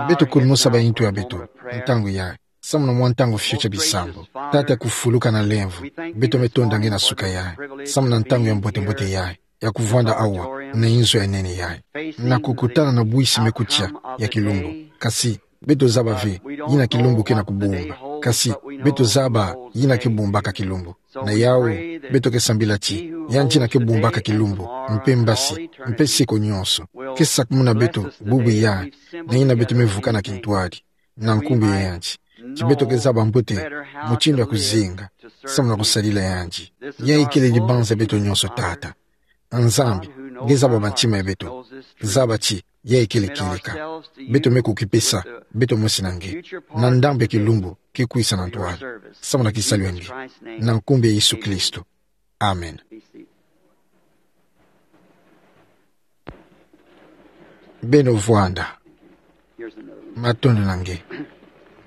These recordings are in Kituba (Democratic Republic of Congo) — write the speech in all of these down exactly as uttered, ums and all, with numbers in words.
Beto kulumosa ba ntu ya beto, ntangu yayi. Samu na mwa ntangu fioti ya bisambu. Tata ya kufuluka na lemvo. Beto me tonda nge na suka yayi. Samu na ntangu ya mbote-mbote yayi. Ya kuvwanda awa, na inzo ya nene yayi. Na kukutana na bwisi me kutia, ya kilumbu. Kasi, beto zaba ve, yina kilumbu kena kubumba. Kasi, beto zaba, yina ke bumbaka kilumbu. Na yawu, beto ke sambila ti, yandi yina ke bumbaka kilumbu, mpe mbasi, mpe seko nyonso. Ke sakumuna beto, bubu yayi, na yina beto me vukana kintwadi. Na nkumbu ya yandi. Ti beto ke zaba mbote, mutindu ya kuzinga, samu na kusadila yandi. Yayi kele dibanza ya beto nyonso tata. Nzambi, nge zaba bantima ya beto. Zaba ti, yayi kele kieleka. Beto me kukipesa, beto mosi na nge. Na ndambu ya kilumbu, ke kwisa na ntwala. Samu na kisalu ya nge. Na nkumbu ya Yesu Kristo. Amen. Beno vwanda. Matondo na nge.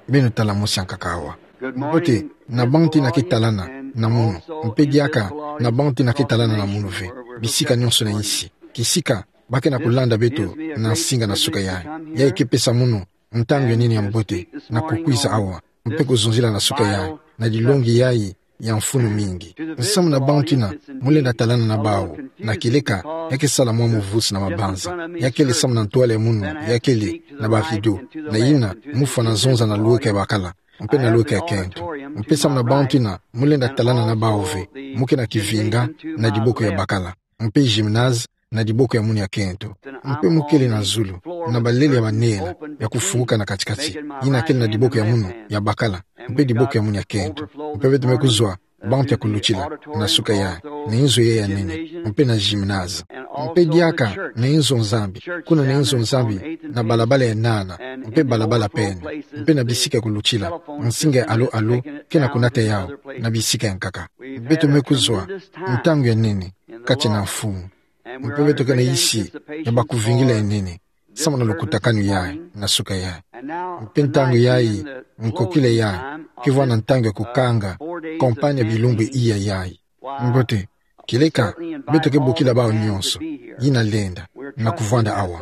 Beno tala mosi ankaka awa. Mbote, na bantu yina ke talana, na munu. Mpe diaka, na bantu yina ke talana na munu ve. Bisika nyonso na insi. Kisika, ba kena kulanda beto, na nsinga na suka yayi. Yayi ke pesa munu, ntangu ya nene ya mbote, na kukwiza awa. Mpe kuzonzila na suka yayi, na dilongi yayi, ya mfunu mingi. Samu na bantu yina, mu lenda talana na bawu, na kieleka, ya ke sala mwa muvusi na mabanza. Ya kele samu na ntwala ya munu, ya kele, na ba rideau, na yina, mu fwana zonza na lweka ya bakala, mpe na lweka ya kento. Mpe samu na bantu yina, mu lenda talana na bawu ve, mu kena kivinga, na diboko ya bakala. Mpe gymnase, na diboko ya munu ya kento. Mpe mu kele na zulu, na balele ya banela, ya kufunguka na kati-kati. Yina kele na diboko ya munu, ya bakala. Mpe diboko ya munu ya kento. Mpe beto me kuzwa, bantu ya kulutila, na suka yayi, na inzo yayi ya nene, mpe na gymnase. Mpe diaka, na inzo Nzambi, kuna na inzo Nzambi, na balabala ya nana, mpe balabala pene, mpe na bisika ya kulutila, nsinga ya alo-alo, kena kunata yawu, na bisika ya nkaka. Beto me kuzwa, ntangu ya nene, kati na Mfumu. Mpe beto ke na insi, ya bakuvingila ya nene, samu na lukutakanu yayi, na suka yayi. Mpe ntangu yayi, nkokila yayi, ke vwanda ntangu ya kukanga, kampanye ya bilumbu iya yayi. Mbote, kieleka, beto ke bokila bawu nyonso, yina lenda, na kuvwanda awa.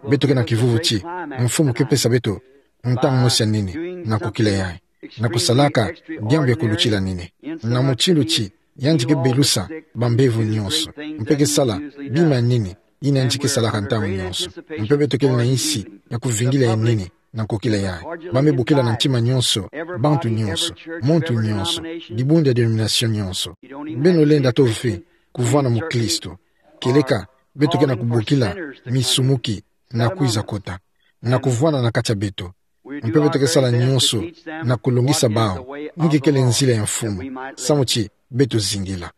Beto ke na kivuvu ti, Mfumu ke pesa beto, ntangu mosi ya nene, na nkokila yayi. Na kusalaka, diambu ya kulutila nene. Na mutindu ti, yandi ke belusa, bambevo nyonso. Mpe ke sala, bima ya nene, yina yandi ke salaka ntangu nyonso. Mpe beto kele na insi, ya kuvingila ya nene, na nkokila yayi. Ba me bokila na ntima nyonso, bantu nyonso, muntu nyonso, dibundu ya denomination nyonso. Beno lenda to ve, kuvwanda mukristu. Kieleka, beto ke na kubokila, misumuki, na kwiza kota. Na kuvwanda na kati ya beto. Mpe beto ke sala nyonso, na kulongisa bawu, nki kele nzila ya Mfumu, samu ti, beto zingila.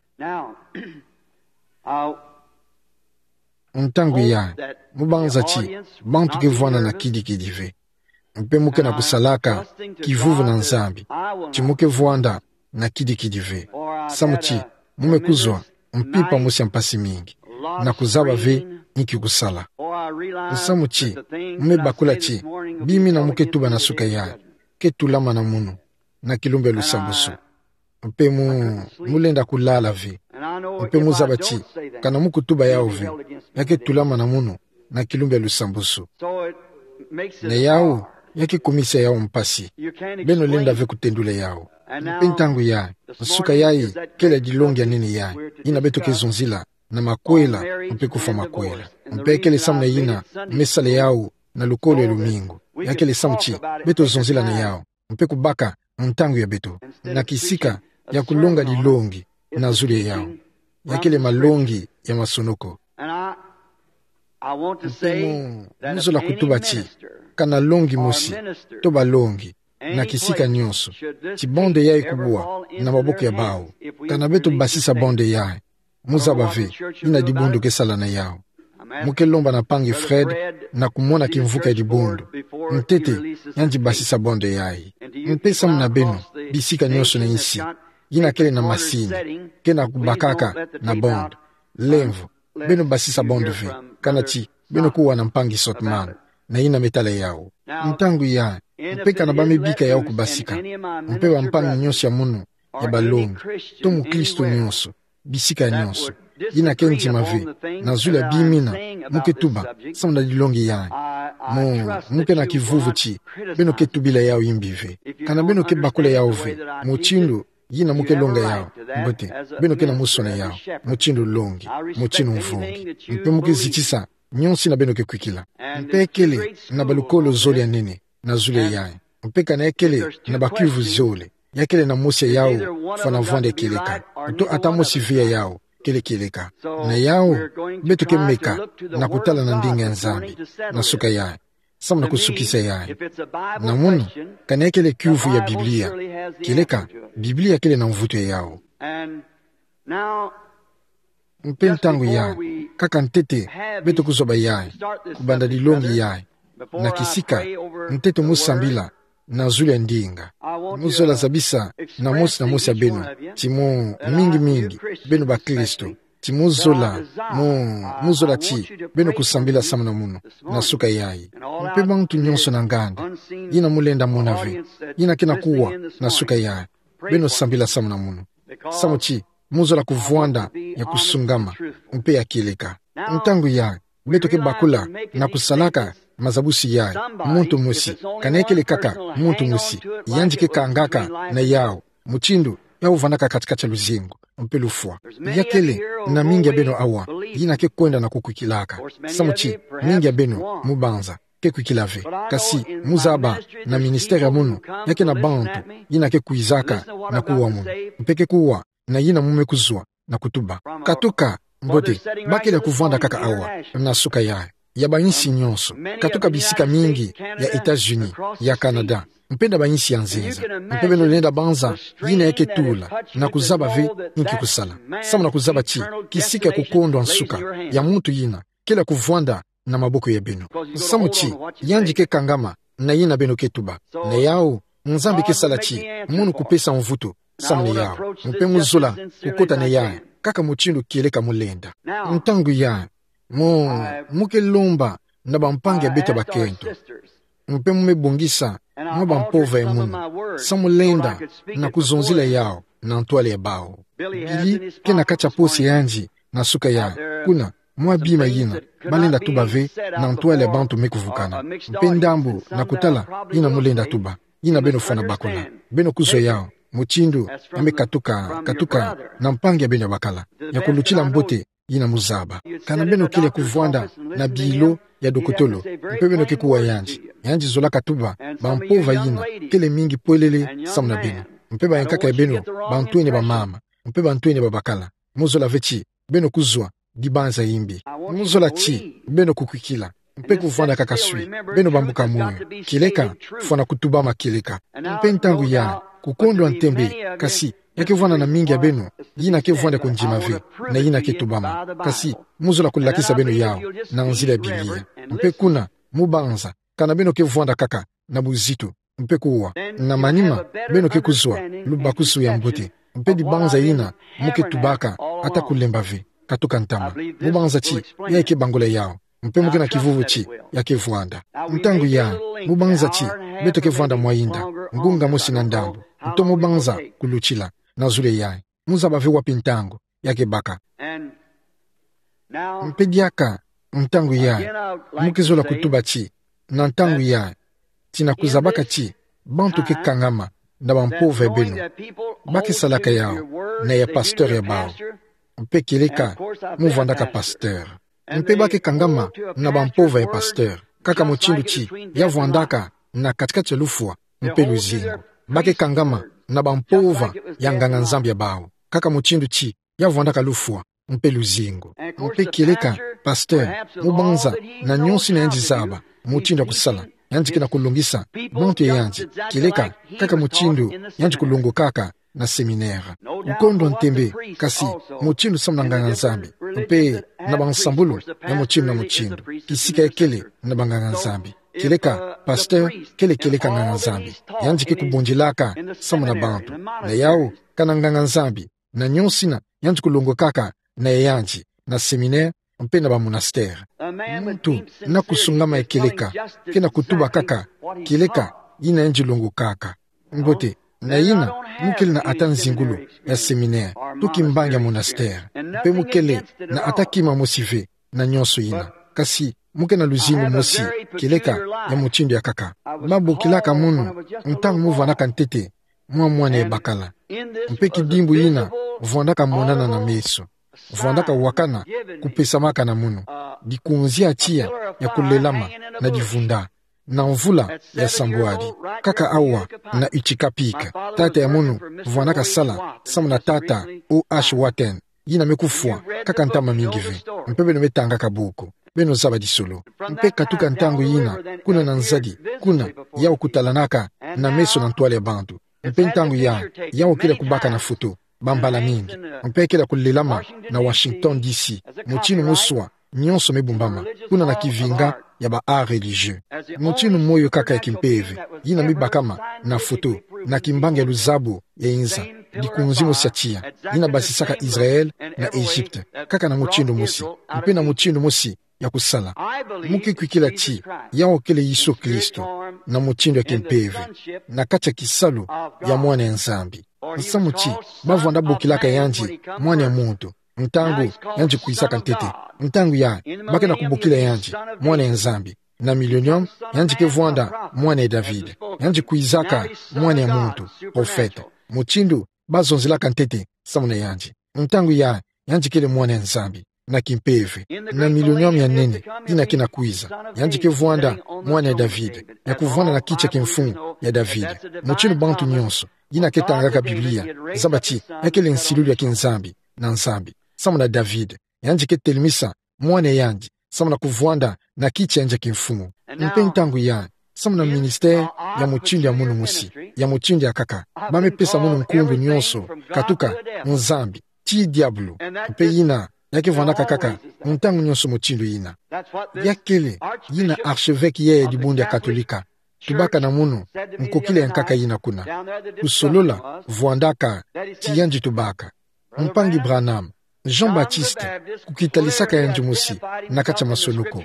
Ntangu yayi, mu banza ti, bantu ke vwanda na kidi-kidi ve. Mpe mu ke na kusalaka, kivuvu na Nzambi, ti mu ke vwanda, na kidi-kidi ve. Samu ti, mu me kuzwa, mpimpa mosi ya mpasi mingi. Na kuzaba ve, nki kusala. Samu ti, mu me bakula ti, bima yina mu ke tuba na suka yayi, ke tulama na munu, na kilumbu ya lusambwasu. Mpe mu, mu lenda kulala ve. Mpe mu zaba ti, kana mu kutuba yawu ve, ya ke tulama na munu, na kilumbu ya lusambwasu. Na yawu, ya ke kumisa yawu mpasi. Beno lenda ve kutendula yawu. Mpe ntangu yayi, nsuka yayi, kele dilongi ya nene yayi, yina beto ke zonzila, na makwela, mpe kufwa makwela. Mpe kele samu na yina, mu me sala yawu, na lukolo ya lumingu. Ya kele samu ti, beto zonzila na yawu. Mpe kubaka, ntangu ya beto. Na kisika, ya kulonga dilongi, na zulu ya yawu. Ya kele malongi, ya masonoko. Mpe mu, mu zola kutuba ti, kana longi mosi, to balongi, na kisika nyonso, ti bande yayi kubwa, na maboko ya bawu, kana beto basisa bande yayi, mu zaba ve, yina dibundu ke sala na yawu. Mu ke lomba na mpangi Fred, na kumona kimvuka ya dibundu. Ntete, yandi basisa bande yayi. Mpe samu na beno, bisika nyonso na insi, yina kele na masini, ke na kubakaka, na bande. Lemvo, beno basisa bande ve, kana ti, beno kuwa na mpangi Sotman, na yina me tala yawu. Ntangu yayi, mpe kana ba me bika yawu kubasika, mpe bampangi nyonso ya munu, ya balongi, to mukristu nyonso, bisika nyonso, yina ke ndima ve, na zulu ya bimina mo ke tuba samu na dilongi yayi. Mo, mo ke na kivuvu ti beno ke tubila yawu imbi ve. Kana beno ke bakula yawu ve mutindu yina mo ke longa yawu, mbote, beno ke na musu na yawu mutindu longi, mutindu mvungi. Mpe mo ke zitisa nionso yina beno ke kwikila. Mpe kele na balukolo zole ya nene na zulu ya yayi. Mpe kana kele na bakiuvu zole, ya kele na mosi ya yawu fwana vwanda kieleka, uto ata mosi ve ya yawu kele kieleka. Na yawu, beto ke meka na kutala na ndinga ya Nzambi na suka yayi, samu na kusukisa yayi. Na mono, kana kele kiuvu ya Biblia, kieleka, Biblia kele na mvutu ya yawu. Mpe ntangu yayi, kaka ntete beto kuzwa bayayi, kubanda dilongi yayi, na kisika, ntete mo sambila na zulu ya ndinga. Mo zola zabisa na mosi na mosi ya beno ti mo, mingi mingi, beno bakristo, ti mo zola, mo, mo zola ti beno kusambila samu na mono na suka yayi. Mpe bantu nionso na nganda, yina mo lenda mona ve, yina ke na kuwa na suka yayi, beno sambila samu na mono. Samu ti mo zola kuvwanda ya kusungama mpe ya kieleka. Ntangu yayi, beto ke bakula na kusalaka mazabusi yayi, muntu mosi, kana kele kaka muntu mosi, yandi ke kangaka na yawu mutindu yawu vwandaka katikati ya luzingu mpe lufwa. Ya kele na mingi ya beno awa yina ke kwenda na kukwikilaka. Samu ti mingi ya beno, mo banza, ke kwikila ve. Kasi mo zaba na ministère ya mono, ya ke na bantu yina ke kwizaka na kuwa mono, mpe ke kuwa na yina mo me kuzwa na kutuba. Katuka, mbote, ba kele ya kuvwanda kaka awa na suka yayi, ya bayinsi nionso, katuka bisika mingi ya États-Unis, ya Canada, mpe na bayinsi ya nzenza. Mpe beno lenda banza yina ya ke tula, na kuzaba ve nki kusala, samu na kuzaba ti kisika ya kukondwa nsuka ya muntu yina kele ya kuvwanda na maboko ya beno. Samu ti yandi ke kangama na yina beno ke tuba. Na yawu, Nzambi ke sala ti mono kupesa mvutu samu na yawu, mpe mo zola kukota na yayi kaka mutindu kieleka mo lenda. Ntangu yayi, mo, mo ke lomba na bampangi ya beto bakento, mpe mo me bongisa mwa bampova ya mono, samu lenda na kuzonzila yawu na ntwala ya bawu. Billy ke na kati ya posi ya yandi na suka yayi, kuna mwa bima yina ba lenda tuba ve na ntwala ya bantu me kuvukana. Mpe ndambu na kutala yina mo lenda tuba, yina beno fwana bakula, beno kuzwa yawu mutindu ya me katuka, katuka na mpangi ya beno ya bakala, ya kulutila mbote yina mo zaba. Kana beno kele ya kuvwanda na bilo ya dokotolo, mpe beno ke kuwa yandi, yandi zolaka tuba bampova yina kele mingi pwelele samu na beno. Mpe bayankaka ya beno bantwenia bamama, mpe bantwenia babakala, mo zola ve ti beno kuzwa dibanza imbi. Mo zola ti beno kukwikila mpe kuvwanda kaka swi, beno bambuka moyo, kieleka, fwana kutubama kieleka. Mpe ntangu yayi, kukondwa ntembe, kasi ya ke vwanda na mingi ya beno yina ke vwanda kundima ve na yina ke tubama. Kasi mo zola kulakisa beno yawu na nzila ya Biblia. Mpe kuna mo banza, kana beno ke vwanda kaka na buzitu mpe kuwa, na manima beno ke kuzwa lubakusu ya mbote, mpe dibanza yina mo ke tubaka ata kulemba ve, katuka ntama. Mo banza ti yayi ke bangula yawu, mpe mo ke na kivuvu ti ya ke vwanda. Ntangu yayi, mo banza ti beto ke vwanda mwa inda, ngunga mosi na ndambu, nto mo banza kulutila na zulu ya yayi. Mo zaba ve wapi ntangu ya ke baka. Mpe diaka, ntangu yayi, mo ke zola kutuba ti, na ntangu yayi, ti na kuzabaka ti bantu ke kangama na bampova ya beno, ba ke salaka yawu na ya pasteur ya bawu, mpe kieleka mo vwandaka pasteur. Mpe ba ke kangama na bampova ya pasteur, kaka mutindu ti ya vwandaka na katikati ya lufwa mpe luzingu. Ba ke kangama na bampova ya nganga-Nzambi ya bawu, kaka mutindu ti ya vwandaka lufwa mpe luzingu. Mpe kieleka, pasteur, mo banza, na nionso yina yandi zaba, mutindu ya kusala, yandi ke na kulongisa bantu ya yandi, kieleka, kaka mutindu yandi kulongokaka na séminaire. Kukondwa ntembe, kasi mutindu samu na nganga-Nzambi, mpe na bansambulu ya mutindu na mutindu, kisika ya kele na banganga-Nzambi. Kieleka, pasteur kele kieleka nganga-Nzambi, yandi ke kubondilaka samu na bantu. Na yawu, kana nganga-Nzambi, na nionso yina yandi kulongokaka na ya yandi, na séminaire, mpe na bamonastère. Muntu na kusungama ya kieleka, ke na kutuba kaka kieleka yina yandi longokaka. Mbote, na yina, Mu kele na ata nzingulu ya séminaire, to kimbangi ya monastère. Mpe mu kele na ata kima mosi ve na nyonso ina. Kasi mu ke na luzingu mosi kieleka ya mutindu ya nkaka. Ba bokilaka munu ntangu mu vwandaka ntete mwa mwana ya bakala. Mpe kidimbu ina vwandaka monana na meso, vwandaka wakana, kupesamaka na munu dikunzi ya tiya ya kulelama na divunda, na mvula ya sambwadi. Nkaka awa na Utica Peak, tata ya munu vwandaka sala samu na tata O H Wharton, yina me kufwa nkaka ntama mingi ve. Mpe beno me tangaka buku, beno zaba disolo. Mpe katuka ntangu yina, kuna na nzadi, kuna, yau kutalanaka na meso na ntwala ya bantu. Mpe ntangu ya, yau kele kubaka na foto bambala mingi. Mpe kele kulelama na Washington D C, mutindu mu swa nyonso me bumbama kuna na kivinga ya ba art religieux. Mutindu moyo nkaka ya kimpeve yina me bakama na foto na kimbangi ya luzabu ya inza, dikunzi mosi ya tiya yina basisaka Israël na Égypte, nkaka na mutindu mosi, mpe na mutindu mosi ya kusala. Mu ke kwikila ti yau kele Yesu Kristo na mutindu ya kimpeve, na kati ya kisalu ya Mwana ya Nzambi. Nsamu ti ba vwanda bokilaka yandi Mwana ya muntu ntangu yandi kwizaka ntete. Ntangu ya, ba ke na kubokila yandi Mwana ya Nzambi. Na millénium, yandi ke vwanda Mwana ya David. Yandi kwizaka Mwana ya muntu, prophète. Mutindu ba zonzelaka ntete samu na yandi. Ntangu ya, yandi kele Mwana ya Nzambi na kimpeve. Na millénium ya nene yina ke na kwiza, yandi ke vwanda Mwana ya David, ya kuvwanda na kiti ya kimfumu ya David. Mutindu bantu nyonso yina ke tangaka Biblia zaba ti ya kele nsilulu ya kinzambi na Nzambi. Samu na David, yandi ke telemisa mwana yandi samu na kuvwanda na kiti ya nza kimfumu. Mpe ntangu ya, samu na ministère ya mutindu ya munu mosi, ya mutindu ya nkaka, ba me pesa munu nkumbu nyonso katuka Nzambi tii diabulu. Mpe yina ya ke vwandaka nkaka ntangu nyonso mutindu yina. Ya kele yina archevêque ya, ya dibundu ya Katolika tubaka na munu, nkokila ya nkaka yina kuna. Kusolola vwandaka ti yandi tubaka: Mpangi Branham, Jean-Baptiste kukitalisaka yandi mosi na kati ya masonoko,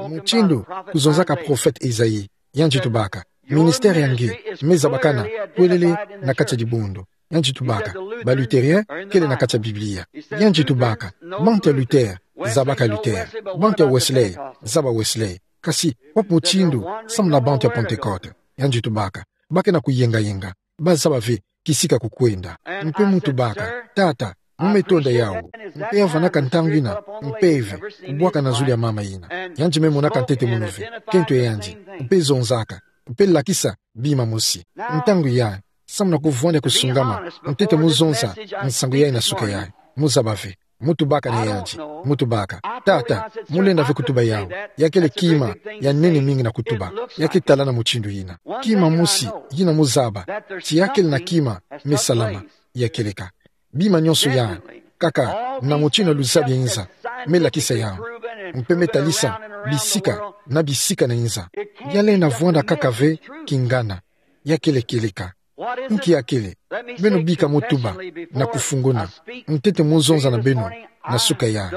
mutindu kuzonzaka prophète Esaïe. Yandi tubaka: Ministère ya nge me zabakana kwelele na kati ya dibundu. Yandi tubaka: Ba Luthériens kele na kati ya Biblia. Yandi tubaka: Bantu ya Luther zabaka Luther, bantu ya Wesley zaba Wesley. Kasi wapi mutindu samu na bantu ya Pentecôte? Yandi tubaka: Ba ke na kuyengayenga, ba zaba ve kisika kukwenda. Mpe mu tubaka: Tata, mu me tonda yau. Mpe ya vwandaka ntangu yina mpeve kubwaka na zulu ya mama yina. Yandi me monaka ntete munu ve nkento ya yandi, mpe zonzaka, mpe lakisa bima mosi. Ntangu ya, samu na kuvwanda kusungama ntete mu zonza nsangu yayi na suka yayi, mu zaba ve. Mu tubaka na yandi, mu tubaka: Tata, mu lenda ve kutuba yau. Ya kele kima ya nene mingi na kutuba. Ya ke talana mutindu yina. Kima mosi yina mu zaba ti ya kele na kima me salama. Ya kieleka bima nyonso ya, nkaka, na mutindu ya luzabu ya inza, me lakisa yau, mpe me talisa bisika na bisika na inza. Ya lenda vwanda nkaka ve kingana. Ya kele kieleka. Nki ya kele? Beno bika mu tuba na kufunguna ntete mu zonza na beno na suka ya,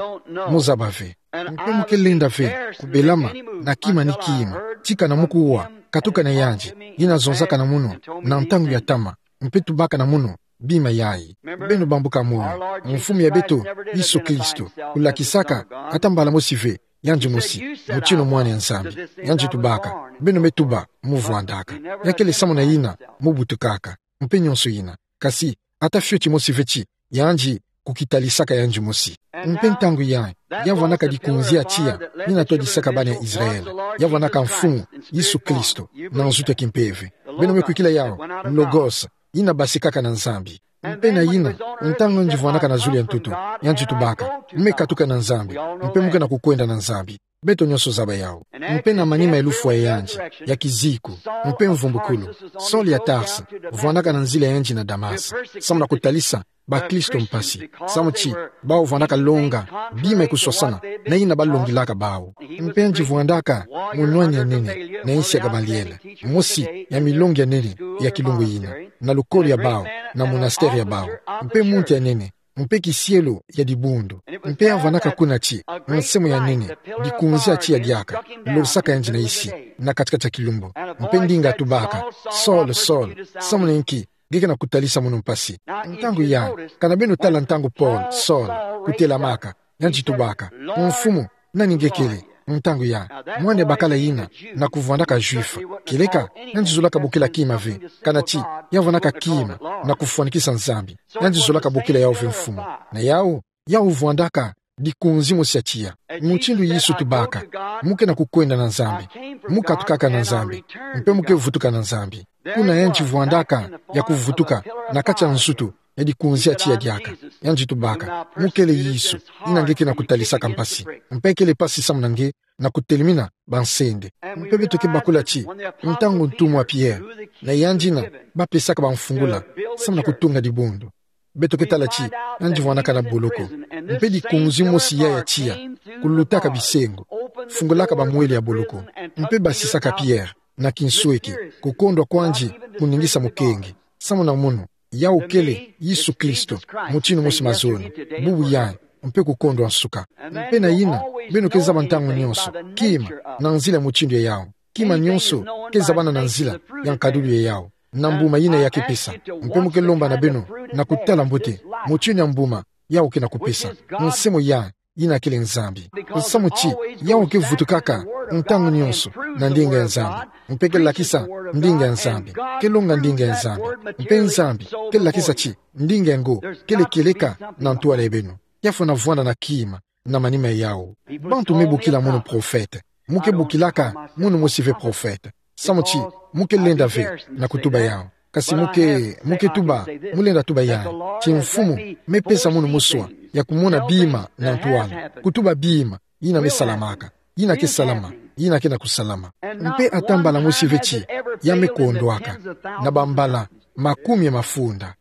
mu zaba ve. Mpe mu ke lenda ve kubelama na kima ni kima, tika na mu kuwa katuka na yandi yina zonzaka na munu na ntangu ya ntama, mpe tubaka na munu bima yayi. Beno bambuka moyo, Mfumu ya beto Yesu Kristo kulakisaka ata mbala mosi ve yandi mosi mutindu Mwana ya Nzambi. Yandi tubaka: Beno me tuba, mu vwandaka. Ya kele samu na yina mu butukaka, mpe nyonso yina. Kasi ata fioti mosi ve ti yandi kukitalisaka yandi mosi. Mpe ntangu ya, ya vwandaka dikunzi ya tiya yina twadisaka bana ya Israël. Ya vwandaka Mfumu Yesu Kristo na nzutu ya kimpeve. Beno me kwikila yau Logos, yina basikaka na Nzambi. Mpe na yina, ntangu yandi vwandaka na zulu ya ntoto, yandi tubaka: Mu me katuka na Nzambi, mpe mu ke na kukwenda na Nzambi. Beto nyonso zaba yau. Mpe na manima ya lufwa ya yandi ya kiziku, mpe mvumbukulu, Saul ya Tarse vwandaka na nzila ya yandi na Damas, samu na kutalisa bakristo mpasi, samu ti bau vwandaka longa bima ya kuswasana na yina balongilaka bau. Mpe yandi vwandaka munwani ya nene na insi ya Gamaliel, mosi ya milongi ya nene ya kilungu yina, na lukolo ya bau, na monastère ya bau, mpe muntu ya nene, mpe kisielo ya dibundu. Mpe ya vwandaka kuna ti nsemwa ya nene, dikunzi ya tiya diaka losaka yandi na insi, na kati-kati ya kilumbu. Mpe ndinga tubaka: Saul, Saul, samu na inki nge ke na kutalisa mono mpasi. Ntangu ya, kana beno tala ntangu Paul, Saul, kutelamaka, yandi tubaka: Mfumu, nani nge kele? Ntangu ya, mwana bakala yina, na kuvwandaka Juif. Kieleka, yandi zolaka bokila kima ve, kana ti ya vwandaka kima na kufwanikisa Nzambi. Yandi zolaka bokila yau ve mfumu. Na yau, yau vwandaka dikunzi mosi ya tiya. Mutindu Yesu tubaka: Mu ke na kukwenda na Nzambi, mu katukaka na Nzambi, mpe mu ke vutuka na Nzambi. Kuna yandi vwandaka ya kuvutuka na kati ya nsutu ya dikunzi ya tiya diaka. Yandi tubaka: Mu kele Yesu, yina nge ke na kutalisaka mpasi. Mpe kele mpasi samu na nge na kutelemina bansende. Mpe beto ke bakula ti, ntangu ntumwa Pierre na yandi yina bapesaka bamfungula samu na kutunga dibundu, beto ke tala ti yandi vwandaka na boloko. Mpe dikunzi mosi ya ya tiya, kulutaka bisengo, fungulaka bamweli ya boloko, mpe basisaka Pierre na kinsweki, kukondwa kwandi kuningisa mukenge. Samu na mono, yau kele Yesu Kristo, mutindu mosi mazono, bubu yayi, mpe kukondwa nsuka. Mpe na yina, beno ke zaba ntangu nyonso kima na nzila ya mutindu ya yau. Kima nyonso ke zabana na nzila ya nkadulu ya yau, na mbuma yina ya ke pesa. Mpe mu ke lomba na beno na kutala mbote mutindu ya mbuma yau ke na kupesa. Nse moya, yina kele Nzambi. Samu ti yau ke vutukaka ntangu nyonso na ndinga ya Nzambi, mpe ke lakisa ndinga ya Nzambi, ke longa ndinga ya Nzambi. Mpe Nzambi ke lakisa ti ndinga yango kele kieleka na ntwala ya beno. Ya fwana vwanda na kima na manima ya yau. Bantu me bokila mono prophète. Mu ke bokilaka mono mosi ve prophète, samu ti mu ke lenda ve na kutuba yau. Kasi mu ke, mu ke tuba, mu lenda tuba yayi ti Mfumu me pesa mono moswa ya kumona bima na ntwala, kutuba bima yina me salamaka, yina ke salama, yina ke na kusalama. Mpe ata mbala mosi ve ti ya me kondwaka, na bambala makumi ya mafunda.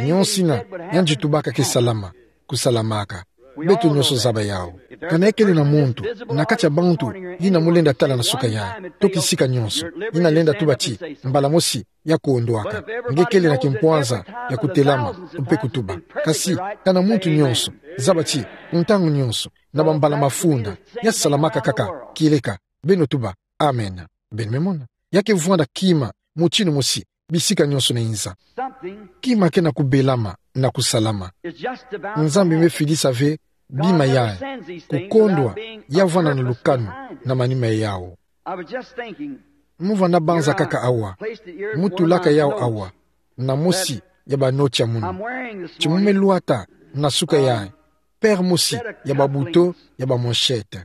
Nyonso yina yandi tubaka ke salama, kusalamaka. Beto nyonso zaba yau. Kana ya kele na muntu na kati ya bantu yina mu lenda tala na suka yayi, to kisika nyonso, yina lenda tuba ti mbala mosi ya kondwaka, nge kele na kimpwanza ya kutelama mpe kutuba. Kasi kana muntu nyonso, zaba ti ntangu nyonso, na bambala mafunda, ya salamaka kaka, kieleka beno tuba: Amen. Beno me mona? Ya ke vwanda kima mutindu mosi bisika nyonso na inza. Kima ke na kubelama na kusalama. Nzambi me fidisa ve bima yayi, kukondwa ya vwanda na lukanu na manima ya yau. Mu vwanda banza kaka awa, mu tulaka yau awa na mosi ya banoti ya munu. Ti mu me lwata na suka yayi paire mosi ya babuto ya bamanchette.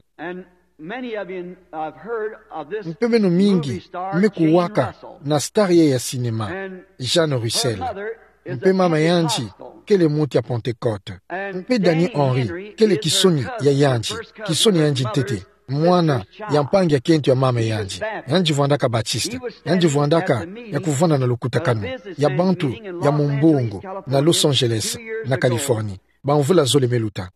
Mpe beno mingi me kuwaka na star yayi ya cinéma, Jane Russell. Mpe mama yandi kele muntu ya Pentecôte. Mpe Danny Henry kele kisoni ya yandi, kisoni ya yandi ntete, mwana ya mpangi ya kento ya mama yandi. Yandi vwandaka Baptiste. Yandi vwandaka ya kuvwanda na lukutakanu ya bantu ya mumbongo na Los Angeles, na Californie, bamvula zole me luta.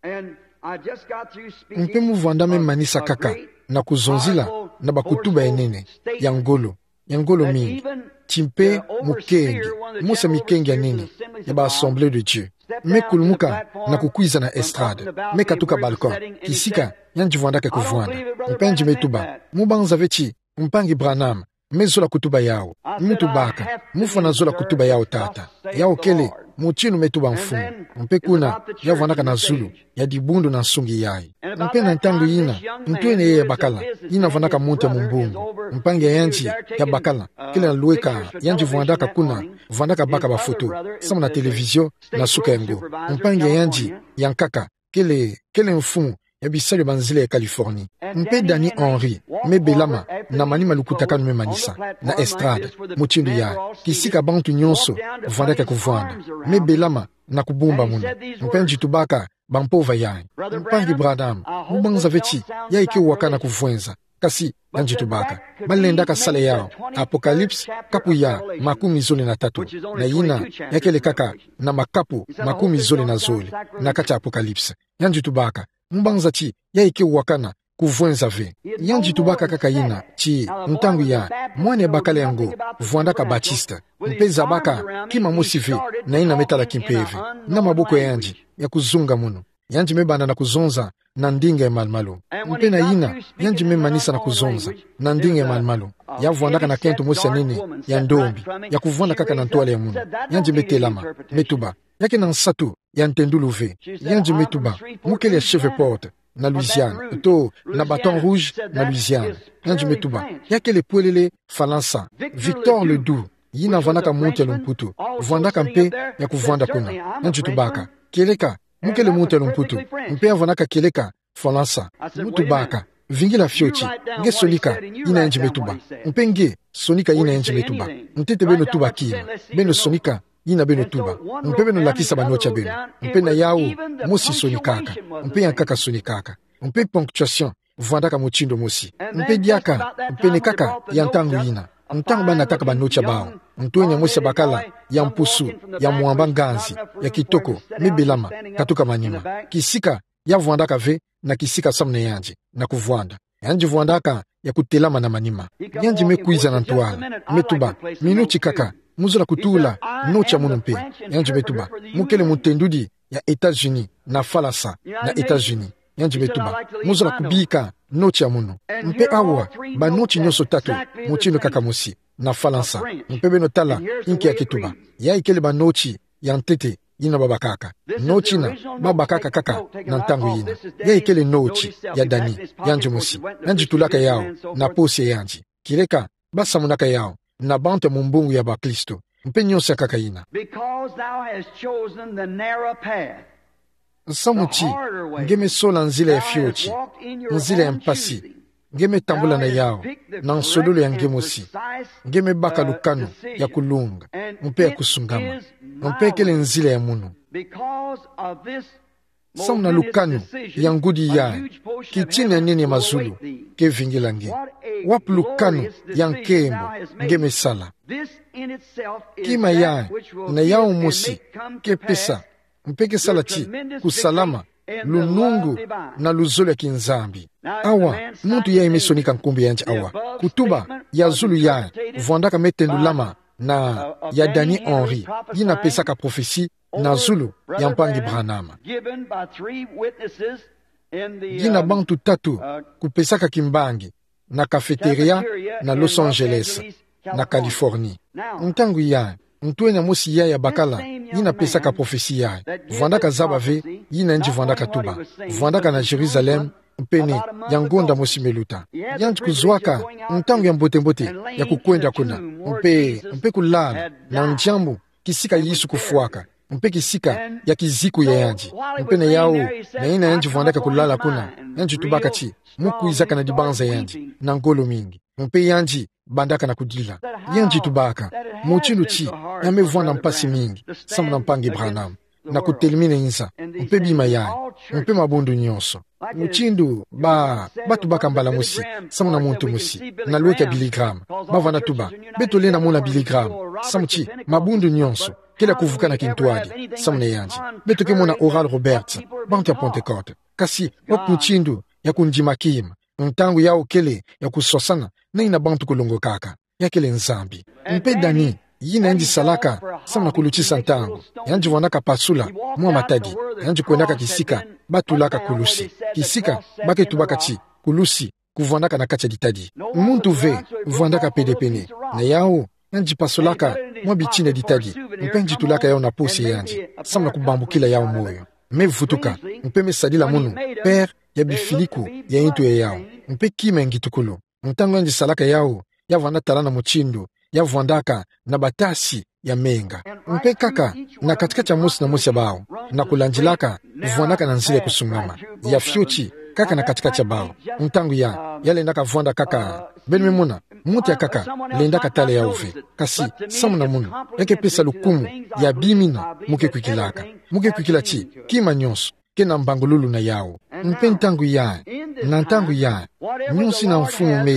Mpe mu vwanda me manisa kaka na kuzonzila na bakutuba ya nene, ya ngolo, ya ngolo mingi. Ti mpe mukenge, mosi ya mikenge ya nene ya ba Assemblée de Dieu, me kulumuka na kukwiza na estrade, me katuka balcon, kisika yandi vwandaka kuvwanda. Mpe yandi me tuba: Mu banza ve ti mpangi Branham me zola kutuba yau? Mu tubaka: Mu fwana zola kutuba yau, tata. Yau kele mutindu me tuba Mfumu. Mpe kuna ya vwandaka na zulu ya dibundu na nsungi yayi. Mpe na ntangu yina, ntwenia yayi ya bakala, yina vwandaka muntu ya mumbongo, mpangi ya yandi ya bakala kele na lweka, yandi vwandaka kuna, vwandaka baka bafoto samu na télévision na suka yango. Mpangi ya yandi ya nkaka kele, kele mfumu ya bisalu ya banzila ya Californie. Mpe Danny Henry me belama na manima lukutakanu me manisa na estrade, mutindu yayi, kisika bantu nyonso vwandaka kuvwanda, me belama na kubumba munu. Mpe yandi tubaka bampova yayi: Mpangi Branham, mu banza ve ti yayi ke wakana kuvwenza. Kasi yandi tubaka: Ba lendaka sala yau Apocalypse, kapu ya makumi zole na tatu, na yina ya kele kaka na makapu makumi zole na zole na kati ya Apocalypse. Yandi tubaka: Mu banza ti yayi ke wakana kuvwenza ve? Yandi tubaka kaka yina, ti ntangu ya mwana ya bakala yango vwandaka Baptiste, mpe zabaka kima mosi ve na yina me tala kimpeve na maboko ya yandi ya kuzunga munu. Yandi me banda na kuzonza na ndinga ya malumalu. Mpe na yina, yandi me manisa na kuzonza na ndinga ya malumalu, ya vwandaka na kento mosi ya nene ya ndombi, ya kuvwanda kaka na ntwala ya munu. Yandi me telama, me tuba: Ya ke na nsatu ya ntendulu ve? Yandi me tuba: Mu kele ya Shreveport, na Louisiane, to na Baton Rouge, na Louisiane. Yandi me tuba: Ya kele pwelele Falansa. Victor Ledoux, yina vwandaka muntu ya lumputu, vwandaka mpe ya kuvwanda kuna. Yandi tubaka: Kieleka, mu kele muntu ya lumputu, mpe ya vwandaka kieleka Falansa. Mu tubaka: Vingila fioti, nge sonika yina yandi me tuba. Mpe nge sonika yina yandi me tuba. Ntete beno tuba kima. Beno sonika yina beno tuba. Mpe beno lakisa banoti ya beno. Mpe na yawu mosi sonikaka. Mpe ya nkaka sonikaka. Mpe ponctuation vwandaka mutindu mosi. Mpe diaka, mpe ni kaka ya ntangu yina, ntangu ba nataka banoti ya bawu, ntwenya mosi ya bakala ya mpusu, ya mwamba nganzi, ya kitoko, me belama katuka manima. Kisika ya vwandaka ve na kisika samu na yandi na kuvwanda. Yandi vwandaka ya kutelama na manima. Yandi me kwiza na ntwala, me tuba: Minuti kaka, mu zola kutula noti ya munu mpe. Yandi me tuba: Mu kele mutendudi ya États-Unis, na Falansa, na États-Unis. Yandi me tuba: Mu zola kubika noti ya munu. Mpe awa, banoti nyonso tatu mutindu kaka mosi, na Falansa. Mpe beno tala inki ya ke tuba. Ya ikele banoti ya ntete yina ba bakaka. Noti yina ba bakaka kaka na ntangu yina. Ya ikele noti ya Dany, yandi mosi. Yandi tulaka yawu na posi ya yandi. Kieleka ba samunaka yawu na bantu ya mumbungu ya bakristo. Mpe nyonso ya nkaka yina. Because thou hast chosen the narrow path, samu ti nge me sola nzila ya fioti, nzila ya mpasi, nge me tambula na yawu na nsololo ya nge mosi. Nge me baka lukanu ya kulunga mpe ya kusungama, mpe kele nzila ya munu. Samu na lukanu ya ngudi yayi, kitina ya nene ya mazulu ke vingila nge. Wapi lukanu ya nkembo nge me sala? Kima yayi na yawu mosi ke pesa mpe ke sala ti kusalama, lunungu na luzolo ya kinzambi. Awa, muntu yayi me sonika nkumbu ya yandi awa, kutuba ya zulu yayi vwandaka me tendulama na ya Dany Henry, yina pesaka prophetie na zulu ya mpangi Branham. Yina bantu tatu kupesaka kimbangi na cafeteria na Los Angeles, na Californie. Ntangu yayi, ntwenya mosi yayi ya bakala, yina pesaka prophetie yayi, vwandaka zaba ve yina yandi vwandaka tuba, vwandaka na Jérusalem, mpene ya ngonda mosi me luta. Yandi kuzwaka ntangu ya mbote-mbote ya kukwenda kuna, mpe, mpe kulala na ndiambu kisika Yesu kufwaka, mpe kisika ya kiziku ya yandi. Mpe na yawu, na yina yandi vwandaka kulala kuna, yandi tubaka ti mu kwizaka na dibanza yandi na ngolo mingi. Mpe yandi bandaka na kudila. Yandi tubaka mutindu ti ya me vwanda mpasi mingi samu na mpangi Branham na kutelimina nza mpe bima yayi, mpe mabundu nyonso. Mutindu ba, ba tubaka mbala mosi samu na muntu mosi na lweke ya Billy Graham, ba vwanda tuba: Beto lenda mona Billy Graham, samu ti mabundu nyonso kele ya kuvukana kintwadi samu na yandi. Beto ke mona Oral Roberts, bantu ya Pentecôte. Kasi wapi mutindu ya kundima kima? Ntangu yawu kele ya kuswasana na yina bantu kulongokaka. Ya kele Nzambi. Mpe Dany, yina yandi salaka samu na kulutisa ntangu, yandi vwandaka pasula mwa matadi, yandi kwendaka kisika ba tulaka kulusi, kisika ba ke tubaka ti kulusi kuvwandaka na kati ya ditadi. Muntu ve vwandaka pede pene na yawu, yandi pasulaka mwa bitina ya ditadi, mpe yandi tulaka yawu na posi ya yandi samu na kubambukila yawu moyo. Me vutuka, mpe me sadila munu paire ya bifiliku ya ntu ya yawu, mpe kima ya ngitukulu. Ntangu yandi salaka yawu, ya vwanda tala na mutindu ya vwandaka na batasi ya menga. Mpe kaka na kati-kati ya mosi na mosi ya bawu, na kulandilaka, vwandaka na nzila ya kusungama ya fioti kaka na kati-kati ya bawu. Ntangu yayi, ya lendaka vwanda kaka, beno me mona, muntu ya nkaka lendaka tala yawu ve. Kasi samu na munu, ya ke pesa lukumu ya bima yina mu ke kwikilaka. Mu ke kwikila ti kima nyonso ke na mbangululu na yawu. Mpe ntangu yayi, na ntangu yayi, nyonso yina mfumu me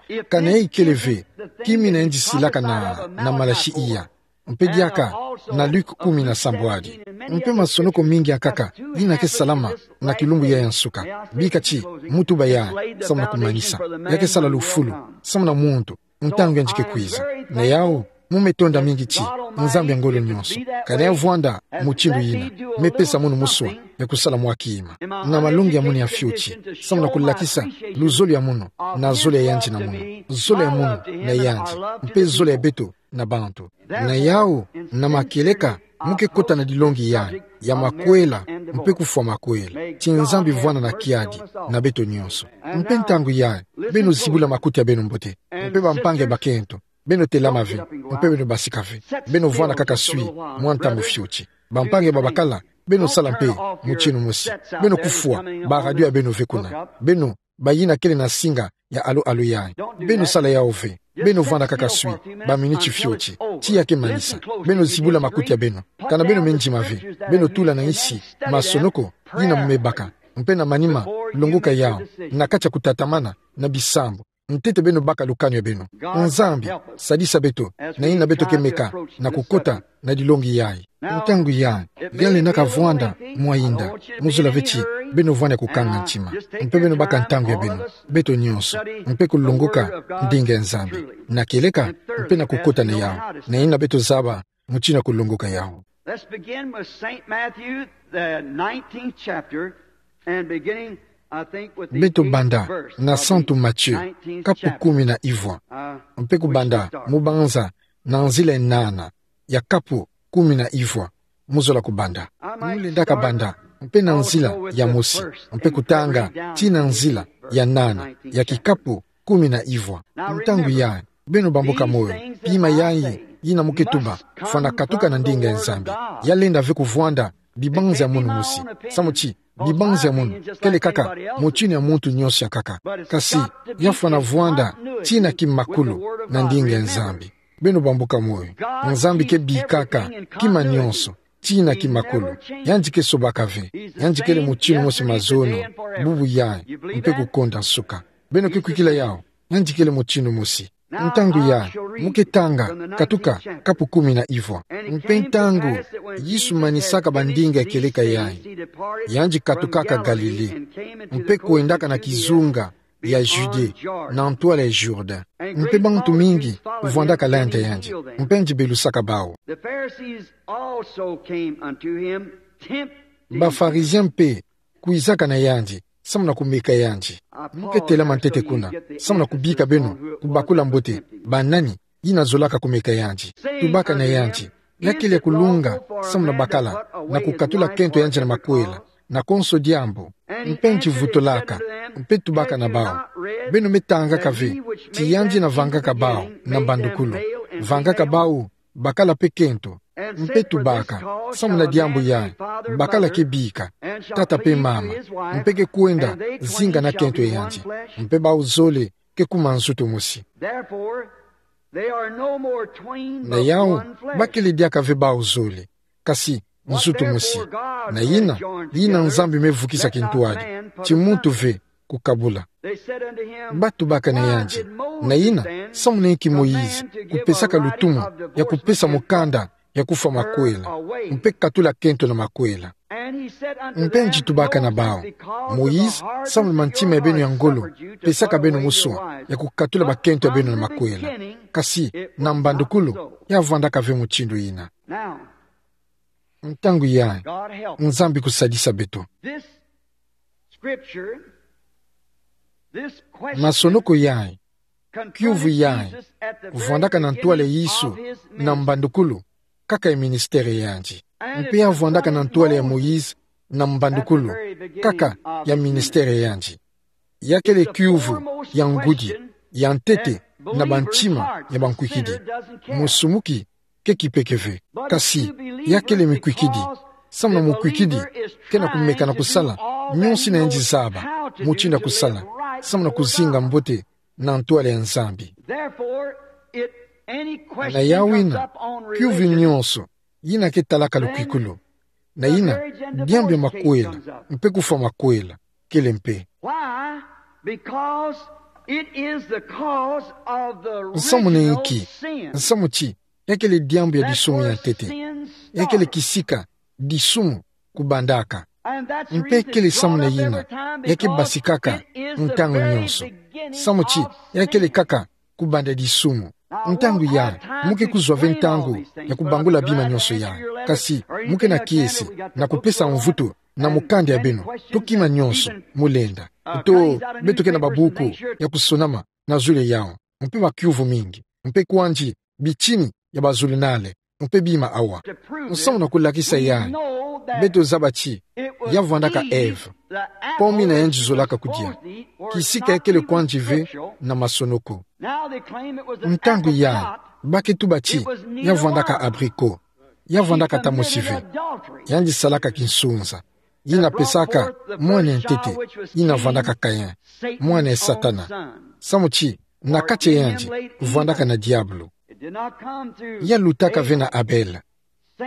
ye, kana ya ikele ve kima yina yandi silaka na, na Malaki iya, mpe diaka na Luke kumi na sambwadi. Mpe masonoko mingi ya nkaka yina ke salama na kilumbu yayi ya nsuka. Bika ti mu tuba yayi samu na kumanisa. Ya ke sala lufulu samu na muntu, ntangu yandi ke kwiza. Na yawu, Mu me tonda mingi ti Nzambi ya ngolo nyonso, ka na ya vwanda mutindu yina, me pesa munu muswa ya kusala mwa kima. Na malongi ya munu ya fioti, samu na kulakisa luzolo ya munu, na zolo ya yandi na munu, zolo ya munu na yandi, mpe zolo ya beto na bantu. Na yau, na makieleka, mu ke kota na dilongi yayi, ya makwela, mpe kufwa makwela. Ti Nzambi vwanda na kiadi na beto nyonso. Mpe ntangu yayi, beno zibula makuti ya beno mbote, mpe bampangi ya bakento, beno telama ve, mpe beno basika ve. Beno vwanda kaka swi mwa ntangu fioti. Bampangi ya babakala, beno sala mpe mutinu mosi. Beno kufwa ba radio ya beno ve kuna. Beno bayina kele na singa ya alo-alo yayi. Beno sala yau ve. Beno vwanda kaka swi ba miniti fioti. Tiya ke manisa. Beno zibula makuti ya beno. Kana beno me ndima ve, beno tula na nsi masonoko yina mu me baka, mpe na manima longoka yau, na kati ya kutatamana na bisambu, ntete beno baka lukanu ya beno. Nzambi, sadisa beto, na yina beto ke meka na kukota na dilongi yayi. Ntangu yayi, ya lenda ka vwanda mwa yinda, mu zola ve ti beno vwanda ya kukanga ntima, mpe beno baka ntangu ya beno. Beto nyonso, mpe kulongoka ndinga ya Nzambi na kieleka, mpe na kukota na yau, na yina beto zaba mutindu ya kulongoka yau. Let's begin with Saint Matthew, the nineteenth chapter, and beginning, I think, with the Beto banda eighth verse na of the Santu Matthieu, nineteenth kapu chapter. Kumi na ivwa. Uh, mpe kubanda which we start. Mu banza na nzila ya nana ya kapu kumi na ivwa. Mu zola kubanda. Mu lenda ka banda mpe na nzila ya mosi, mpe kutanga tii na nzila ya nana ya kikapu kumi na ivwa. Ntangu yayi, beno bambuka moyo, pima yayi yina mu ke tuba, fwana katuka na ndinga ya Nzambi. Ya lenda ve kuvwanda bibanza ya munu mosi. Samu ti bibanza ya munu kele kaka mutinu ya muntu nyonso ya nkaka. Kasi, ya fwana vwanda tii na kimakulu na ndinga ya Nzambi. Beno bambuka moyo. Nzambi ke bikaka kima nyonso tii na kimakulu. Yandi ke sobaka ve. Yandi kele mutinu mosi mazono, bubu yayi, mpe kukonda nsuka. Beno ke kwikila yau, yandi kele mutinu mosi. Ntangu yayi, mu ke tanga katuka kapu kumi na ivwa. Mpe ntangu Yesu manisaka bandinga ya kieleka yayi, yandi katukaka Galilée, mpe kwendaka na kizunga ya Judée, na ntwala ya Jourdain. Mpe bantu mingi vwandaka landa yandi, mpe yandi belusaka bau. The Pharisees also came unto him, tempting him. Ba Pharisiens mpe kwizaka na yandi, samu na kumeka yandi. Mu ke telama ntete kuna, samu na kubika beno kubakula mbote ba nani yina zolaka kumeka yandi. Tubaka na yandi, ya kele ya kulunga samu na bakala na kukatula kento yandi na makwela, na konso diambu. Mpe yandi vutulaka, mpe tubaka na bau: Beno me tangaka ve ti yandi yina vangaka bau na mbandukulu, vangaka bau bakala mpe kento? Mpe tubaka: Samu na diambu yayi, bakala ke bika tata mpe mama, mpe ke kwenda zinga na kento ya yandi, mpe bau zole ke kuma nzutu mosi. Therefore, they are no more twain, but one flesh. Na yau, ba kele diaka ve bau zole, kasi nzutu mosi. Na yina, yina Nzambi me vukisa kintwadi, ti muntu ve kukabula. Ba tubaka na yandi: Na yina, samu na inki Moïse kupesaka lutumu ya kupesa mukanda ya kufwa makwela, mpe katula kento na makwela? Mpe yandi tubaka na bau: Moïse, samu na mantima ya beno ya ngolo, pesaka beno muswa ya kukatula bakento ya beno na makwela. Kasi na mbandukulu, ya vwandaka ve mutindu yina. Ntangu yayi, Nzambi kusadisa beto. Masonoko yayi, kiuvu yayi, vwandaka na ntwala ya Yesu na mbandukulu, kaka ya ministère ya yandi. Mpe ya vwandaka na ntwala ya Moïse na mbandukulu, kaka ya ministère ya yandi. Ya kele kiuvu ya ngudi ya ntete na bantima ya bankwikidi. Musumuki ke kipeke ve. Kasi, ya kele mikwikidi, samu na mukwikidi kena kumeka na kusala nyonso yina yandi zaba mutindu ya kusala, samu na kuzinga mbote na ntwala ya Nzambi. Therefore, it, any question comes up on religion. Na yau yina, kiuvu nyonso yina ke talaka lukwikulu, na yina, diambu ya makwela mpe kufwa makwela kele mpe. Why? Because it is the cause of the original sin. Nsamu na inki? Nsamu ti ya kele diambu ya disumu ya ntete. That's where sin started. Ya kele kisika disumu kubandaka. Mpe kele samu na yina ya ke basikaka ntangu nyonso. Samu ti ya kele kaka kubanda disumu. Ntangu ya, mu ke kuzwa ve ntangu ya kubangula bima nyonso ya. Kasi, mu ke na kiese, na kupesa mvutu, na mukanda ya beno, to kima nyonso, mu lenda. To, beto ke na babuku, ya kusonama, na zulu yawu. Mpe makiuvu mingi. Mpe kwandi, bitini, ya bazulunale. Mpe bima awa. Nsamu na kulakisa ya. Beto zaba ti, ya vwandaka Ève. Pomme yina yandi zolaka kudia. Kisika ya kele kwandi ve na masono ko. Ntangu ya, ba ke tuba ti, ya vwandaka abricot. Ya vwandaka ta mosi ve. Yandi salaka kinsunza. Yina pesaka, mwana ya ntete. Yina vwandaka Caïn. Mwana ya Satana. Samu ti, na kati ya yandi, vwandaka na diabulu. Ya lutaka ve na Abel.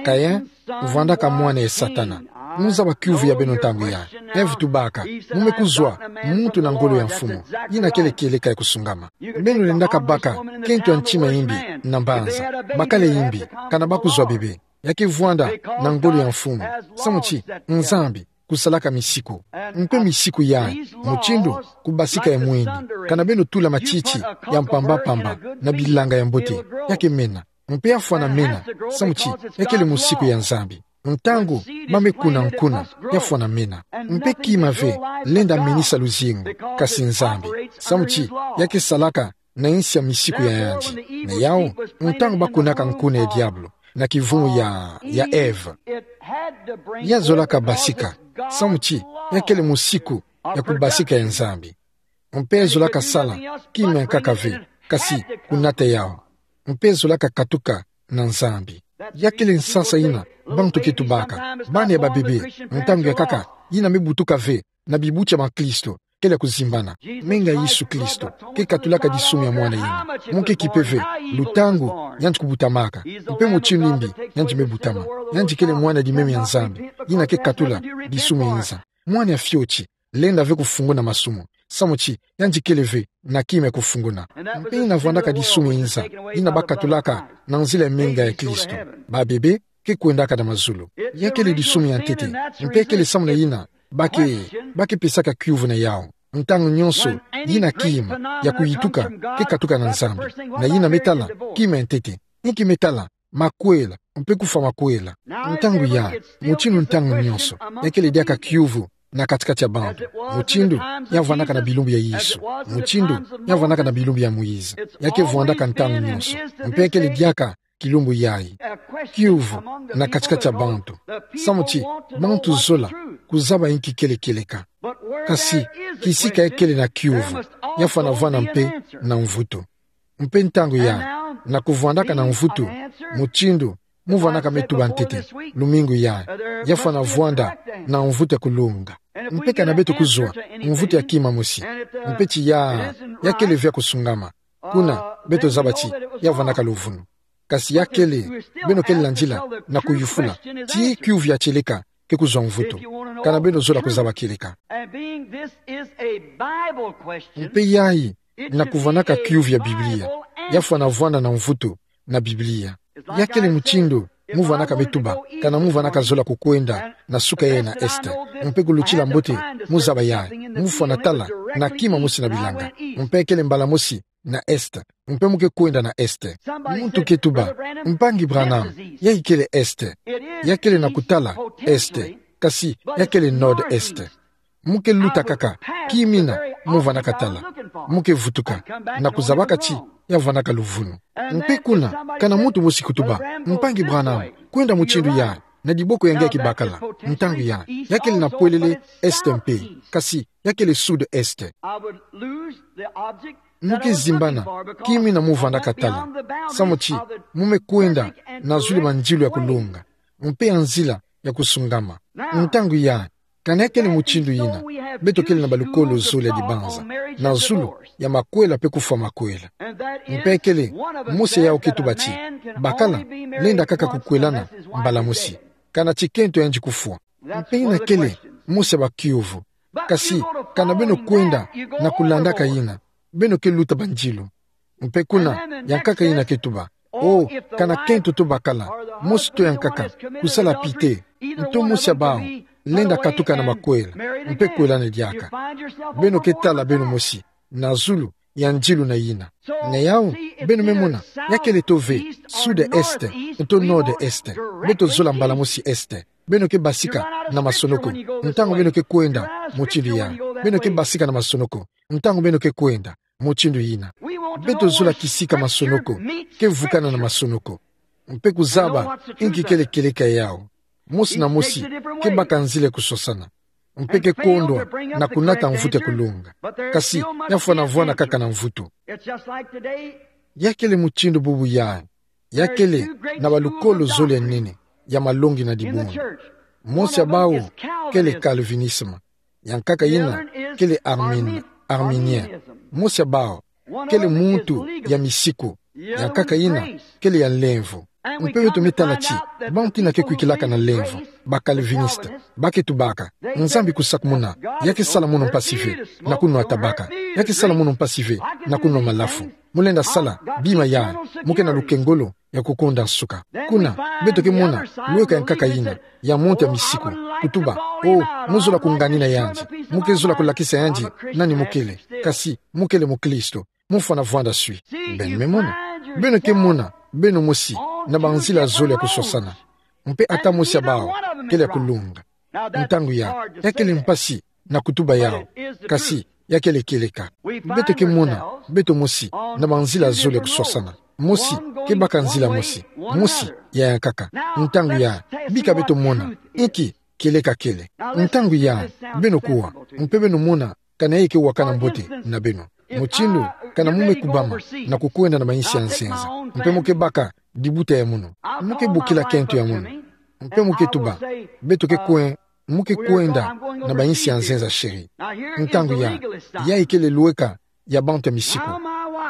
Caïn, vwandaka mwana ya Satana. Mu zaba kiuvu ya beno ntangu ya. Ève tubaka, mu me kuzwa, muntu na ngolo ya mfumu. Yina kele kieleka ya kusungama. Beno lendaka baka, kento ya ntima yimbi, na mbanza. Bakala yimbi, kana ba kuzwa bebe. Ya ke vwanda, na ngolo ya mfumu. Samu ti, Nzambi, kusalaka misiku. Mpe misiku yayi, mutindu, kubasika ya mwini. Kana beno tula matiti, ya mpamba-mpamba, na bilanga ya mbote. Ya ke mena. Mpe ya fwana mena, samu ti, ya kele musiku ya Nzambi. Ntangu, ba me kuna nkuna, ya fwana mena. Mpe kima ve, lenda menisa luzingu, kasi Nzambi. Samu ti, ya ke salaka, na insi ya misiku ya yandi. Na yawu, ntangu ba kunaka nkuna ya diabulu, na kivumu ya, ya Ève. Ya zolaka basika, samu ti, ya kele musiku, ya kubasika ya Nzambi. Mpe ya zolaka sala, kima ya nkaka ve, kasi, kunata yawu. Mpe ya zolaka katuka, na Nzambi. Ya kele nsasa yina, bantu ke tubaka, bana ya babebe, ntangu ya nkaka, yina me butuka ve, na bibuti ya bakristo, kele kuzimbana. Menga Yesu Kristo, ke katulaka disumu ya mwana yina. Mu ke kipe ve, lutangu, yandi kubutamaka. Mpe mutindu yimbi, yandi me butama. Yandi kele mwana di meme ya Nzambi, yina ke katula, disumu ya inza. Mwana ya fioti, lenda ve kufunguna masumu. Samu ti, yandi kele ve, na kima ya kufunguna. Mpe yina vwandaka disumu ya inza, yina ba katulaka, na nzila ya menga ya Kristo. Babebe, ke kwendaka na mazulu. Ya kele disumu ya ntete, mpe kele samu na yina, ba ke, ba ke pesaka kiuvu na yawu. Ntangu nyonso, yina kima, ya kuyituka, ke katuka na Nzambi. Na yina me tala, kima ya ntete. Inki me tala, makwela, mpe kufwa makwela. Ntangu ya, mutindu ntangu nyonso, ya kele diaka kiuvu, na kati-kati ya bantu. Mutindu, ya vwandaka na bilumbu ya Yesu. Mutindu, ya vwandaka na bilumbu ya Moïse. Ya ke vwandaka ntangu nyonso. Mpe ya kele diaka, kilumbu yayi. Kiuvu, na kati-kati ya bantu. Samu ti, bantu zola, kuzaba inki kele kieleka. Kasi, kisika ya kele na kiuvu, ya fwana vwanda mpe, na mvutu. Mpe ntangu ya, na kuvwandaka na mvutu, mutindu, mu vwandaka me tuba ntete, lumingu ya, ya fwana vwanda, na mvutu ya kulunga. Mpe kana beto kuzwa, mvutu ya kima mosi. Mpe ti ya, ya kele ve ya kusungama. Kuna, beto zaba ti, ya vwandaka luvunu. Kasi ya kele, beno kele landila, na kuyufula. Ti kiuvu ya kieleka, ke kuzwa mvutu. Kana beno zola kuzaba kieleka. And being this is a Bible question, mpe yayi, na kuvwandaka kiuvu ya Biblia. Ya fwana vwanda na mvutu, na Biblia. Ya kele mutindu, mu vwandaka me tuba, kana mu vwandaka zola kukwenda, na suka yayi na est. Mpe kulutila mbote, mu zaba yayi, mu fwana tala, na kima mosi na bilanga. Mpe kele mbala mosi, na est. Mpe mu ke kwenda na est. Muntu ke tuba, Mpangi Branham, yayi kele est. Ya kele na kutala, est. Kasi, ya kele nord-est. Mu ke luta kaka, kimina, mu vwandaka tala. Mu ke vutuka, na kuzabaka ti, ya vwandaka luvunu. Mpe kuna, kana muntu mosi kutuba, Mpangi Branham, kwenda mutindu ya, na diboko ya nge ya kibakala, ntangu ya, ya kele na pwelele, est mpe, kasi, ya kele sud-est. Mu ke zimbana, kimina mu vwandaka tala. Samu ti, mu me kwenda, na zulu mandilu ya kulunga. Mpe ya nzila, ya kusungama. Ntangu ya, kana ya kele mutindu yina, beto kele na balukolo zole ya dibanza. Na zulu, ya makwela mpe kufwa makwela. Mpe ya kele, mosi yawu ke tuba ti, bakala, lenda kaka kukwelana, mbala mosi. Kana ti kento yandi kufwa. Mpe yina kele, mosi ya bakiuvu. Kasi, kana beno kwenda, na kulandaka yina. Beno ke luta bandilu. Mpe kuna, ya nkaka yina ke tuba. O, kana kento to bakala, mosi to ya nkaka, kusala pite, nto mosi ya bawu, lenda katuka na makwela, mpe kwelana diaka. Beno ke tala beno mosi, na zulu, ya nziluna yina. Na yau, beno me mona, ya kele to ve, sud-est, to nord-est, beto zola mbala mosi est. Beno ke basika na masonoko, ntangu beno ke kwenda, mutindu ya. Beno ke basika na masonoko, ntangu beno ke kwenda, mutindu yina. Beto zola kisika masonoko, ke vukana na masonoko. Mpe kuzaba, inki kele kieleka yau. Mosi na mosi, ke baka nzila ya kusosana. Mpe ke kondwa, na kunata mvutu ya kulonga. Kasi, ya fwana vwanda kaka na mvutu. Ya kele mutindu bubu ya. Ya kele na balukolo zole ya nene, ya malongi na dibundu. Mosi ya bawu, kele calvinisme. Ya nkaka yina, kele Armin-, arminien. Mosi ya bawu, kele muntu ya misiku. Ya nkaka yina, kele ya nlemvo. Mpe beto me tala ti, bantu yina ke kwikilaka na nlemvo, ba calviniste, ba ke tubaka. Nzambi kusakumuna, ya ke sala munu mpasi ve, na kunwata baka. Ya ke sala munu mpasi ve, na kunwa malafu. Mu lenda sala bima ya, mu ke na lukengolo ya kukonda nsuka. Kuna, beto ke mona lweka ya nkaka yina, ya muntu ya misiku, kutuba, o, mu zola kungani na yandi, mu ke zola kulakisa yandi nani mu kele, kasi, mu kele mukristo, mu fwana vwanda swi. Beno me mona, beno ke mona beno mosi na banzila zole ya kusosana. Mpe ata mosi ya bawu, kele ya kulonga. Ntangu ya, ya kele mpasi na kutuba yau. Kasi, ya kele kieleka. Beto ke mona beto mosi na banzila zole ya kusosana. Mosi ke baka nzila mosi. Mosi ya ya nkaka. Ntangu ya, bika beto mona inki kieleka kele. Ntangu ya, beno kuwa, mpe beno mona kana ye ke wakana mbote na beno. Mutindu, kana mu me kubama na kukwenda na bayinsi ya nzenza, mpe mu ke baka dibuta ya munu, mu ke bokila kento ya munu, mpe mu ke tuba, beto ke kwe-, mu ke kwenda na bayinsi ya nzenza, chéri. Ntangu ya, yayi kele lweka ya bantu ya misiku.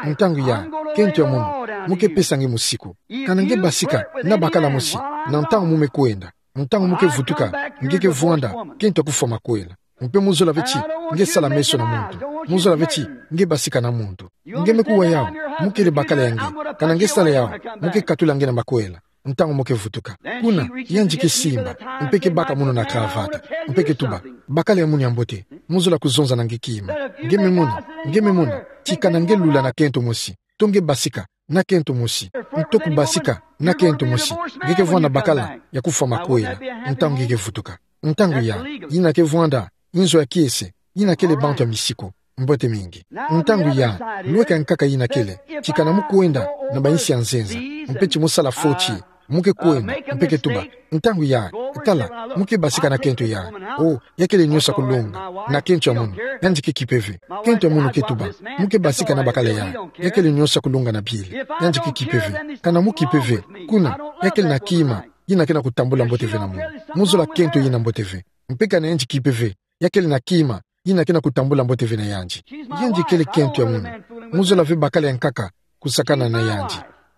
Ntangu ya, kento ya munu, mu ke pesa nge musiku. Kana nge basika na bakala mosi, na ntangu mu me kwenda, ntangu mu ke vutuka, nge ke vwanda kento ya kufwa makwela. Mpe mu zola ve ti nge sala meso na muntu. Mu zola ve ti nge basika na muntu. Nge me kuwa yau, mu kele bakala ya nge. Kana nge sala yau, mu ke katula nge na makwela ntangu mu ke vutuka. Kuna, yandi ke simba, mpe ke baka munu na cravate, mpe ke tuba, bakala ya munu ya mbote, mu zola kuzonza na nge kima. Nge me mona, nge me mona ti kana nge lula na kento mosi, to nge basika na kento mosi, nto kubasika na kento mosi, nge ke vwanda bakala ya kufwa makwela ntangu nge ke vutuka. Ntangu ya, yina ke vwanda inzo ya kiese, yina kele bantu ya misiku. Mbote mingi. Ntangu ya, lweka ya nkaka yina kele ti kana mu kwenda na bayinsi ya nzenza, mpe ti mu sala fo ti, mu ke kwenda, mpe ke tuba, ntangu ya, tala, mu ke basika na kento ya. O, ya kele nionso ya kulonga na kento ya munu, yandi ke kipe ve. Kento ya munu ke tuba, mu ke basika na bakala ya. Ya kele nionso ya kulonga na bile, yandi ke kipe ve. Kana mu kipe ve, kuna, ya kele na kima yina ke na kutambula mbote ve na munu. Mu zola kento yina mbote ve. Mpe kana yandi kipe ve, ya kele na kima yina ke na kutambula mbote ve na yandi. Yandi kele kento ya munu. Mu zola ve bakala ya nkaka kusakana na yandi.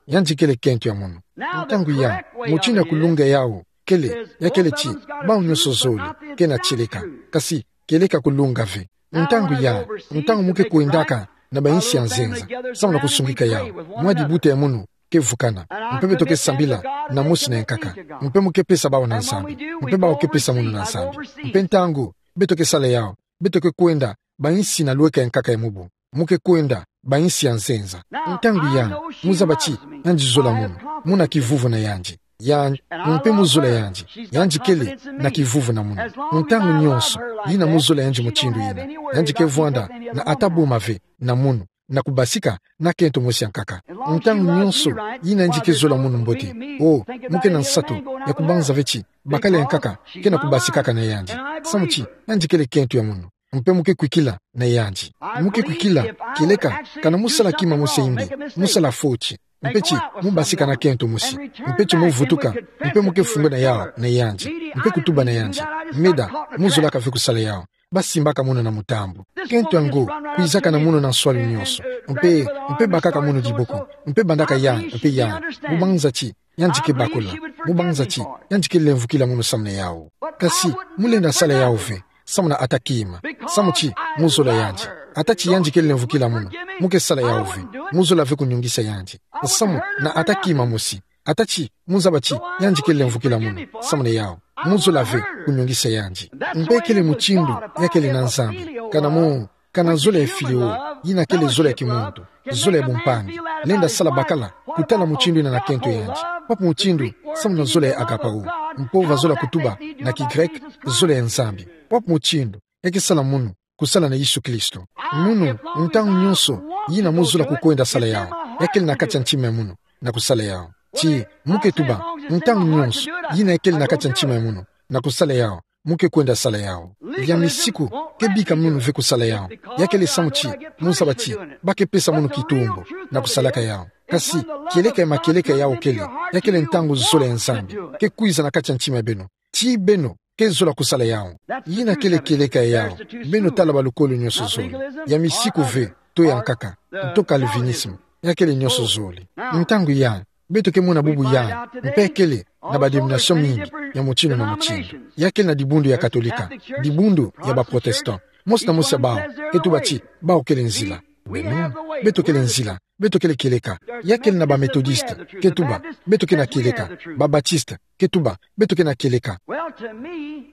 Yandi kele kento ya munu. Ntangu ya, mutindu ya kulonga yau kele, ya kele ti, bau nionso zole ke na tieleka, kasi kieleka kulonga ve. Ntangu ya, ntangu mu ke kwendaka na bayinsi ya nzenza, samu na kusungika yau, mwa dibuta ya munu ke vukana, mpe beto ke sambila na mosi na ya nkaka, mpe mu ke pesa bau na Nzambi, mpe bau ke pesa munu na Nzambi. Mpe ntangu beto ke sala yau, beto ke kwenda bayinsi na lweka ya nkaka ya mubu, mu ke kwenda bayinsi ya nzenza. Ntangu ya, mu zaba ti yandi zola munu, muna kivuvu na yandi. Ya, mpe mu zola yandi, yandi kele na kivuvu na munu. Ntangu nionso yina mu zola yandi mutindu yina, yandi ke vwanda na ata boma ve na munu, na kubasika na kento mosi ya nkaka. Ntangu nionso yina yandi ke zola munu mbote, o, mu ke na nsatu ya kubanza ve ti bakala ya nkaka ke na kubasikaka na yandi. Samu ti yandi kele kento ya munu. Mpe mu ke kwikila na yandi. Mu ke kwikila, kieleka kana mu sala kima mosi ya imbi, mu sala fo ti, mpe ti mu basika na kento mosi, mpe ti mu vutuka, mpe mu ke fungwena yau na yandi, mpe kutuba na yandi: Meda, mu zolaka ve kusala yau. Basimbaka munu na mutambu. Kento yango kwizaka na munu na nswalu nionso, mpe, mpe bakaka munu diboko, mpe bandaka ya, mpe ya. Mu banza ti yandi ke bakula. Mu banza ti yandi ke lemvukila munu samu na yau. Kasi mu lenda sala yau ve samu na ata kima, samu ti mu zola yandi. Ata ti yandi ke lemvukila munu, mu ke sala yau ve. Mu zola ve kunyungisa yandi samu na ata kima mosi. Ata ti mu zaba ti yandi ke lemvukila munu samu na yau, mu zola ve kunyungisa yandi. Mpe kele mutindu ya kele na Nzambi. Kana mu, kana zola ya fili'o, Ina kele zole ya kimuntu, zole ya bumpangi. Lenda sala bakala kutala mutindu ina na kento yandi. Papu mutindu, samu na zole ya agapao. Mpova zola kutuba, na kigreke, zole ya Nzambi. Papu mutindu, ya ke sala munu, kusala na Yesu Kristo. Munu, ntangu nyonso, ina mo zola kukwenda sala yau. Ya kele na kati ya ntima ya munu, na kusala yau. Ti, mo ke tuba, ntangu nyonso, ina ya kele na kati ya ntima ya munu, na kusala yau, mo ke kwenda sala yau. Ya misiku, ke bika munu ve kusala yau. Ya kele samu ti, mo zaba ti, ba ke pesa munu kitumbu, na kusalaka yau. Kasi, kieleka ya makieleka yau kele, ya kele ntangu zole ya Nzambi, ke kwiza na kati ya ntima ya beno. Ti beno, ke zola kusala yau. Ina kele kieleka ya yau, beno tala balukolo nyonso zole. Ya misiku ve, to ya nkaka, to Calvinisme. Ya kele nyonso zole. Ntangu ya, beto ke mona bubu ya, mpe kele, na ba denomination mingi, ya mutindu na mutindu. Ya kele na dibundu ya Katolika, dibundu ya ba Protestant. Mosi na mosi ya bau, ke tuba ti, bau kele nzila. Beno, beto kele nzila, beto kele kieleka. Ya kele na ba Methodiste, ke tuba, beto ke na kieleka. Ba Baptiste, ke tuba, beto ke na kieleka. Well, to me,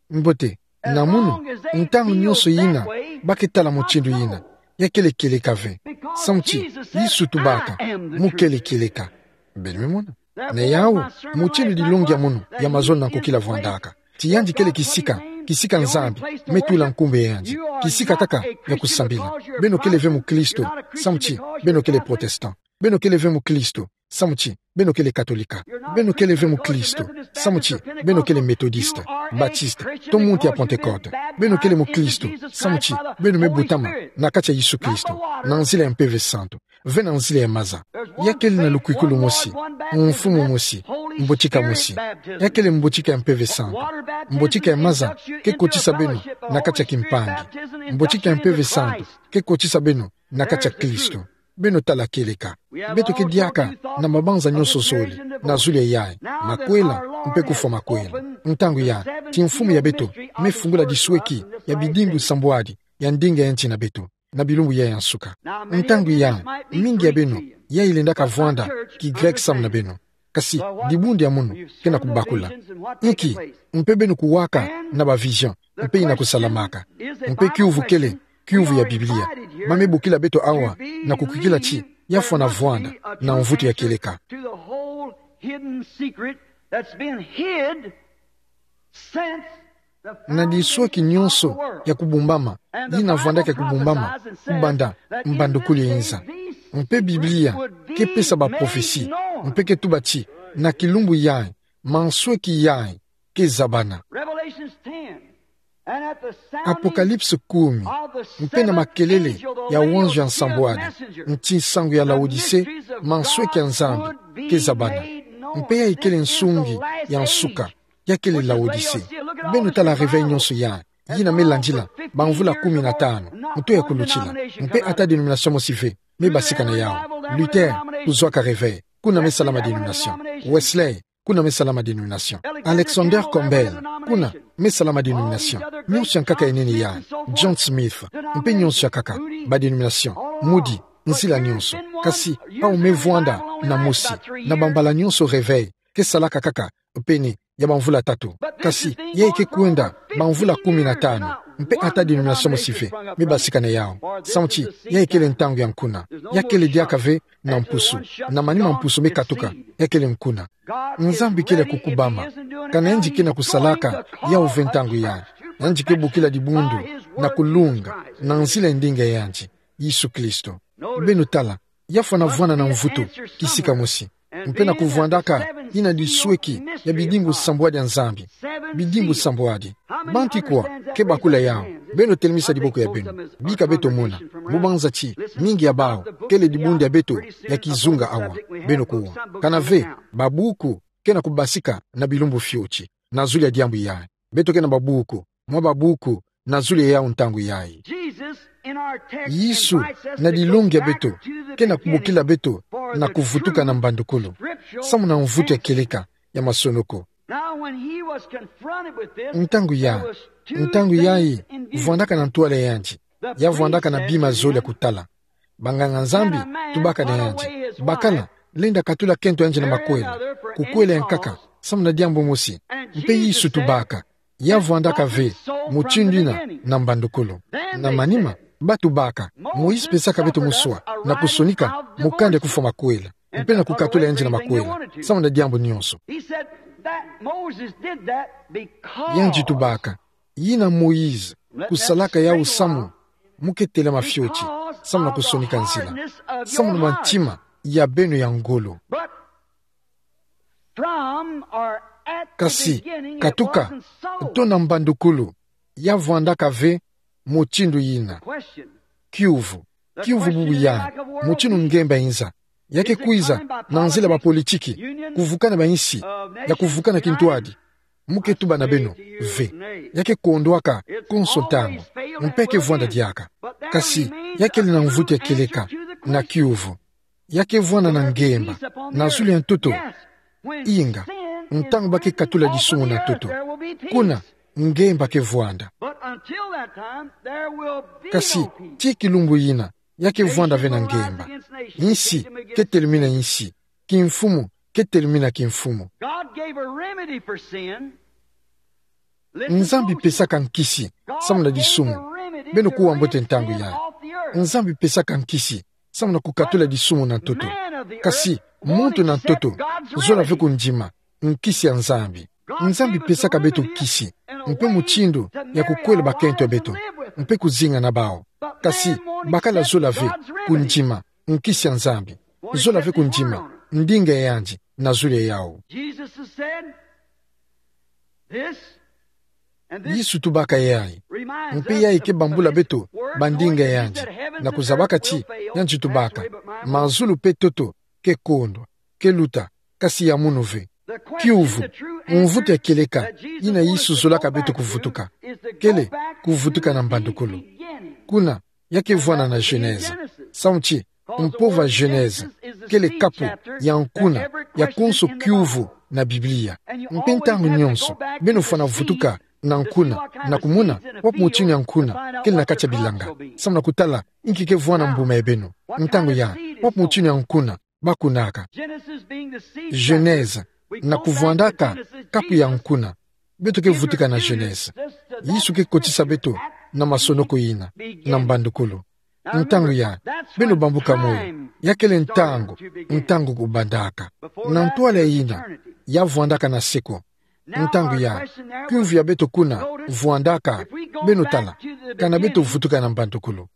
Mbote, na munu, ntangu nyonso ina, ba ke tala mutindu ina, ya kele kieleka ve. Samu ti, Yesu tubaka, mo kele kieleka. Beno me mona. Na yau, mutindu dilongi ya munu, ya mazono na nkokila vwandaka. Ti yandi kele kisika, kisika Nzambi, me tula nkumbu ya yandi. Kisika kaka, ya kusambila. Beno kele ve mukristo, samu ti, beno kele Protestant. Beno kele ve mukristo, samu ti, beno kele Katolika. Beno kele ve mukristo, samu ti, beno kele Methodiste, Baptiste, to muntu ya Pentecôte. Beno kele mukristo, samu ti, beno me butama, na kati ya Yesu Kristo, na nzila ya Mpeve Santu, ve na nzila ya maza. Ya kele na lukwiku lumosi, mfumu mosi, mbotika mosi. Ya kele mbotika ya Mpeve Santu. Mbotika ya maza, ke kotisa beno, na kati ya kimpangi. Mbotika ya Mpeve Santu, ke kotisa beno, na kati ya Kristo. Beno tala kieleka. Beto ke diaka na mabanza nyonso zole, na zulu ya yai, makwela, mpe kufwa makwela. Ntangu ya, ti mfumu ya beto, me fungula disweki, ya bidimbu sambwadi, ya ndinga ya nti na beto, na bilumbu ya ya nsuka. Ntangu ya, mingi ya beno, ya ilendaka vwanda, kigreke samu na beno. Kasi, dibundu ya munu, ke na kubakula. Nki, mpe beno kuwaka, na ba vision, mpe ina kusalamaka. Mpe kiuvu kele, kiuvu ya Biblia. Ba me bokila beto awa, na kukwikila ti, ya fwana vwanda, na mvutu ya kieleka. To the whole hidden secret that's been hid since Na disweki nyonso ya kubumbama, yina vwandaka ya kubumbama, kubanda mbandukulu ya inza. Mpe Biblia ke pesa ba prophetie, mpe ke tuba ti, na kilumbu yai, mansweki yai ke zabana. Apocalypse kumi, mpe na makelele ya wanzu ya nsambwadi, nti nsangu ya Laodicee, mansweki ya Nzambi ke zabana. Mpe yai kele nsungi ya nsuka, ya kele Laodicee. Beno tala réveil nyonso ya, yina me landila, ba mvula kumi na tanu, mutu ya kulutila. Mpe ata denomination mosi ve, me basika na yau. Luther, kuzwaka réveil, kuna me salama denomination. Wesley, kuna me salama denomination. Alexander Campbell, kuna me salama denomination. Nyonso ya nkaka ya nene ya, John Smith, mpe nyonso ya nkaka, ba denomination. Moody, nzila nyonso. Kasi, awu me vwanda na mosi, na bambala nyonso réveil ke salaka kaka pene ya ba mvula tatu. Kasi, yai ke kwenda ba mvula kumi na tanu, mpe ata denomination mosi ve, me basika na yau. Samu ti, yai kele ntangu ya nkuna. Ya kele diaka ve na mpusu. Na manima mpusu me katuka, ya kele nkuna. Nzambi kele kukubama. Kana yandi ke na kusalaka, yau ve ntangu yai. Yandi ke bokila dibundu, na kulunga, na nzila ya ndinga yandi, Yesu Kristo. Beno tala, ya fwana vwanda na mvutu, kisika mosi. Mpe na kuvwandaka, yina disweki, ya bidimbu sambwadi ya Nzambi. Bidimbu sambwadi. Bantu kwa, ke bakula yau. Beno telemisa diboko ya beno. Bika beto mona. Mu banza ti, mingi ya bau, kele dibundu ya beto, ya kizunga awa. Beno kuwa. Kana ve, ba buku, ke na kubasika, na bilumbu fioti. Na zulu ya diambu yai. Beto ke na ba buku, mwa ba buku, na zulu ya yau ntangu yai. Yesu, na dilongi ya beto, ke na kubokila beto, na kuvutuka na mbandukulu. Samu na mvutu ya kieleka, ya masonoko. Ntangu ya, ntangu yai, vwandaka na ntwala yandi, ya vwandaka na bima zole ya kutala. Banganga Nzambi, tubaka na yandi. Bakala, lenda katula kento yandi na makwela. Kukwela ya nkaka, samu na diambu mosi. Mpe Yesu tubaka. Ya vwandaka ve, mutindu yina, na mbandukulu. Na manima, Ba tubaka, Moïse pesaka beto muswa na kusonika mukanda ya kufwa makwela, mpe na kukatula yandi na makwela, samu na diambu nionso. He said that Moses did that because Yandi tubaka, yina Moïse kusalaka yawu samu mu ke telama fioti, samu na kusonika nzila, samu na mantima ya beno ya ngolo. But from or at the Kasi, beginning, it katuka, wasn't so. Tona mbandukulu, ya vwandaka ve mutindu yina. Question. Kiuvu. Kiuvu bubu ya, mutindu ngemba inza. Ya ke kwiza na nzila ba politiki, kuvukana ba insi, ya kuvukana kintwadi. Mu ke tuba na beno, ve. Ya ke kondwaka konso ntangu, mpe ke vwanda diaka. Kasi, ya kele na mvutu ya kieleka na kiuvu. Ya ke vwanda na ngemba na zulu ya ntoto. Inga, ntangu ba ke katula disumu na ntoto, kuna ngemba ke vwanda. Kasi, tii kilumbu yina, ya ke vwanda ve na ngemba. Insi ke telemina insi, kimfumu ke telemina kimfumu. God gave a remedy for sin. Nzambi pesaka nkisi samu na disumu. Beno kuwa mbote ntangu ya. Nzambi pesaka nkisi samu na kukatula disumu na ntoto. Kasi, muntu na ntoto, zola ve kundima nkisi ya Nzambi. Nzambi pesaka beto nkisi, mpe mutindu ya kukwela bakento ya beto, mpe kuzinga na bawu. Kasi, bakala zola ve kundima nkisi ya Nzambi. Zola ve kundima ndinga ya yandi na zulu ya yawu. Jesus has said, this, and this Yesu tubaka yayi. Mpe yayi ke bambula beto bandinga ya yandi, na kuzabaka ti yandi tubaka, mazulu mpe ntoto ke kondwa, ke luta, kasi ya munu ve. Kiuvu, mvutu ya kieleka yina Yesu zolaka beto kuvutuka, kele kuvutuka na mbandukulu. Kuna, ya ke vwanda na Genèse. Samu ti, mpova Genèse kele kapu ya nkuna ya konso kiuvu na Biblia. Mpe ntangu nionso beno fwana vutuka na nkuna, na kumona wapi mutindu ya nkuna kele na kati ya bilanga, samu na kutala inki ke vwanda mbuma ya beno. Ntangu ya, wapi mutindu ya nkuna ba kunaka. Genèse, na kuvwandaka kapu ya nkuna. Beto ke vutuka na Genèse. Yesu ke kotisa beto na masonoko yina, na mbandukulu. Ntangu ya, beno bambuka moyo, ya kele ntangu, ntangu kubandaka. Na ntwala yina, ya vwandaka na seko. Ntangu ya, kiuvu ya beto kuna vwandaka, beno tala, kana beto vutuka na mbandukulu.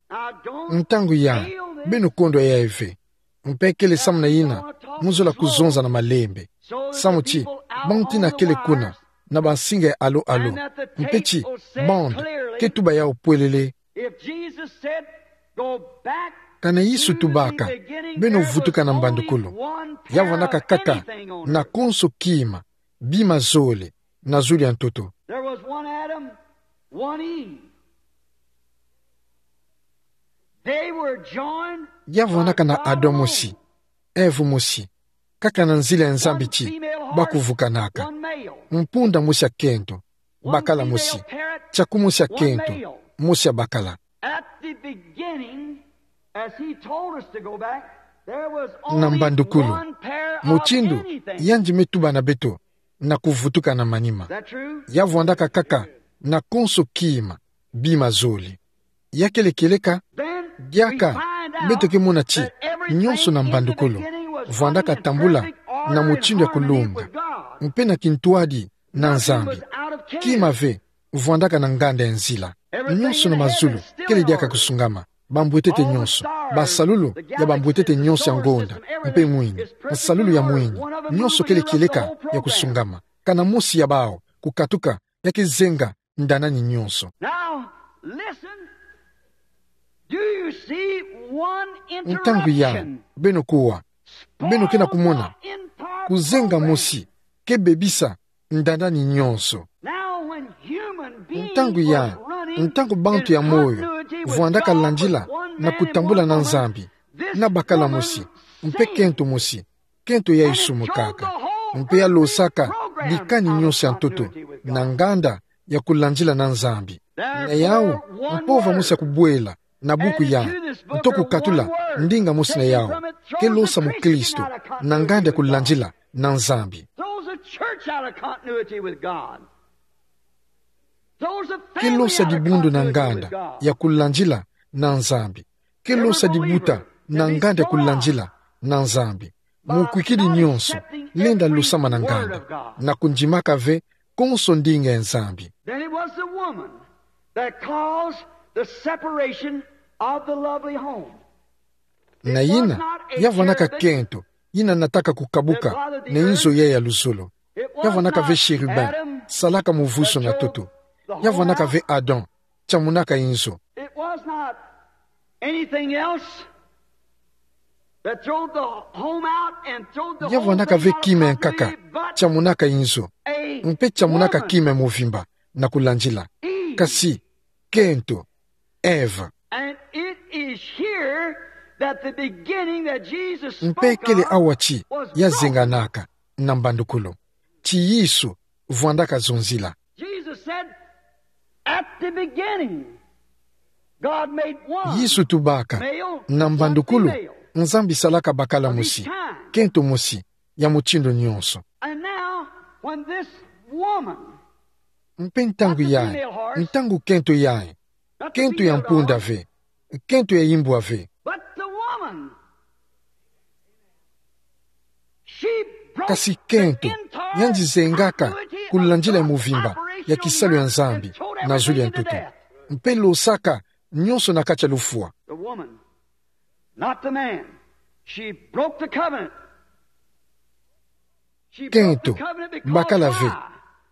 Ntangu ya, beno kondwa yayi ve. Mpe kele samu na yina mu zola kuzonza na malembe. Samu ti, bantu yina kele kuna na bansinga ya alo-alo. Mpe ti, bande ke tuba yawu pwelele. Kana Yesu tubaka, beno vutuka na mbandukulu, ya vwandaka kaka na konso kima, bima zole, na zulu ya ntoto. There was one Adam, one Eve. They were joined. Ya vwandaka na Adam mosi, Ève mosi, kaka na nzila ya Nzambi ti ba kuvukanaka. Mpunda mosi ya kento, bakala mosi, tiaku mosi ya kento, mosi ya bakala. At the beginning, as he told us to go back, there was only one pair of anything. Na mbandukulu, mutindu yandi me tuba na beto na kuvutuka na manima. Is that true? Ya vwandaka kaka na konso kima, bima zole. Ya kele kieleka? Then we find out that everything in the beginning was one thing. Diaka, beto ke mona ti, nionso na mbandukulu vwandaka tambula na mutindu ya kulonga, mpe na kintwadi na Nzambi. Kima ve vwandaka na nganda ya nzila. Nionso na mazulu kele diaka kusungama. Bambwetete nionso, basalulu ya bambwetete nionso ya ngonda, mpe mwini, nsalulu ya mwini, nionso kele kieleka ya kusungama. Kana mosi ya bawu kukatuka, ya ke zenga ndanani nionso. Now, listen. Do you see one interaction? Ntangu ya, beno kuwa. Beno ke na kumona. Kuzenga mosi ke bebisa ndanani nionso. Now, when human beings were running in continuity with God, ntangu ya, ntangu bantu ya moyo vwandaka landila na kutambula na Nzambi, na bakala mosi, mpe kento mosi, kento ya isumu kaka, mpe ya losaka dikani nionso ya ntoto na nganda ya kulandila na Nzambi. Na yawu, mpova mosi ya kubwela na buku ya, nto kukatula ndinga mosi na yawu ke losa mukristo na nganda ya kulandila na Nzambi. Throws a church out of continuity with God. Throws a family out of continuity with God. Ke losa dibundu na nganda ya kulandila na Nzambi. Ke losa dibuta na nganda ya kulandila na Nzambi. Mukwikidi nyonso, lenda losamana nganda na kundimaka ve konso ndinga ya Nzambi. Then it was the woman that caused the separation of the lovely home. Na yina, ya vwanaka kento yina nataka kukabuka na inzo yayi ya luzolo. Ya vwanaka ve chérubin salaka muvuso na ntoto. Ya vwanaka ve Adam tiamunaka inzo. It was not anything else that throwed the home out and throwed the whole thing out properly, but a woman. Ya vwanaka ve kima ya nkaka tiamunaka inzo, mpe tiamunaka kima ya muvimba na kulandila. Kasi kento, Eva. And it is here that the beginning that Jesus spoke of was. Mpe kele awa ti ya zenganaka na mbandukulu, ti Yesu vwandaka zonzila. Jesus said, "At the beginning, God made one, male and female." Yesu tubaka, na mbandukulu, Nzambi salaka bakala mosi, kento mosi, ya mutindu nyonso. And now, when this woman, mpe ntangu yayi, ntangu kento yayi, kento ya mpunda ve, kento ya imbwa ve. But the woman, she broke the entire continuity of God's operation on earth and threw it in the death. Kasi kento, yandi zengaka kulandila ya muvimba ya kisalu ya Nzambi na zulu ya ntoto, mpe losaka nyonso na kati ya lufwa. The woman, not the man. She broke the covenant. Kento, bakala ve.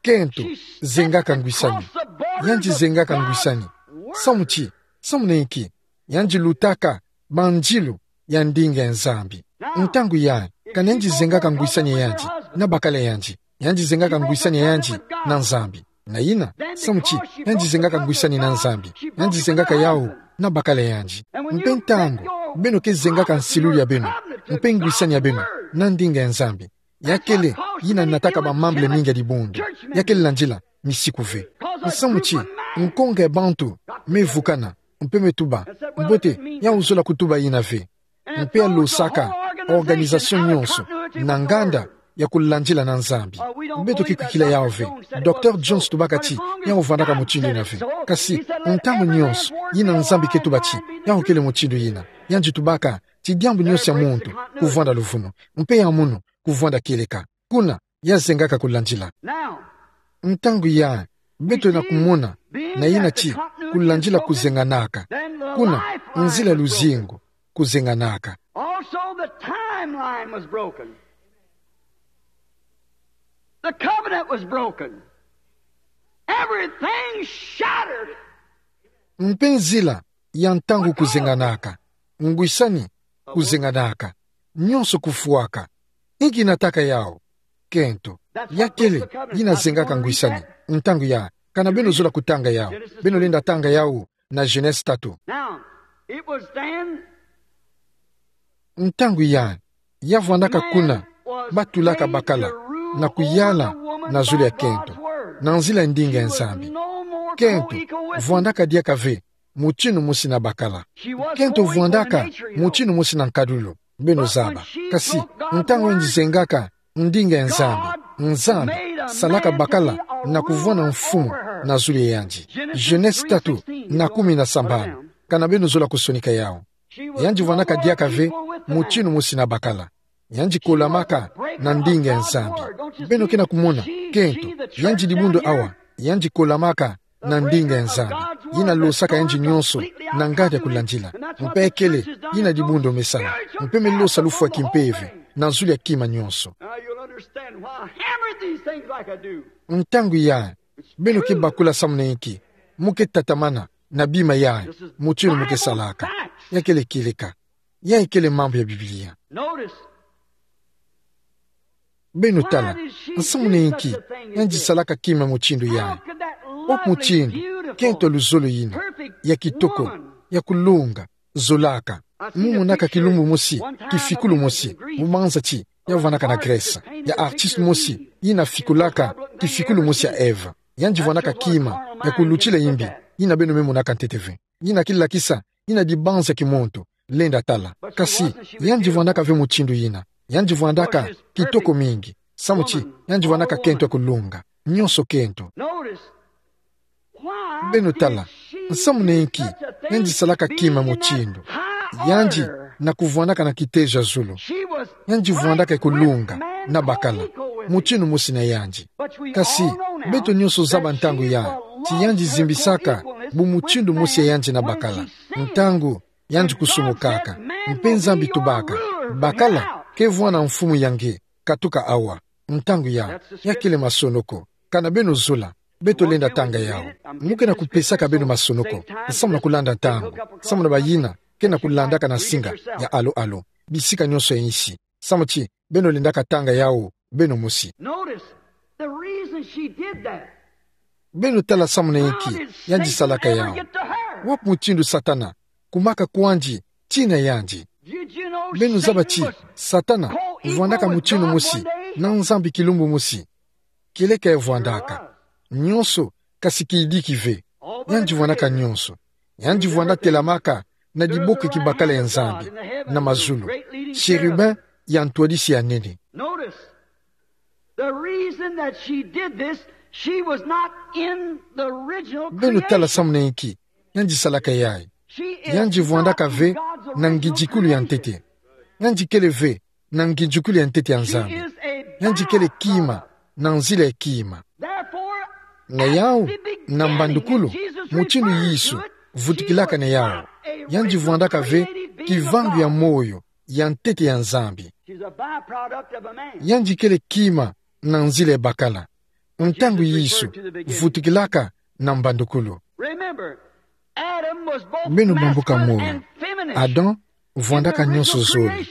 Kento, zengaka ngwisani. Yandi zengaka ngwisani. Samu ti, samu na inki? Yandi lutaka banzilo ya ndinga ya Nzambi. Ntangu yayi, kana yandi zengaka ngwisani ya yandi na bakala ya yandi? Yandi zengaka ngwisani ya yandi na Nzambi. Na yina, samu ti, yandi zengaka ngwisani na Nzambi, yandi zengaka yawu na bakala ya yandi. Mpe ntangu beno ke zengaka nsilulu ya beno mpe ngwisani ya beno na ndinga ya Nzambi, ya kele yina nataka bamambu mingi ya dibundu. Ya kele landila misiku ve. Samu ti, nkonga ya bantu me vukana, mpe me tuba, mbote, yawu zola kutuba yina ve. Mpe ya losaka organisation nyonso na nganda ya kulandila na Nzambi. Beto ke kwikila yawu ve. Docteur Jones tubaka ti yawu vandaka mutindu yina ve. Kasi, ntangu nyonso yina Nzambi ke tuba ti yawu kele mutindu yina, yandi tubaka ti diambu nyonso ya muntu kuvwanda luvunu, mpe ya munu kuvwanda kieleka. Kuna ya zengaka kulandila. Ntangu yayi, beto na kumona na yina ti kulandila kuzenganaka. Kuna nzila ya luzingu kuzenganaka. Also, the timeline was broken. The covenant was broken. Everything shattered. Mpe nzila ya ntangu kuzenganaka, ngwisani kuzenganaka, nyonso kufwaka. Inki nataka yawu? Kento. Ya kele yina zengaka ngwisani. Ntangu yayi, kana beno zola kutanga yawu, beno lenda tanga yawu na Genèse tatu. Now, it was then. Ntangu yayi, ya vwandaka kuna batulaka bakala na kuyala na zulu ya kento, na nzila ya ndinga ya Nzambi. Kento vwandaka diaka ve mutindu mosi na bakala. Kento vwandaka mutindu mosi na nkadulu, beno zaba. Kasi, ntangu yandi zengaka ndinga ya Nzambi, Nzambi salaka bakala na kuvwanda mfumu na zulu ya yandi. Genèse tatu na kumi na sambanu. Kana beno zola kusonika yawu. Yandi vwandaka diaka ve mutindu mosi na bakala. Yandi kolamaka na ndinga ya Nzambi. Beno ke na kumona? Kento, yandi dibundu awa, yandi kolamaka na ndinga ya Nzambi. Yina losaka yandi nyonso na nganda ya kulandila. Mpe kele yina dibundu me sala. Mpe me losa lufwa kimpeve na zulu ya kima nyonso. Now you'll understand why I hammered these things like I do. Ntangu yayi, beno ke bakula samu na inki mu ke tatamana na bima yayi mutindu mu ke salaka. Ya kele kieleka. Yayi kele mambu ya Biblia. Notice. Beno tala, nsamu na inki yandi salaka kima mutindu yayi? Wapi mutindu kento ya luzolo yina, ya kitoko, ya kulunga, zolaka? Mu monaka kilumbu mosi, kifikulu mosi, mu banza ti ya vwandaka na Grèce, ya artiste mosi yina fikulaka kifikulu mosi ya Ève. Yandi vwandaka kima ya kulutila imbi, yina beno me monaka ntete ve. Yina ke lakisa yina dibanza ya kimuntu, lenda tala. Kasi yandi vwandaka ve mutindu yina. Yandi vwandaka kitoko mingi. Samu ti yandi vwandaka kento ya kulunga. Nyonso kento. Notice, Beno tala, nsamu na inki yandi salaka kima mutindu? Yandi na kuvwandaka na kitezo ya zulu. Yandi vwandaka kulunga na bakala, mutindu mosi na yandi. Kasi beto nyonso zaba ntangu yayi ti yandi zimbisaka bu mutindu mosi ya yandi na bakala. Ntangu yandi kusumukaka, mpe Nzambi tubaka: Bakala ke vwanda mfumu ya nge, katuka awa. Ntangu yayi, ya kele masonoko. Kana beno zola, beto lenda tanga yawu. Mu ke na kupesaka beno masonoko, nsamu na kulanda ntangu, nsamu na bayina ke na kulandaka na nsinga ya alo-alo, bisika nyonso ya insi. Samu ti beno lendaka tanga yawu beno mosi. Notice the reason she did that. Beno tala nsamu na inki yandi salaka yawu. Wapi mutindu Satana kumaka kwandi tii na yandi? Beno zaba ti Satana vwandaka mutindu mosi na Nzambi kilumbu mosi? Kieleka ya vwandaka. Nyonso, kasi kidiki ve. Yandi vwandaka nyonso. Yandi vwanda telamaka na diboko ya kibakala ya Nzambi na mazulu, chérubin ya ntwadisi ya nene. Notice, the reason that she did this, she was not in the original creation. Beno tala nsamu na inki yandi salaka yayi. Yandi vwandaka ve na ngindikulu ya ntete. Yandi kele ve na ngindikulu ya ntete ya Nzambi. Yandi kele kima na nzila ya kima. Na yawu, na mbandukulu, mutindu Yesu vutukilaka na yawu, yandi vwandaka ve kivangu ya moyo ya ntete ya Nzambi. Yandi kele kima na nzila ya bakala. Ntangu Yesu vutukilaka na mbandukulu, beno bambuka moyo. Adam vwandaka nyonso zole,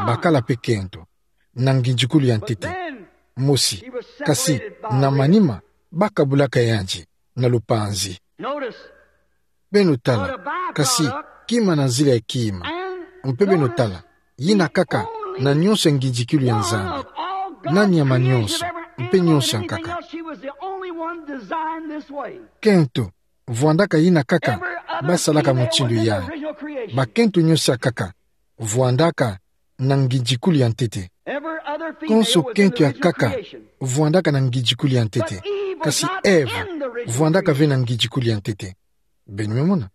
bakala mpe kento, na ngindikulu ya ntete mosi. Kasi na manima, bakabulaka yandi na lupanzi. Beno tala, kasi kima na nzila ya kima. Mpe beno tala, yina kaka na nyonso ya ngindikulu ya Nzambi. Na nyama nyonso, mpe nyonso ya nkaka. Kento vwandaka yina kaka basalaka mutindu yayi. Bakento nyonso ya nkaka vwandaka na ngindikulu ya ntete. Konso kento ya nkaka vwandaka na ngindikulu ya ntete. Kasi Eve vwandaka ve na ngindikulu ya ntete. Beno me mona?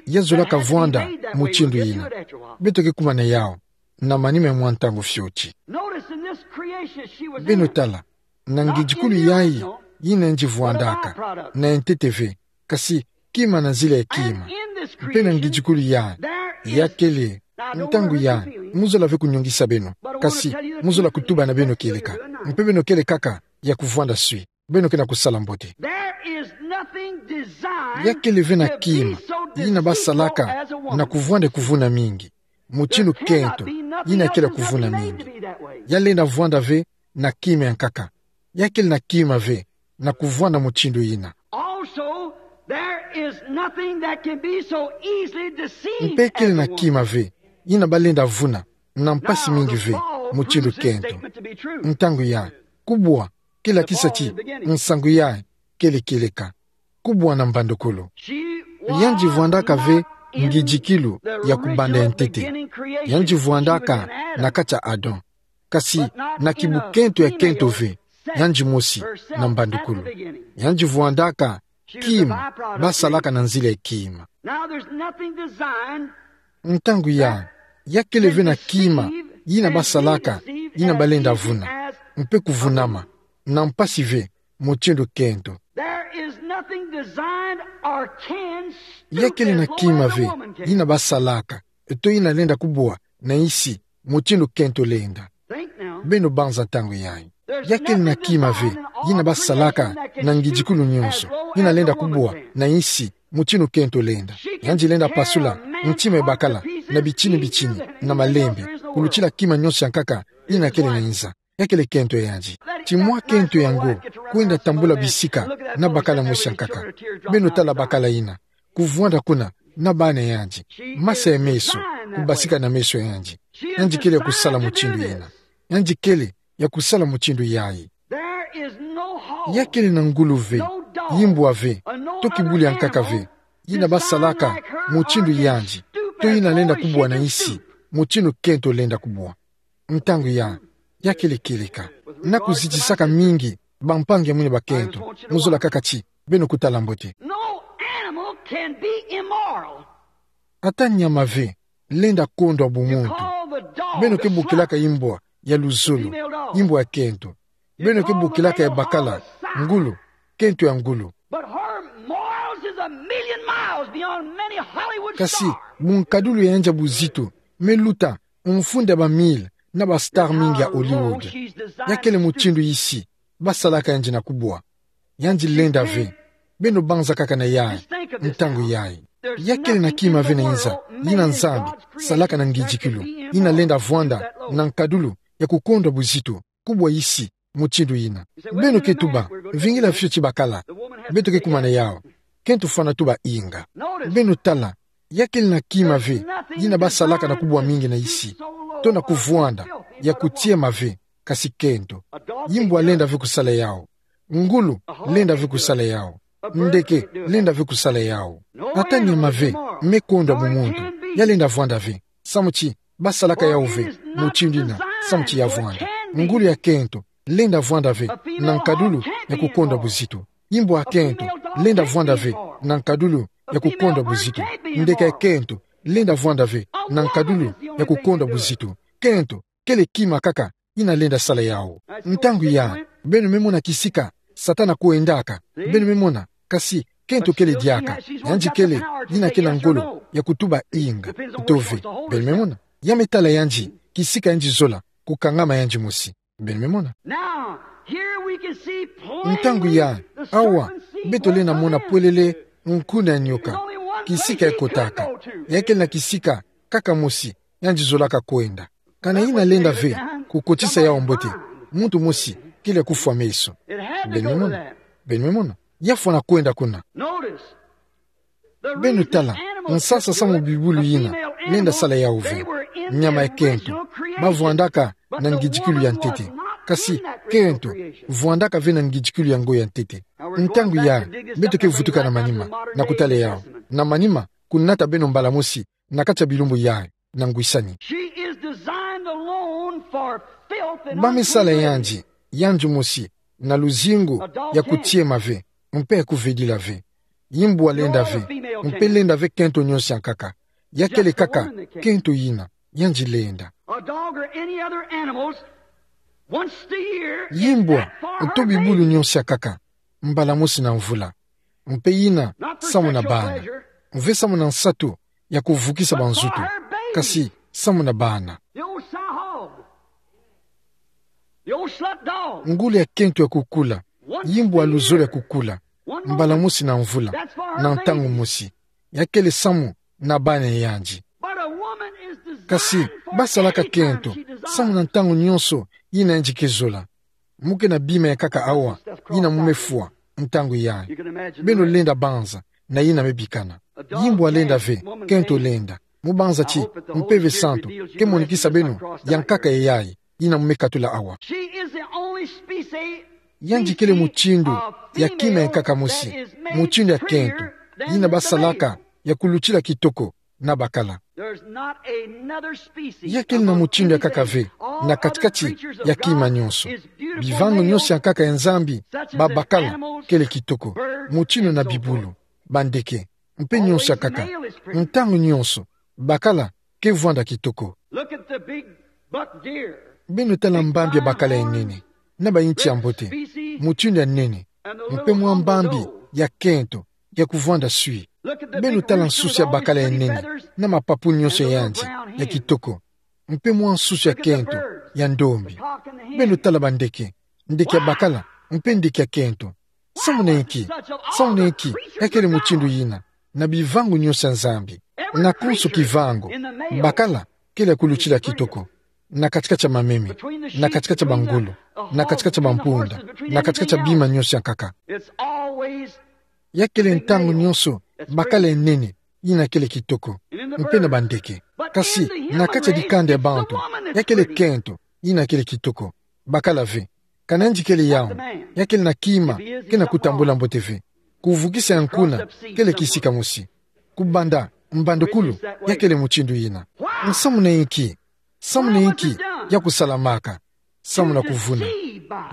Ya zolaka vwanda mutindu yina. Beto ke kuma na yawu na manima ya mwa ntangu fioti. Beno tala, na ngindikulu yayi, yina yandi vwandaka, na ya ntete ve, kasi kima na nzila ya kima. Mpe na ngindikulu yayi, ya kele, ntangu yayi, mu zola ve kunyongisa beno, kasi mu zola kutuba na beno kieleka. Mpe beno kele kaka ya kuvwanda swi, beno ke na kusala mbote. Ya kele ve na kima yina basalaka na kuvwanda kuvuna mingi, mutindu kento yina kele kuvuna mingi. Ya lenda vwanda ve na kima ya nkaka. Ya kele na kima ve na kuvwanda mutindu yina. Mpe kele na kima ve yina balenda vuna na mpasi mingi ve, mutindu kento. Ntangu yayi, kubwa ke lakisa ti nsangu yayi kele kieleka. Kubwa na mbandukulu. Yandi vwandaka ve ngindikulu ya kubanda ya ntete. Yandi vwandaka na kati ya Adam. Kasi na kibukento ya kento ve, yandi mosi na mbandukulu. Yandi vwandaka kima basalaka na nzila ya kima. Ntangu yayi, ya kele ve na kima yina basalaka, yina balenda vuna, mpe kuvunama na mpasi ve, mutindu kento. Ya kele na kima ve yina basalaka, to yina lenda kubwa na nsi, mutindu kento lenda. Beno banza ntangu yayi. Ya kele na kima ve yina basalaka na ngindikulu nyonso, yina lenda kubwa na nsi, mutindu kento lenda. Yandi lenda pasula ntima ya bakala na bitini bitini, na malembe, kulutila kima nyonso ya nkaka yina kele na nza. Ya kele kento ya yandi. Ti mwa kento yango kwenda tambula bisika na bakala mosi ya nkaka. Beno tala bakala yina kuvwanda kuna na bana ya yandi, masa ya meso, kubasika na meso ya yandi. Yandi kele ya kusala mutindu yina. Yandi kele ya kusala mutindu yayi. Ya kele na ngulu ve, yimbwa ve, to kibulu ya nkaka ve yina basalaka mutindu yandi, to yina lenda kubwa na nsi, mutindu kento lenda kubwa. Ntangu yayi, ya kele kieleka. Na kuzitisaka mingi bampangi ya mwini bakento, mu zola kaka ti beno kutala mbote. can be immoral. Ata nyama ve lenda kondwa bumuntu. Beno ke bokilaka imbwa ya luzolo, imbwa ya kento. Beno ke bokilaka ya bakala ngulu, kento ya ngulu. But her morals is a million miles beyond many Hollywood stars. Kasi bunkadulu ya yandi ya buzito me luta mfunda ba mille na ba star mingi ya Hollywood. Ya kele mutindu yisi basalaka yandi na kubwa. Yandi lenda ve. Beno banza kaka na yayi, ntangu yayi. Ya kele na kima ve na nza yina Nzambi salaka na ngidikilu, yina lenda vwanda na nkadulu ya kukondwa buzito kubwa yisi mutindu yina. Beno ke tuba, vingila fioti bakala. Beto ke kuma na yawu. Kento fwana tuba inga. Beno tala, ya kele na kima ve yina basalaka na kubwa mingi na yisi, to na kuvwanda ya kutiema ve, kasi kento. Imbwa lenda ve kusala yawu. Ngulu lenda ve kusala yawu. Ndeke lenda ve kusala yawu. Ata nyama ve me kondwa bumuntu, ya lenda vwanda ve. Samu ti basalaka yawu ve mutindu yina, samu ti ya vwanda. Ngulu ya kento lenda vwanda ve na nkadulu ya kukondwa buzito. Imbwa ya kento lenda vwanda ve na nkadulu ya kukondwa buzito. Ndeke ya kento lenda vwanda ve na nkadulu ya kukondwa buzito. Kento kele kima kaka yina lenda sala yawu. Ntangu yayi, beno me mona kisika Satana kwendaka. Beno me mona, kasi kento kele diaka. Yandi kele yina ke na ngolo ya kutuba inga to ve. Beno me mona, ya me tala yandi kisika yandi zola kukangama yandi mosi. Beno me mona. Now, here we can see plainly. Ntangu yayi, awa, beto lenda mona pwelele nkuna ya nioka. Kisika ya kotaka. Ya kele na kisika kaka mosi yandi zolaka kwenda. Kana yina lenda ve kukotisa yawu mbote, muntu mosi kele kufwa meso. Beno me mona. Beno me mona. Ya fwana kwenda kuna. Beno tala, nsasa samu bibulu yina lenda sala yawu ve. Nyama ya kento bavwandaka na ngidikilu ya ntete. Kasi kento vwandaka ve na ngidikilu ya ngo ya ntete. Ntangu yayi, beto ke vutuka na manima na kutala yawu. Na manima, kunata beno mbala mosi na kati ya bilumbu yayi na ngwisani. Ba me sala yandi, yandi mosi, na luzingu ya kutiema ve mpe ya kuvedila ve. Imbwa lenda ve, mpe lenda ve kento nionso ya nkaka. Ya kele kaka kento yina yandi lenda. Imbwa to bibulu nionso ya nkaka mbala mosi na mvula. Mpe yina samu na bana. Mpe samu na nsatu ya kuvukisa banzutu, kasi samu na bana. Ngulu ya kento ya kukula, imbwa ya luzolo ya kukula mbala mosi na mvula, na ntangu mosi. Ya kele samu na bana ya yandi. Kasi basalaka kento samu na ntangu nionso yina yandi ke zola. Mu ke na bima ya nkaka awa yina mu me fwa ntangu yayi. Beno lenda banza na yina me bikana. Imbwa lenda ve, kento lenda. Mu banza ti Mpeve Santu ke monikisa beno ya nkaka yayi yina mu me katula awa. Yandi kele mutindu ya kima ya nkaka mosi, mutindu ya kento yina basalaka ya kulutila kitoko na bakala. Ya kele na mutindu ya nkaka ve na kati-kati ya kima nionso. Bivangu nionso ya nkaka ya Nzambi, babakala kele kitoko. Mutindu na bibulu, bandeke, mpe nionso ya nkaka. Ntangu nionso bakala ke vwanda kitoko. Beno tala mbambi ya bakala ya nene na bayinti ya mbote, mutindu ya nene, mpe mwa mbambi ya kento ya kuvwanda swi. Beno tala nsusu ya bakala ya nene na mapapu nionso ya yandi ya kitoko, mpe mwa nsusu ya kento ya ndombi. Beno tala bandeke, ndeke ya bakala mpe ndeke ya kento. Samu na inki? Samu na inki ya kele mutindu yina na bivangu nionso ya Nzambi? Na konso kivangu, bakala kele ya kulutila kitoko. Na kati-kati ya mameme, na kati-kati ya bangolo, na kati-kati ya bampunda, na kati-kati ya bima nionso ya nkaka. Ya kele ntangu nionso bakala ya nene yina kele kitoko, mpe na bandeke. Kasi na kati ya dikanda ya bantu, ya kele kento yina kele kitoko. Bakala ve. Kana yandi kele yawu, ya kele na kima ke na kutambula mbote ve. Kuvukisa ya nkuna kele kisika mosi. Kubanda mbandukulu, ya kele mutindu yina. Samu na inki? Samu na inki ya kusalamaka? Samu na kuvuna.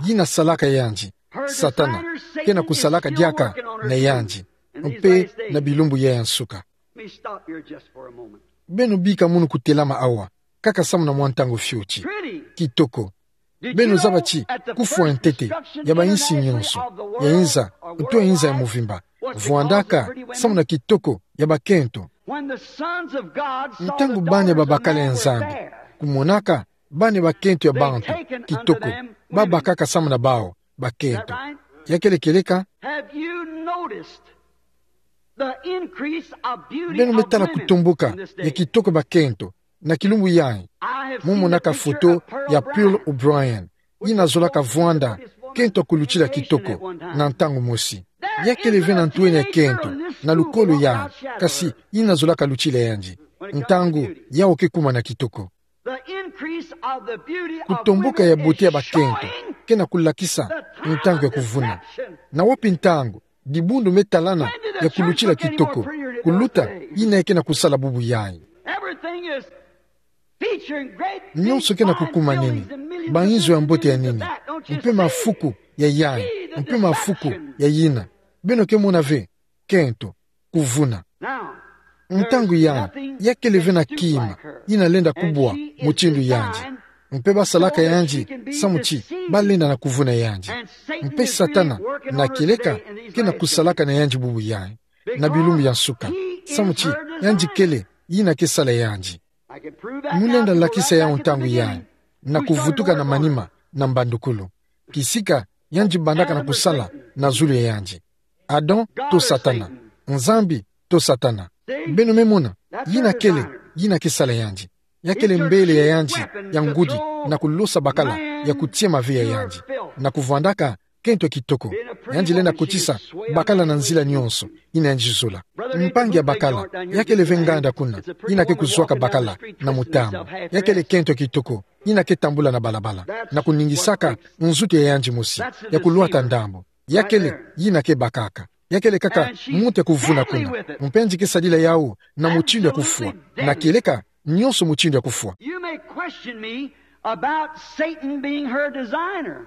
Yina salaka yandi, Satana ke na kusalaka diaka na yandi. mpe na bilumbu ya ya nsuka. Let me stop here just for a moment. Beno bika munu kutelama awa, kaka samu na mwa ntangu fioti. Pretty. Kitoko. Did you know that the first Beno zaba ti, kufwa ntete, destruction ya ba in the insi nyoso, ya inza, ntu ya inza ya muvimba, vwandaka samu na kitoko ya bakento. When the sons of God saw the daughters of Babel, ntangu bana ya babakala ya Nzambi kumonaka bana ya bakento ya bantu kitoko, babakaka samu na bawu bakento. Is that right? Ya kele kieleka? Have you noticed the increase of beauty of women in this day? Beno me tala kutomboka ya kitoko ya bakento na kilumbu yayi. I have seen the picture of Pearl O'Brien. Mu monaka foto ya Pearl O'Brien, yina zolaka vwanda kento ya kulutila kitoko na ntangu mosi. Ya kele ve na ntu ena ya kento na lukolo yayi, kasi yina zolaka lutila yandi ntangu yawu ke kuma na kitoko. Kutomboka ya beauté ya bakento ke na kulakisa ntangu ya kuvuna. Na wapi ntangu dibundu me talana ya kulutila kitoko kuluta yina ke na kusala bubu yayi? Nyonso ke na kukuma nini, bainzo ya mbote ya nini, mpe mafuku ya yayi, mpe mafuku ya yina. Beno ke mona ve kento, kuvuna. Ntangu yayi, ya kele ve na kima yina lenda kubwa mutindu yandi. Mpe basalaka yandi samu ti balenda na kuvuna yandi. Mpe Satana na kieleka ke na kusalaka na yandi bubu yayi na bilumbu ya nsuka, samu ti yandi kele yina ke sala yandi. Mu lenda lakisa yawu ntangu yayi na kuvutuka na manima na mbandukulu. Kisika yandi bandaka na kusala na zulu ya yandi. Adam to Satana, Nzambi to Satana. Beno me mona, yina kele yina ke sala yandi. Ya kele mbele ya yandi ya ngudi na kulosa bakala ya kutia mave ya yandi, na kuvwandaka kento kitoko. Yandi lenda kotisa bakala na nzila nyonso yina yandi zola. Mpangi ya bakala, ya kele ve nganda kuna yina ke kuzwaka bakala na mutambu. Ya kele kento kitoko yina ke tambula na balabala na kuningisaka nzutu ya yandi mosi ya kulwata ndambu. Ya kele yina ke bakaka. Ya kele kaka muntu ya kuvuna kuna. Mpe yandi ke sadila yawu na mutindu ya kufwa. Na kieleka nyonso mutindu ya kufwa. You may question me about Satan being her designer.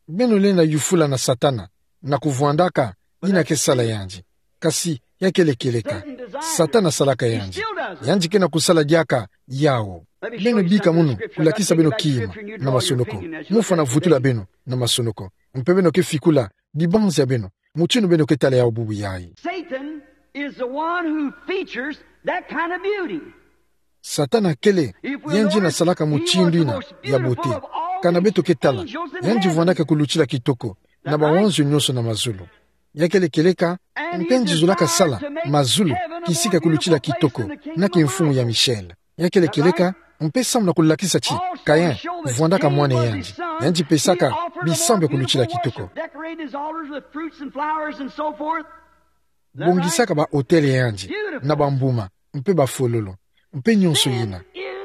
Beno lenda yufula na Satana na kuvwandaka yina ke sala yandi. Kasi ya kele kieleka, Satana salaka yandi. Yandi ke na kusala diaka yawu. Beno bika munu kulakisa beno kima na masonoko. Mu fwana vutula beno na masonoko. Mpe beno ke fikula dibanzi ya beno mutindu beno ke tala yawu bubu yayi. Satan is the one who features that kind of beauty. Satana kele yandi na salaka mutindu yina ya beauté. Kana beto ke tala, yandi vwandaka kulutila kitoko na bawanzo nyonso na mazulu. Ya kele kieleka, mpe yandi zolaka sala mazulu kisika kulutila kitoko na kimfumu ya Michel. Ya kele kieleka, mpe samu na kulakisa ti Caïn vwandaka mwana yandi, yandi pesaka bisambu ya kulutila kitoko. Bongisaka ba autel ya yandi na bambuma mpe bafololo mpe nyonso yina.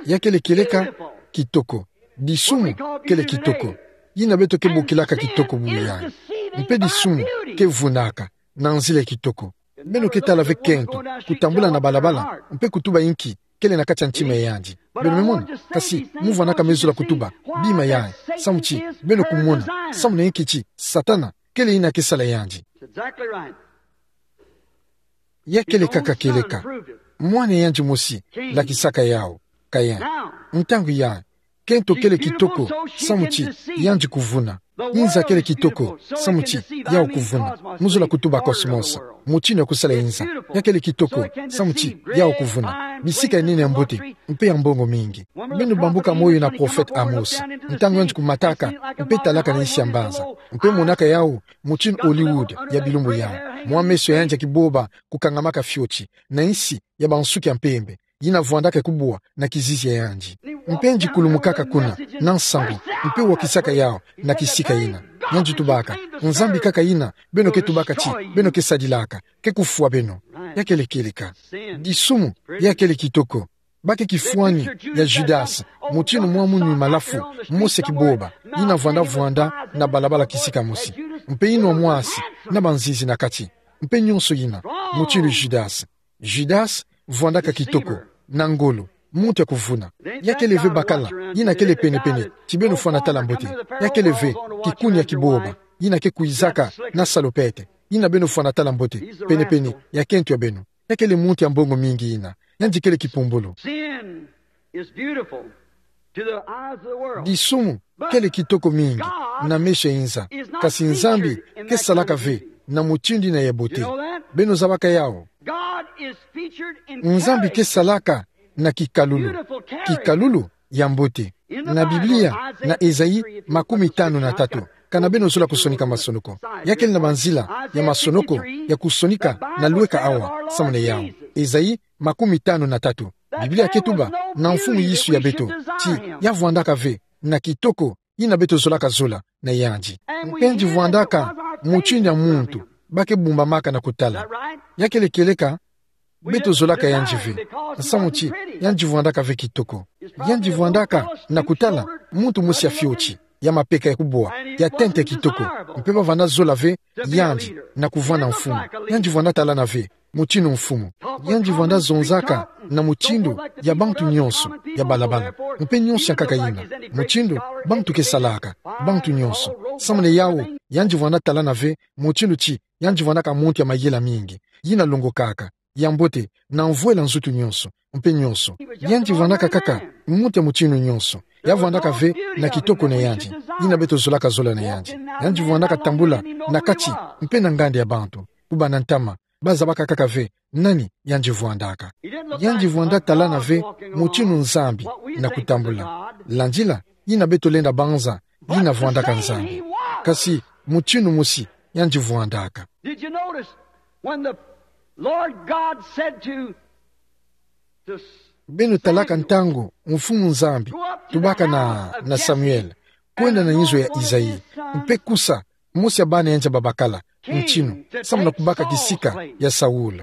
Ya kele kieleka, kitoko. Disumu kele kitoko. Yina beto ke bokilaka kitoko bubu yayi. Mpe disumu ke vunaka na nzila ya kitoko. Beno ke tala ve kento kutambula na balabala mpe kutuba inki kele na kati ya ntima ya yandi. Beno me mona, kasi mu vwandaka me zola kutuba bima yayi, samu ti beno kumona samu na inki ti Satana kele yina ke sala yandi. That's exactly right. Ya kele kaka kieleka. Mwana yandi mosi lakisaka yawu, Caïn. Ntangu yayi, kento kele kitoko samu ti yandi kuvuna. Inza kele kitoko samu ti yawu kuvuna. Mu zola kutuba cosmos, mutindu ya kusala inza. Ya kele kitoko samu ti yawu kuvuna. Bisika ya nene ya mbote mpe ya mbongo mingi. Beno bambuka moyo na prophète Amos, ntangu yandi kumataka mpe talaka na insi ya mbanza, mpe monaka yawu mutindu Hollywood ya bilumbu yayi. Mwa meso ya yandi ya kiboba kukangamaka fioti, na insi ya bansuki ya mpembe yina vwandaka kubwa na kizizi ya yandi. Mpe yandi kulumukaka kuna na nsangu, mpe wakisaka yawu na kisika yina. Yandi tubaka: Nzambi kaka yina beno ke tubaka ti beno ke sadilaka, ke kufwa beno. Ya kele kieleka. Disumu ya kele kitoko. Bake kifwani ya Judas, mutindu mwa munwi malafu mosi ya kiboba yina vwanda vwanda na balabala kisika mosi, mpe inwa mwasi na banzinzi na kati, mpe nyonso yina, mutindu Judas. Judas vwandaka kitoko, na ngolo, muntu ya kuvuna. Ya kele ve bakala yina kele penepene ti beno fwana tala mbote. Ya kele ve kikuni ya kiboba yina ke kwizaka na salopette. yina beno fwana tala mbote, pene-pene, ya kento ya beno. Ya kele muntu ya mbongo mingi yina. Yandi kele kipumbulu. Sin is beautiful to the eyes of the world. Disumu kele kitoko mingi na meso ya inza. Kasi Nzambi ke salaka ve na mutindu yina ya bote. Beno zabaka yawu? God is featured in character. Nzambi ke salaka na kikalulu. Beautiful character. Kikalulu ya mbote. Na Biblia, na Ezayi makumi tanu na tatu. Kana beno zola kusonika masonoko. Ya kele na banzila ya masonoko ya kusonika na lweka awa, samu na yawu. Ezayi makumi tanu na tatu. Biblia ke tuba na mfumu Yesu ya beto ti ya vwandaka ve na kitoko yina beto zolaka zola na yandi. Mpe yandi vwandaka mutindu ya muntu ba ke bumbamaka na kutala. Ya kele kieleka? Beto zolaka yandi ve nsamu ti yandi vwandaka ve kitoko. Yandi vwandaka na kutala muntu mosi ya fioti, ya mapeka ya kubwa, ya tente kitoko. Mpe ba vanda zola ve yandi na kuvwanda mfumu. Yandi vwanda talana ve mutindu mfumu. Yandi vwanda zonzaka na mutindu ya bantu nyonso ya balabala, mpe nyonso ya nkaka yina, mutindu bantu ke salaka, bantu nyonso. Samu na yawu, yandi vwanda talana ve mutindu ti yandi vwandaka muntu ya mayela mingi, yina longokaka, ya mbote, na mvwela nzutu nyonso, mpe nyonso. Yandi vwandaka kaka muntu ya mutindu nyonso. Ya vwandaka ve na kitoko na yandi, yina beto zolaka zola na yandi. Yandi vwandaka tambula na kati mpe na nganda ya bantu, kubanda ntama, ba zabaka kaka ve nani yandi vwandaka. Yandi vwanda talana ve mutindu Nzambi na kutambula, landila yina beto lenda banza yina vwandaka Nzambi. Kasi mutindu mosi yandi vwandaka. Did you notice when the Lord God said to, to Beno talaka ntangu Mfumu Nzambi tubaka na, na Samuel: Kwenda na inzo ya Isaï, mpe kusa mosi ya bana yandi ya babakala ntinu, samu na kubaka kisika ya Saul.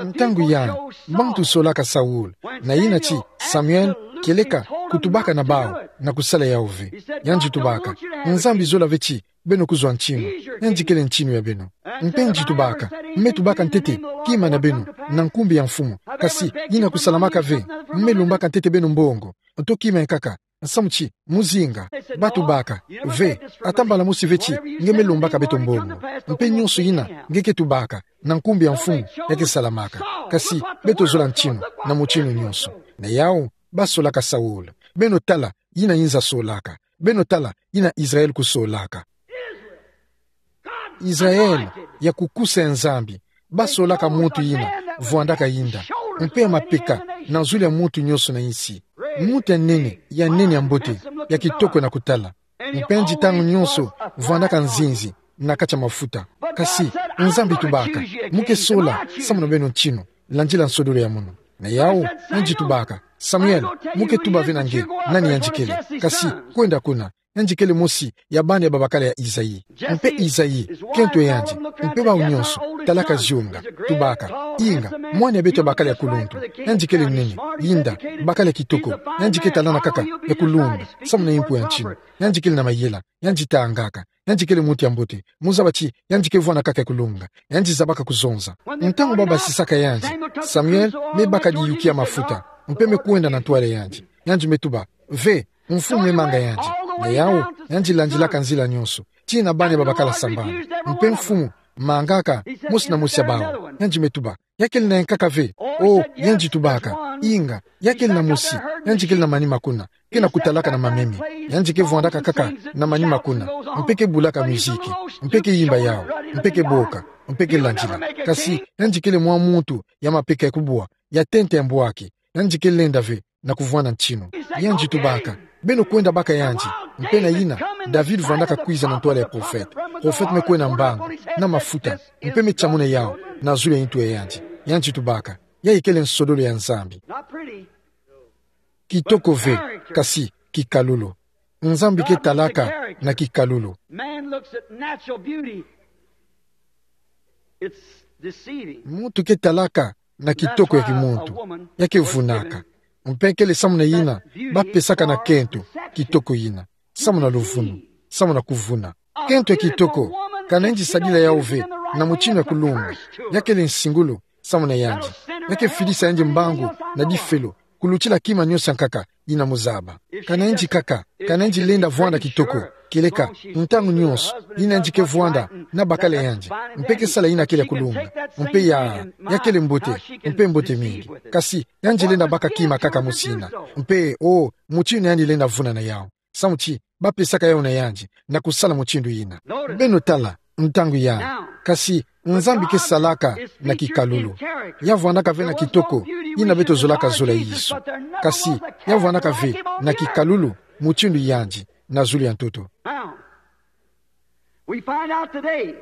Ntangu yandi, bantu solaka Saul, na yina ti Samuel kieleka kutubaka na bawu na kusala yawu ve. Yandi tubaka: Nzambi zola ve ti beno kuzwa ntinu. Yandi kele ntinu ya beno. Mpe yandi tubaka: Me tubaka ntete kima na beno na nkumbu ya Mfumu, kasi yina kusalamaka ve. Me lombaka ntete beno mbongo, nto kima ya nkaka, nsamu ti muzinga. Ba tubaka: Ve, ata mbala mosi ve ti nge me lombaka beto mbongo. Mpe nyonso yina nge ke tubaka na nkumbu ya Mfumu, ya ke salamaka. Kasi beto zola ntinu na mutindu nyonso. Na yawu, ba solaka Saul. Beno tala yina inza solaka. Beno tala yina Israel kusolaka. Israel ya kukusa ya Nzambi, ba solaka muntu yina vwandaka yinda, mpe ya mapeka na zulu ya muntu nyonso na insi. Muntu ya nene, ya nene, ya mbote, ya kitoko na kutala. Mpe yandi ntangu nyonso vwandaka nzinzi na kati ya mafuta. Kasi Nzambi tubaka: Mu ke sola samu na beno ntinu, landila nsodolo ya munu. Na yawu, yandi tubaka: Samuel, mu ke tuba ve na nge nani yandi kele, kasi kwenda kuna, yandi kele mosi ya bana ya babakala ya Isaï. Mpe Isaï, kento ya yandi, mpe bawu nyonso, talaka zionga, tubaka: Inga, mwana ya beto ya bakala ya kulundu. Yandi kele nene, yinda, bakala ya kitoko. Yandi ke talana kaka ya kulundu samu na impu ya ntinu. Yandi kele na mayela, yandi tangaka, yandi kele muntu ya mbote. Mu zaba ti yandi ke vwanda kaka ya kulunga, yandi zabaka kuzonza. Ntangu ba basisaka yandi, Samuel me baka diyuki ya mafuta, mpe me kwenda na ntwala ya yandi. Yandi me tuba: Ve, Mfumu me manga yandi. Na yawu, yandi landilaka nzila nyonso, tii na bana ya babakala sambanu. Mpe Mfumu mangaka mosi na mosi ya bawu. Yandi me tuba: Ya kele na ya nkaka ve? Oh, yandi tubaka: Inga, ya kele na mosi, yandi kele na manima kuna, ke na kutalaka na mameme. Yandi ke vwandaka kaka na manima kuna, mpe ke bulaka miziki, mpe ke yimba yawu, mpe ke boka, mpe ke landila. Kasi yandi kele mwa muntu ya mapeka ya kubwa, ya tente ya mbwaki. Yandi ke lenda ve na kuvwanda ntinu. Yandi tubaka: Beno kwenda baka yandi. Mpe na yina, David vwandaka kwiza na ntwala ya profete. Profete me kwenda mbangu na mafuta, mpe me tiamuna yawu na zulu ya intu ya yandi. Yandi tubaka: Yayi kele nsodolo ya Nzambi. Kitoko ve, kasi kikalulu. Nzambi ke talaka na kikalulu. Man looks at natural beauty. It's deceiving. Muntu ke talaka na kitoko ya kimuntu, ya ke vunaka. Mpe kele samu na yina ba pesaka na kento kitoko yina, samu na luvunu, samu na kuvuna. Kento ya kitoko, kana yandi sadila yawu ve na mutinu ya kulunga, ya kele nsingulu samu na yandi. Ya ke fidisa yandi mbangu na difelo, kulutila kima nyonso ya nkaka yina muzaba. Kana yandi kaka, kana yandi lenda vwanda kitoko, kieleka, ntangu nyonso, yina yandi ke vwanda na bakala yandi, mpe ke sala yina kele ya kulunga, mpe ya, ya kele mbote, mpe mbote mingi. Kasi, yandi lenda baka kima kaka mosi yina, mpe, o, mutindu yandi lenda vuna na yawu. Samu ti, bapesaka yawu na yandi, na kusala mutindu yina. Beno tala, ntangu ya. Kasi, Nzambi ke salaka na kikalulu. Ya vwandaka ve na kitoko, yina beto zolaka zola yesu. Kasi, ya vwandaka ve na kikalulu, mutindu yandi, na zulu ya ntoto. Now, we find out today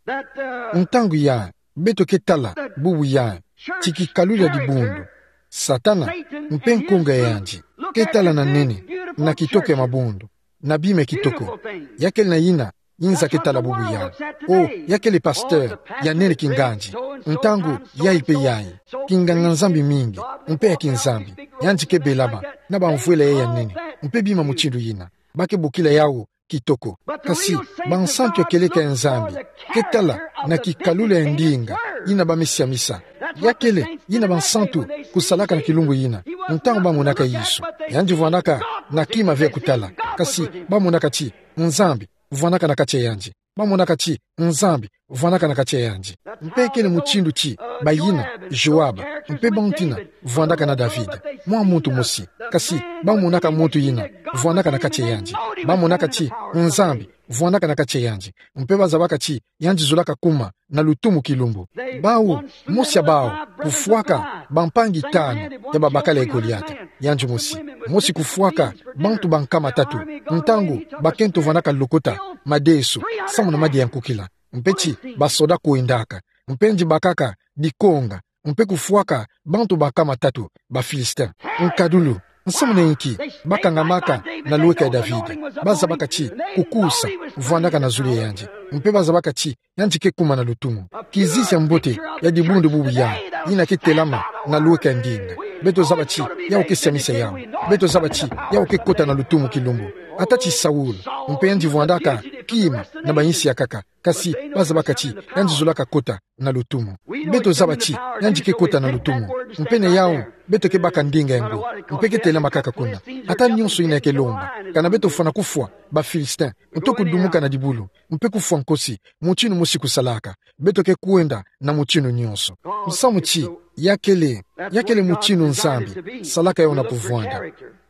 that, uh, Ntangu ya, beto ke tala, bubu ya, ti kikalulu ya dibundu. Satana, mpe nkunga ya yandi, ke tala na nene, na kitoko ya mabundu, na bima ya kitoko. Ya kele na yina, yinza ke tala bubu ya. O, ya kele pasteur, ya nene kingandi. Ntangu, yayi mpe yayi. Kinganga Nzambi mingi, mpe ya kinzambi. Yandi ke belama, na bamvwela yayi ya nene. Mpe bima mutindu yina. Ba ke bokila yawu, kitoko. Kasi, bansantu ya kieleka ya Nzambi, ke tala na kikalulu ya ndinga, yina ba me siamisa. Ya kele, yina bansantu, kusalaka na kilumbu yina. Ntangu ba monaka yesu. Yandi vwandaka, na kima ve ya kutala. Kasi, ba monaka ti, Nzambi, vwandaka na kati ya yandi. Ba monaka ti, Nzambi, vwandaka na kati ya yandi. Mpe kele mutindu ti, bayina, Joab, mpe bantu yina, vwandaka na David. Mwa muntu mosi. Kasi, ba monaka muntu yina, vwandaka na kati ya yandi. Ba monaka ti, Nzambi, vwandaka na kati ya yandi. Mpe ba zabaka ti, yandi zolaka kuma, na lutumu kilumbu. Bawu, mosi ya bawu, kufwaka, bampangi tanu, ya babakala ya Goliata. Yandi mosi. Mosi kufwaka, bantu ba nkama tatu. Ntangu, bakento vwandaka lokota, madesu, samu na madia ya nkukila. Mpe ti, basoda kwendaka. Mpe yandi bakaka, dikonga. Mpe kufwaka, bantu ba nkama tatu, ba Philistin. Nkadulu, nsamu na inki, ba kangamaka, na lweka ya David. Ba zabaka ti, kukusa, vwandaka na zulu ya yandi. Mpe ba zabaka ti, yandi ke kuma na lutumu. Kizizi ya mbote, ya dibundu bubu ya, yina ke telama, na lweka ya ndinga. Beto zaba ti, yawu ke siamisa yawu. Beto zaba ti, yawu ke kota na lutumu kilumbu. Ata ti Saul, mpe yandi vwandaka, kima, na bayinsi ya nkaka. Kasi, ba zabaka ti, yandi zolaka kota, na lutumu. Beto zaba ti, yandi ke kota na lutumu. Mpe na yawu, beto ke baka ndinga ya ngwi. Mpe ke telama kaka kuna. Ata nyonso yina ya ke lomba. Kana beto fwana kufwa, ba Philistin. Nto kudumuka na dibulu. Mpe kufwa nkosi. Mutindu mosi kusalaka. Beto ke kwenda na mutindu nyonso. Nsamu ti, ya kele, ya kele mutindu Nzambi. Salaka yawu na kuvwanda.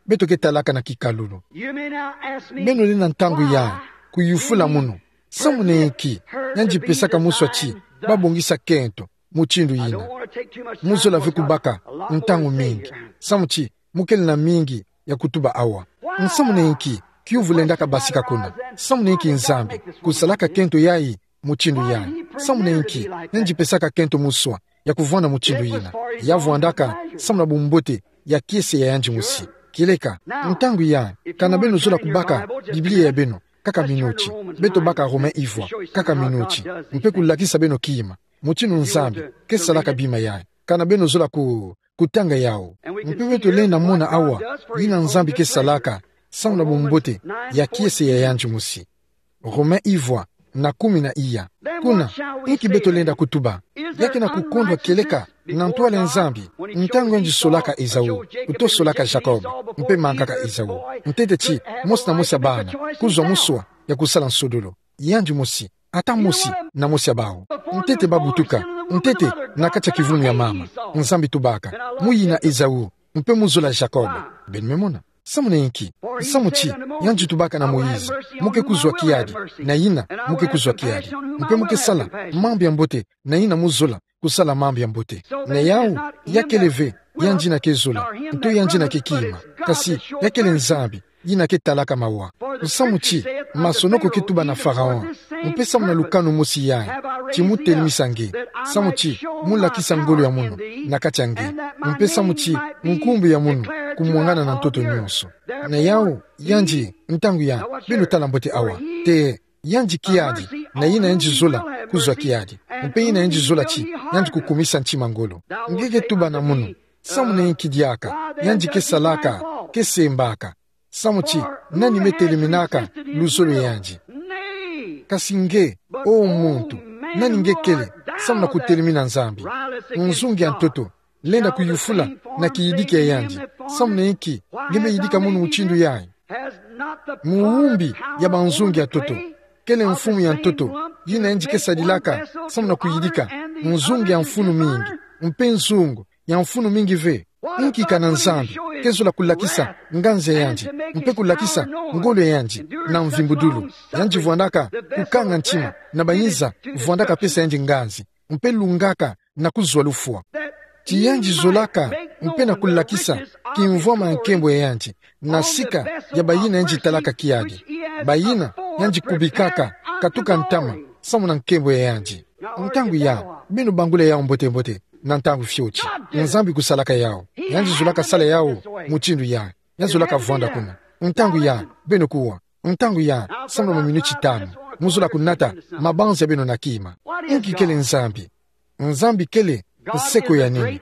Beto ke talaka na kikalulu. Beno lenda ntangu ya, kuyufula munu. Samu na inki, yandi pesaka muswa ti, babongisa kento, mutindu yina. Muzola ve kubaka, ntangu mingi. Samu ti, mu kele na mingi, ya kutuba awa. Nsamu na inki, kiyuvu lendaka basika kuna. Samu na inki Nzambi, kusalaka kento yayi, mutindu yayi. Samu na inki, yandi pesaka kento muswa, ya kuvwanda mutindu yina. Ya vwandaka, samu na bumbote, ya kiese ya yandi mosi. Kieleka, ntangu ya, kana beno zola kubaka, Biblia ya beno, kaka minuti. Beto baka Romain ivwa, kaka minuti. Mpe kulakisa beno kima. Mutindu Nzambi, ke salaka bima yayi. Kana beno zola ku, kutanga yawu. Mpe beto lenda mona awa, yina Nzambi ke salaka, samu na bumbote, ya kiese ya yandi mosi. Romain ivwa, na kumi na iya. Kuna, inki beto lenda kutuba. Ya ke na kukondwa kieleka, na ntwala ya Nzambi, ntangu yandi solaka Ezau, kuto solaka Jacob, mpe mangaka Ezau. Ntete ti, mosi na mosi ya bana, kuzwa muswa, ya kusala nsodolo. Yandi mosi, ata mosi, na mosi ya bawu. Ntete babutuka, ntete, na kati ya kivumu ya mama. Nzambi tubaka, muyina Ezau, mpe muzola Jacob. Beno me mona. Samu na inki? Samu ti, yandi tubaka na Moïse, mu ke kuzwa kiadi, na yina, mu ke kuzwa kiadi. Mpe mu ke sala, mambu ya mbote, na yina muzola, kusala mambu ya mbote. Na yawu, ya kele ve, yandi yina ke zola, nto yandi yina ke kima. Kasi, ya kele Nzambi, yina ke talaka mawa. Samu ti, masonoko ke tuba na Pharaon, mpe samu na lukanu mosi yayi, ti mu telemisa nge, samu ti, mu lakisa ngolo ya munu, na kati ya nge, mpe samu ti, nkumbu ya munu, kumwangana na ntoto nyonso. Na yawu, yandi, ntangu ya, beno tala mbote awa. Te, yandi kiadi, na yina yandi zola, kuzwa kiadi. Mpe yina yandi zola ti, yandi kukumisa ntima ngolo. Nge ke tuba na munu, samu na inki diaka, yandi ke salaka, ke sembaka. Samu ti, nani me telemina ka, luzolo yandi. Kasi nge, o muntu, nani nge kele, samu na kutelemina Nzambi. Nzungu ya ntoto, Lenda kuyufula na kiyidiki ya yandi: Samuna inki nge me yidika mono mutindu yayi? Muumbi ya banzungu ya ntoto, kele mfumu ya ntoto, yina yandi ke sadilaka samuna kuyidika nzungu ya mfunu mingi, mpe nzungu ya mfunu mingi ve? Inki kana Nzambi ke zola kulakisa nganzi ya yandi, mpe kulakisa ngolo ya yandi na mvimbudulu? Yandi vwandaka kukanga ntima na bayiza vwandaka pesa yandi nganzi, mpe lungaka na kuzwa lufwa. Ti yandi zolaka mpe na kulakisa kimvwama ya nkembo ya yandi na sika ya bayina yandi talaka kiadi, bayina yandi kubikaka katuka ntama samuna nkembo ya yandi. Ntangu ya, beno bangula yau mbote-mbote, na ntangu fioti Nzambi kusalaka yau. Yandi zolaka sala yau mutindu ya, yandi zolaka vwanda kuna. Ntangu ya, beno kuwa. Ntangu ya, samuna maminiti tanu, mu zola kunata mabanza ya beno na kima. Inki kele Nzambi? Nzambi kele nseko ya nene.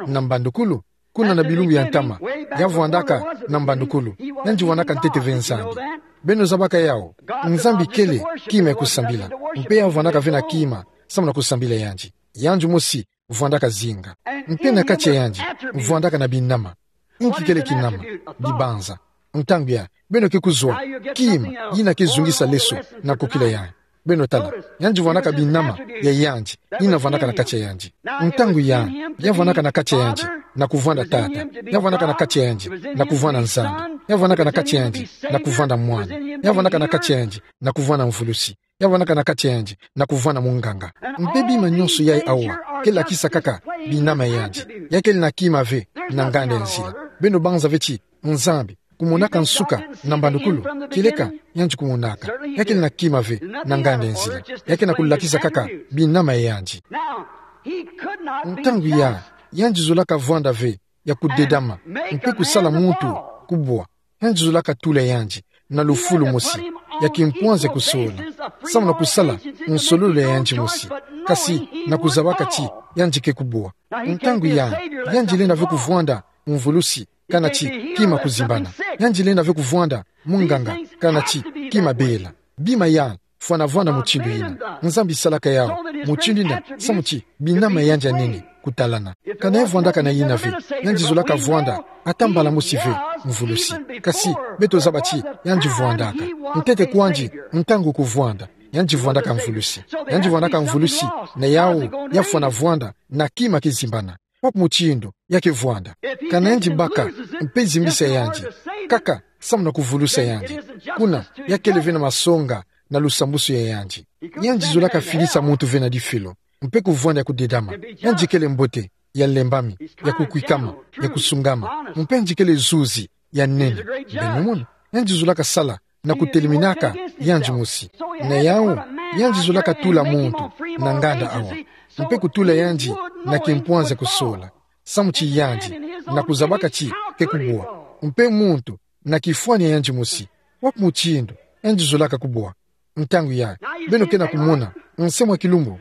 Na mbandukulu, kuna na bilumbu ya ntama, ya vwandaka na mbandukulu. Yandi vwandaka ntete ve Nzambi. Beno zabaka yau? Nzambi kele kima ya kusambila, mpe ya vwandaka ve na kima samuna kusambila yandi. Yandi mosi vwandaka zinga. Mpe na kati ya yandi, vwandaka na binama. Inki kele kinama? Dibanza. Ntangu ya, beno ke kuzwa kima yina ke zungisa leso na kokila ya. Beno tala, yandi vwandaka binama ya yandi, yina vwandaka na kati ya yandi. Ntangu ya, ya vwandaka na kati ya yandi na kuvwanda Tata, ya vwandaka na kati ya yandi na kuvwanda Nzambi, ya vwandaka na kati ya yandi na kuvwanda Mwana, ya vwandaka na kati ya yandi na kuvwanda Mvulusi, ya vwandaka na kati ya yandi na kuvwanda munganga. Mpe bima nyonso yayi awa ke lakisa kaka binama ya yandi. Ya kele na kima ve na nganda ya nzila. Beno banza ve ti Nzambi kumonaka nsuka na mbandukulu? Kieleka, yandi kumonaka. Ya kele na kima ve na nganda ya nzila. Ya ke na kulakisa kaka binama ya yandi. Ntangu ya, yandi zolaka vwanda ve ya kudedama mpe kusala muntu kubwa. Yandi zolaka tula yandi na lufulu mosi ya kimpwanza kusola, samuna kusala nsololo ya yandi mosi, kasi na kuzabaka ti yandi ke kubwa. Ntangu ya, yandi lenda ve kuvwanda Mvulusi, kana ti kima kuzimbana. Yandi lenda ve kuvwanda munganga, kana ti kima bela. Bima ya fwana vwanda mutindu yina. Nzambi salaka yau mutindu yina samu ti binama ya yandi ya nene kutalana. Kana ya vwandaka na yina ve, yandi zolaka vwanda ata mbala mosi ve Mvulusi. Kasi beto zaba ti yandi vwandaka. Ntete kwandi, ntangu kuvwanda, yandi vwandaka Mvulusi. Yandi vwandaka Mvulusi, na yau ya fwana vwanda na kima kizimbana. Wapi mutindu ya ke vwanda? Kana yandi baka mpe zimbisa yandi kaka samuna kuvulusa yandi, kuna ya kele ve na masonga na lusambusu ya yandi. Yandi zolaka filisa muntu ve na difelo, mpe kuvwanda ya kudedama. Yandi kele mbote, ya lembami, ya kukwikama, ya kusungama, mpe yandi kele zuzi ya nene. Beno mona, yandi zolaka sala na kuteleminaka yandi mosi. Na yau, yandi zolaka tula muntu na nganda awa, mpe kutula yandi na kimpwanza kusola, samu ti yandi, na kuzabaka ti ke kubwa, mpe muntu na kifwani ya yandi mosi. Wapi mutindu yandi zolaka kubwa? Ntangu ya, beno ke na kumona nse mwa kilumbu.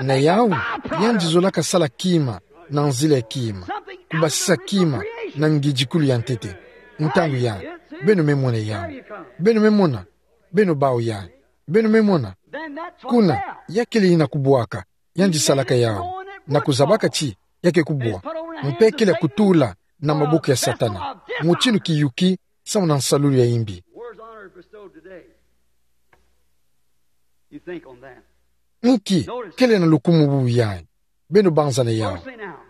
Na yau, yandi zolaka sala kima na nzila ya kima, kubasisa kima na ngidikulu ya ntete. Ntangu ya, beno me mona yau. Beno me mona, beno bau ya. Beno me mona. Kuna, ya kele yina kubwaka, yandi salaka yau, na kuzabaka ti ya ke kubwa, mpe kele kutula na maboko ya Satana, mutindu kiyuki samuna nsalulu ya imbi. Where's honor bestowed today? You think on that. Nki kele na lukumu bubu yayi? Beno banza na yau.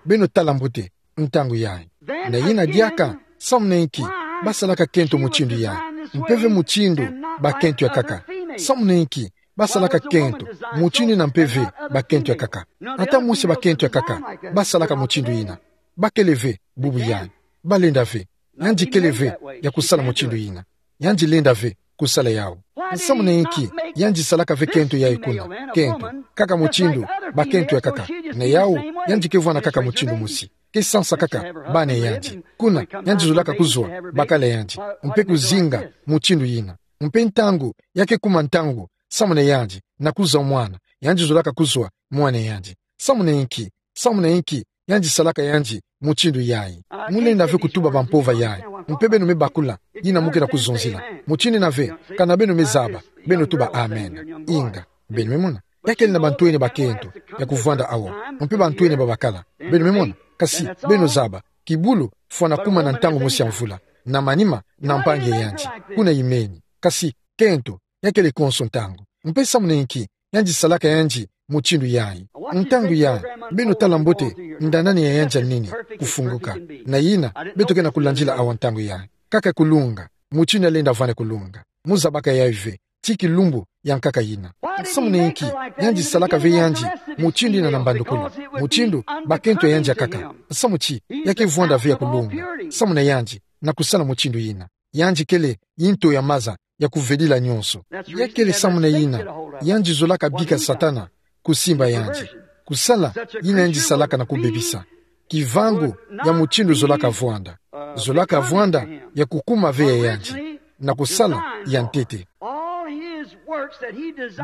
Beno tala mbote ntangu yayi. Na yina diaka, samuna inki basalaka kento mutindu yayi, mpe ve mutindu bakento ya kaka? Samuna inki basalaka kento mutindu yina mpe ve bakento ya kaka? Ata mosi bakento ya kaka basalaka mutindu yina. Bakele ve bubu yayi. Balenda ve. Yandi kele ve ya kusala mutindu yina. Yandi lenda ve kusala yau. Samuna inki yandi salaka ve kento yayi kuna? Kento kaka mutindu bakento ya kaka. Na yau, yandi ke vwanda kaka mutindu mosi. Ke sansa kaka bana yandi. Kuna, yandi zolaka kuzwa bakala yandi, mpe kuzinga mutindu yina. Mpe ntangu ya ke kuma ntangu samuna yandi na kuzwa mwana, yandi zolaka kuzwa mwana yandi. Samuna inki, samuna inki yandi salaka yandi mutindu yayi? Mu lenda ve kutuba bampova yayi. Mpe beno me bakula yina mu ke na kuzonzila. Mutindu yina ve, kana beno me zaba, beno tuba amen. Inga. Beno me mona. Ya kele na bantwenia bakento ya kuvwanda awa, mpe bantwenia babakala. Beno me mona. Kasi, beno zaba, kibulu, fwana kuma na ntangu mosi ya mvula. Na manima, na mpangi ya yandi. Kuna imeni. Kasi, kento, ya kele konso ntangu. Mpe samu na inki, yandi salaka yandi, mutindu yayi. Ntangu yayi, beno tala mbote, ndanani ya yandi ya nini, kufunguka. Na yina, beto ke na kulandila awa ntangu yayi. Kaka kulunga, mutindu yalenda vwanda kulunga. Muzabaka yayi ve, ti kilumbu ya nkaka yina. Samu na inki, yandi salaka ve yandi, mutindu yina na mbandukulu. Mutindu, bakento ya yandi ya nkaka. Samu ti, ya ke vwanda ve ya kulunga. Samu na yandi, na kusala mutindu yina. Yandi kele, yinto ya maza, ya kuvedila nyonso. Ya kele samu na yina, yandi zolaka bika Satana, kusimba yandi. Kusala, yina yandi salaka na kubebisa. Kivangu, ya mutindu zolaka vwanda. Zolaka vwanda, ya kukuma ve ya yandi. Na kusala, ya ntete.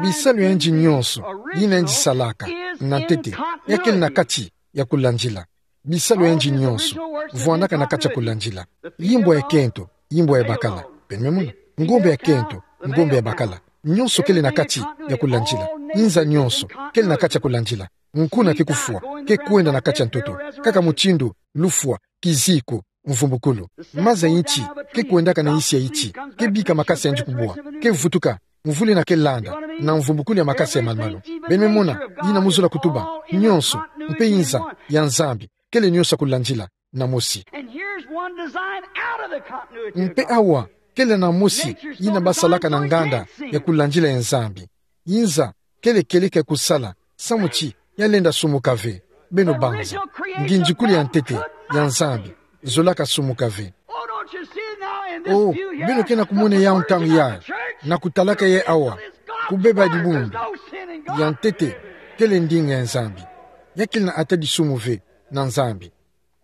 Bisalu ya yandi nyonso, yina yandi salaka, na ntete. Ya kele na kati, ya kulandila. Bisalu ya yandi nyonso, vwandaka na kati ya kulandila. Yimbwa ya kento, yimbwa ya bakala. Beno me mona. Ngombe ya kento, ngombe ya bakala. Nyonso kele na kati ya kulandila. Inza nyonso, kele na kati ya kulandila. Nkuna ke kufwa, ke kwenda na kati ya ntoto. Kaka mutindu, lufwa, kiziku, mvumbukulu. Maza inti, ke kwendaka na insi ya inti, ke bika makasa yandi kubwa, ke vutuka, mvula yina ke landa, na mvumbukulu ya makasa ya malumalu. Beno me mona, yina mu zola kutuba, nyonso, mpe inza, ya Nzambi, kele nyonso ya kulandila, na mosi. And here's one design out of the continuity of Mpe God. Awa, kele na mosi, yina basalaka na nganda, ya kulandila ya Nzambi. Inza, kele kieleka ya kusala, samu ti, yalenda sumuka ve. Beno banza. Ngindikulu ya ntete, ya Nzambi, zolaka sumuka ve. Oh, don't you see now in this Oh, view here, beno ke na kumona ya ntangu ya, na kutalaka ya awa, kubeba dibundu, ya ntete, kele ndinga ya Nzambi. Ya kele na ata disumu ve, na Nzambi.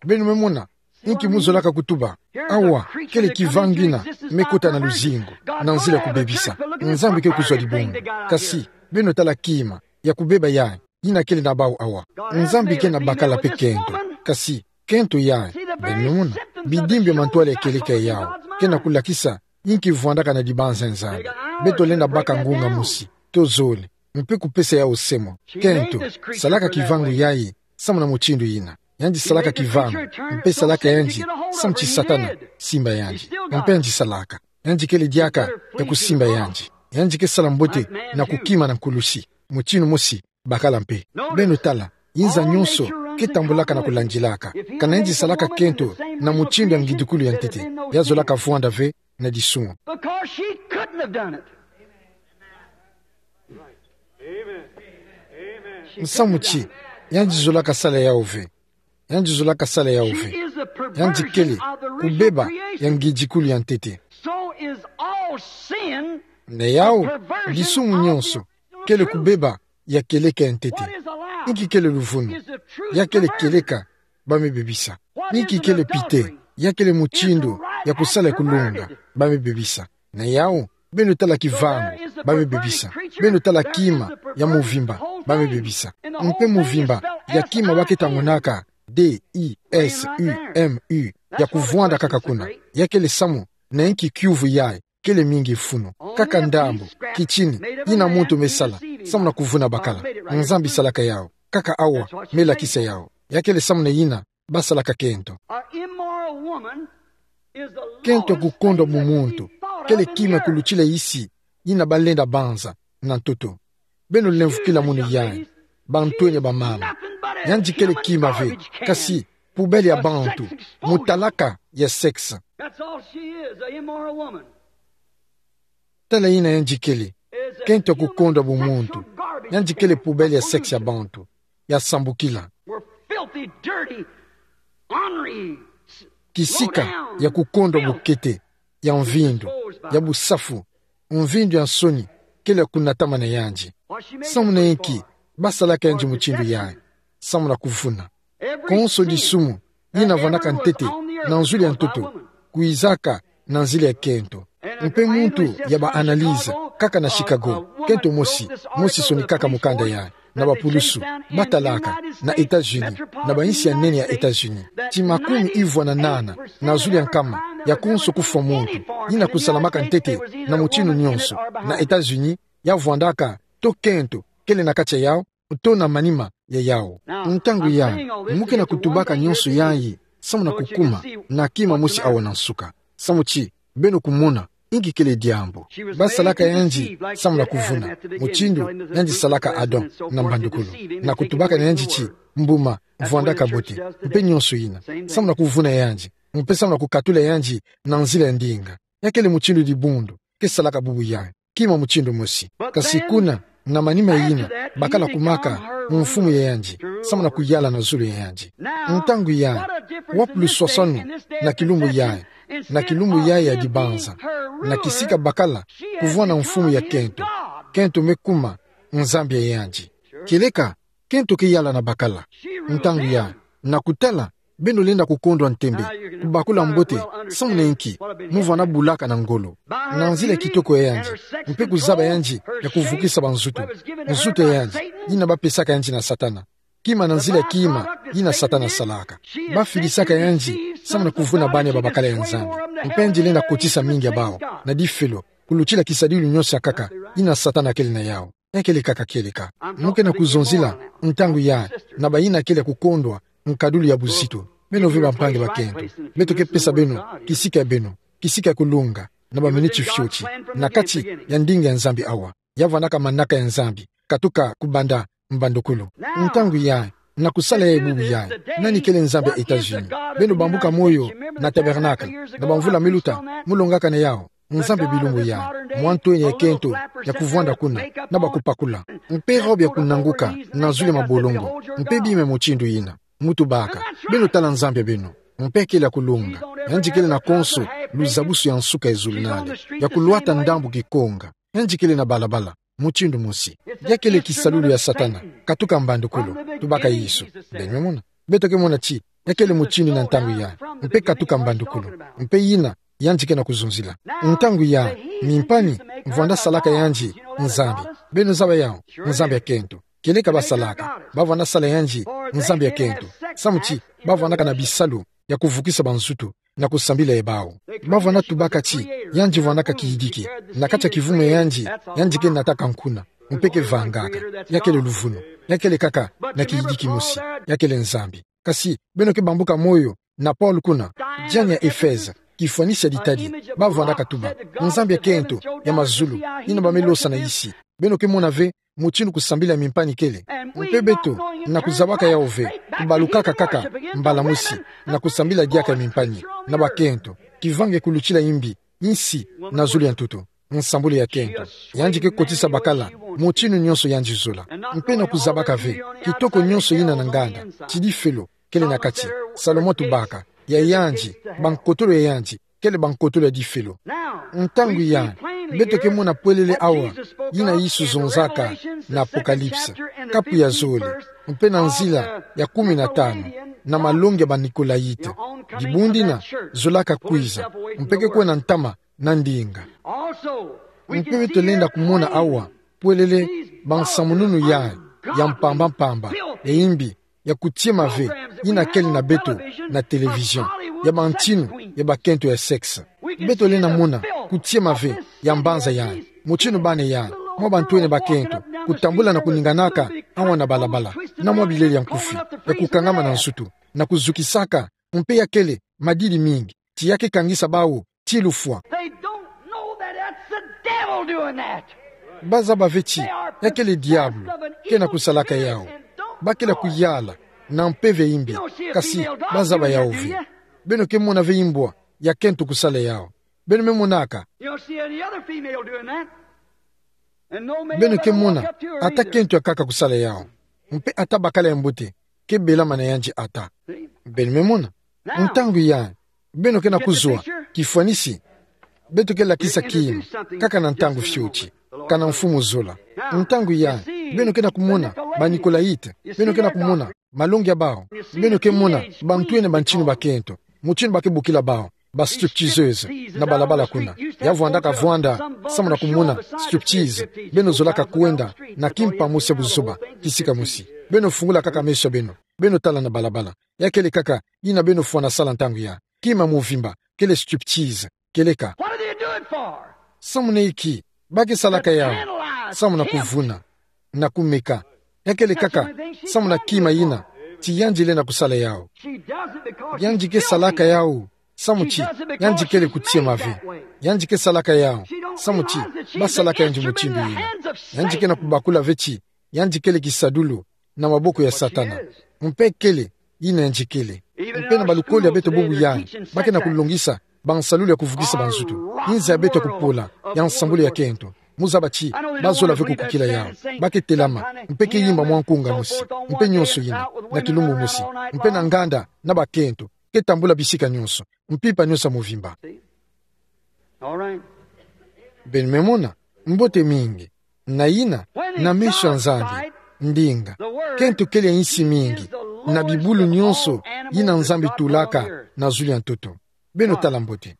Beno me mona, inki mu zolaka kutuba, awa, kele kivangu kina, me kota na luzingu, na nzila ya kubebisa, Nzambi ke kuzwa dibundu. Kasi, beno tala kima, ya kubeba ya, yina kele na bau awa. Nzambi ke na bakala mpe kento, kasi, kento ya, beno me mona, bidimbi ya mantwala ya kieleka ya yawu, ke na kulakisa, inki vwandaka na dibanza ya Nzambi. Beto lenda baka ngunga mosi, to zole, mpe kupesa yawu semo, kento, salaka kivangu yayi, samu na mutindu yina. Yandi salaka kivangu, mpe salaka yandi, samu ti Satana, simba yandi. Mpe yandi salaka. Yandi kele diaka, ya kusimba yandi. Yandi ke sala mbote, na kukima na nkulusi. Mutindu mosi, bakala mpe. Beno tala, inza nyonso, ke tambulaka na kulandilaka. Kana yandi salaka kento, na mutindu ya ngindikulu ya ntete. Ya zolaka vwanda ve, na disumu. Because she couldn't have done it. Samu ti, yandi zolaka sala yawu ve. Yandi zolaka sala yawu ve. Yandi kele, kubeba, ya ngindikulu ya ntete. So is all sin. Na yawu, disumu nyonso, kele kubeba, ya kieleka ya ntete. Inki kele luvunu? Ya kele kieleka, ba me bebisa. Inki kele pite? Ya kele mutindu, ya kusala ya kulunga, ba me bebisa. Na yawu, beno tala kivangu, ba me bebisa. Beno tala kima, ya muvimba, ba me bebisa. Mpe muvimba, ya kima ba ke tangunaka, D I S U M U, ya kuvwanda kaka kuna. Ya kele samu, na inki kiuvu yayi, kele mingi mfunu. Kaka ndambu, kitini, yina muntu me sala, samu na kuvuna bakala. Nzambi salaka yawu, kaka awa, me lakisa yawu. Ya kele samu na yina, basalaka kento. Kento ya kukondwa bumuntu, kele kima ya kulutila isi, yina balenda banza, na ntoto. Beno lemvokila munu yayi, bantwenya bamama. Yandi kele kima ve, kasi, poubelle ya bantu, mutalaka ya sexe. That's all she is, a immoral woman. Tala yina yandi kele, kento ya kukondwa bumuntu. Yandi kele poubelle ya sexe ya bantu, ya sambukila. We're filthy, dirty, ornery, s-, Kisika, low down, ya kukondwa filth. Bukete, ya mvindu, ya busafu, mvindu ya nsoni, kele ya kunatama na yandi. Samu na inki, basalaka yandi mutindu yayi, samu na kuvuna. Konso disumu, yina vandaka ntete, na nzuli ya ntoto, kwizaka, na nzila ya kento. Mpe muntu ya ba analyse, kaka na Chicago, kento mosi, mosi sonikaka mukanda yayi, na bapulusu, batalaka, na États-Unis, na bainsi ya nene ya États-Unis. Ti makumi ivwa na nana, na zuli ya nkama, ya konso kufwa muntu, yina kusalamaka ntete, na mutindu nyonso, na États-Unis, ya vwandaka, to kento, kele na kati ya yawu, to na manima, ya yawu. Ntangu yayi, mu ke na kutubaka nyonso yayi, samu na kukuma na kima mosi awa na nsuka. Samu ti beno kumona, inki kele diambu. Basalaka yandi samu na kuvuna, mutindu yandi salaka Adam na mbandukulu. Na kutubaka na yandi ti, mbuma, vwandaka mbote, mpe nyonso yina, samu na kuvuna yandi, mpe samu na kukatula yandi na nzila ya ndinga. Ya kele mutindu dibundu ke salaka bubu yayi, kima mutindu mosi. Kasi kuna, na manima yina, bakala kumaka mfumu ya yandi, samu na kuyala na zulu ya yandi. Ntangu yayi, wapi luswaswanu na kilumbu yayi, na kilumbu yayi ya dibanza, na kisika bakala kuvwanda mfumu ya kento, kento me kuma Nzambi ya yandi. Kieleka, kento ke yala na bakala. Ntangu yayi, na kutala, beno lenda kukondwa ntembe, kubakula mbote, samu na inki, mu vwanda bulaka na ngolo, na nzila kitoko ya yandi, mpe kuzaba yandi ya kuvukisa banzutu, nzutu ya yandi, yina bapesaka yandi na Satana. Kima na nzila ya kima, yina Satana asalaka. Bafilisaka yandi, samu na kuvuna bana ya babakala ya Nzambi. Mpe yandi lenda kotisa mingi ya bawu na difelo, kulutila kisadilu nyonso ya nkaka, yina Satana kele na yawu. Ya kele kaka kieleka. Mu ke na kuzonzila, ntangu yayi, na bayina kele kukondwa nkadulu ya buzitu. Beno ve bampangi bakento, beto ke pesa beno kisika ya beno, kisika ya kulunga, na baminiti fioti, na kati ya ndinga ya Nzambi awa. Ya vwandaka manaka ya Nzambi, katuka kubanda mbandukulu. Ntangu yayi, na kusala yayi bubu yayi, nani kele Nzambi ya États-Unis? Beno bambuka moyo na Tabernacle, na bamvula miluta, mu longaka na yawu. Nzambi ya bilumbu yayi, mwa ntwenya ya kento ya kuvwanda kuna, na bakupakula, mpe robe ya kunanguka na zulu ya mabolongo, mpe bima ya mutindu yina. Mu tubaka, beno tala Nzambi ya beno, mpe kele ya kulunga. Yandi kele na konso luzabusu ya nsuka ya zulu nale, ya kulwata ndambu kikonga. Yandi kele na balabala, mutindu mosi. Ya kele kisalulu ya Satana, katuka mbandukulu, tubaka Yesu. Beno me mona. Beto ke mona ti, ya kele mutindu na ntangu yayi, mpe katuka mbandukulu, mpe yina, yandi ke na kuzonzila. Ntangu yayi, mimpani vwanda salaka yandi Nzambi. Beno zaba yawu, Nzambi ya kento. Kieleka basalaka, bavwanda sala yandi Nzambi ya kento. Samu ti, bavwandaka na bisalu ya kuvukisa banzutu na kusambila ya bawu. Bavwanda tubaka ti, yandi vwandaka kiyidiki. Na kati ya kivumu ya yandi, yandi ke nataka nkuna, mpe ke vangaka. Ya kele luvunu. Ya kele kaka na kiyidiki mosi. Ya kele Nzambi. Kasi, beno ke bambuka moyo na Paul kuna, diane ya Efeze, kifwanisi ya ditadi, bavwandaka tuba, nzambi ya kento ya mazulu, yina ba me losa na yisi. Beno ke mona ve mutindu kusambila ya mimpani kele. Mpe beto, na kuzabaka yawu ve, kubalukaka kaka mbala mosi na kusambila diaka ya mimpani, na bakento, kivanga ya kulutila imbi, insi, na zulu ya ntoto. Nsambulu ya kento. Yandi ke kotisa bakala mutindu nyonso yandi zola. Mpe na kuzabaka ve, kitoko nyonso yina na nganda, ti difelo kele na kati. Salomo tubaka, ya yandi, bankotolo ya yandi, kele bankotolo ya difelo. Ntangu yayi, beto ke mona pwelele awa yina Yesu zonzaka na Apocalypse, kapu ya zole, mpe na nzila ya kumi na tanu, na malongi ya ba Nicolaïtes. Dibundu dina zolaka kwiza, mpe ke kwenda ntama na ndinga. Mpe beto lenda kumona awa pwelele bansamununu yayi ya mpamba mpamba, ya imbi, ya kutiema ve, yina kele na beto na télévision, ya bantinu ya bakento ya sexe. Beto lenda mona kutiema ve ya mbanza yayi, mutinu bana yayi, mwa bantwenia bakento, kutambula na kuninganaka awa na balabala, na mwa bilele ya nkufi, ya kukangama na nsutu, na kuzukisaka, mpe ya kele madidi mingi, ti ya ke kangisa bawu ti lufwa. They don't know that that's the devil doing that. Bazaba ve ti, ya kele diabulu ke na kusalaka yawu. Ba kele kuyala na mpeve ya imbi, kasi bazaba yawu ve. Beno ke mona ve imbwa ya kento kusala yawu. Beno me monaka. You don't see any other female doing that. And no male. Beno ke mona ata kento ya nkaka kusala yawu. Mpe ata bakala ya mbote ke belama na yandi ata. Beno me mona. Ntangu yayi, beno ke na kuzwa kifwanisi. Beto ke lakisa kima, kaka na ntangu fioti, kana mfumu zola. Ntangu yayi, beno ke na kumona ba Nicolaïtes, beno ke na kumona malongi ya bawu. Beno ke mona bantwenia bantinu bakento, mutinu ba ke bokila bawu, ba stripteaseuses, na balabala kuna. Ya vwandaka vwanda samu na kumona striptease. Beno zolaka kwenda na kimpa mosi ya buzoba, kisika mosi. Beno fungula kaka meso ya beno, beno tala na balabala. Ya kele kaka yina beno fwana sala ntangu yayi. Kima mobimba kele striptease. Kieleka. What do they do it for? Samu na inki ba ke salaka yawu? Samu na kuvuna, na kumeka, Ya kele kaka samu na kima ina ti yandi lenda kusala yau. Yandi ke salaka yau samu ti yandi kele kutiema ve. Yandi ke salaka yau samu ti basalaka yandi mutindu ina. Yandi ke na kubakula ve ti yandi kele kisadulu na maboko ya Satana. Mpe kele ina yandi kele. Mpe na balukoli ya beto bubu yayi, ba ke na kulongisa bansalulu ya kuvukisa banzutu. Inza ya beto ya kupola ya nsambulu ya kento. Mu zaba ti bazola ve kukukila yau. Ba ke telama mpe ke yimba mwa nkunga mosi, mpe nionso ina, na kilumbu mosi, mpe na nganda na bakento, ke tambula bisika nionso, mpimpa nionso ya muvimba. Beno me mona? Mbote mingi. Na ina, na meso ya Nzambi, ndinga, kento kele ya insi mingi, na bibulu nionso yina Nzambi tulaka na zulu ya ntoto. Beno tala mbote.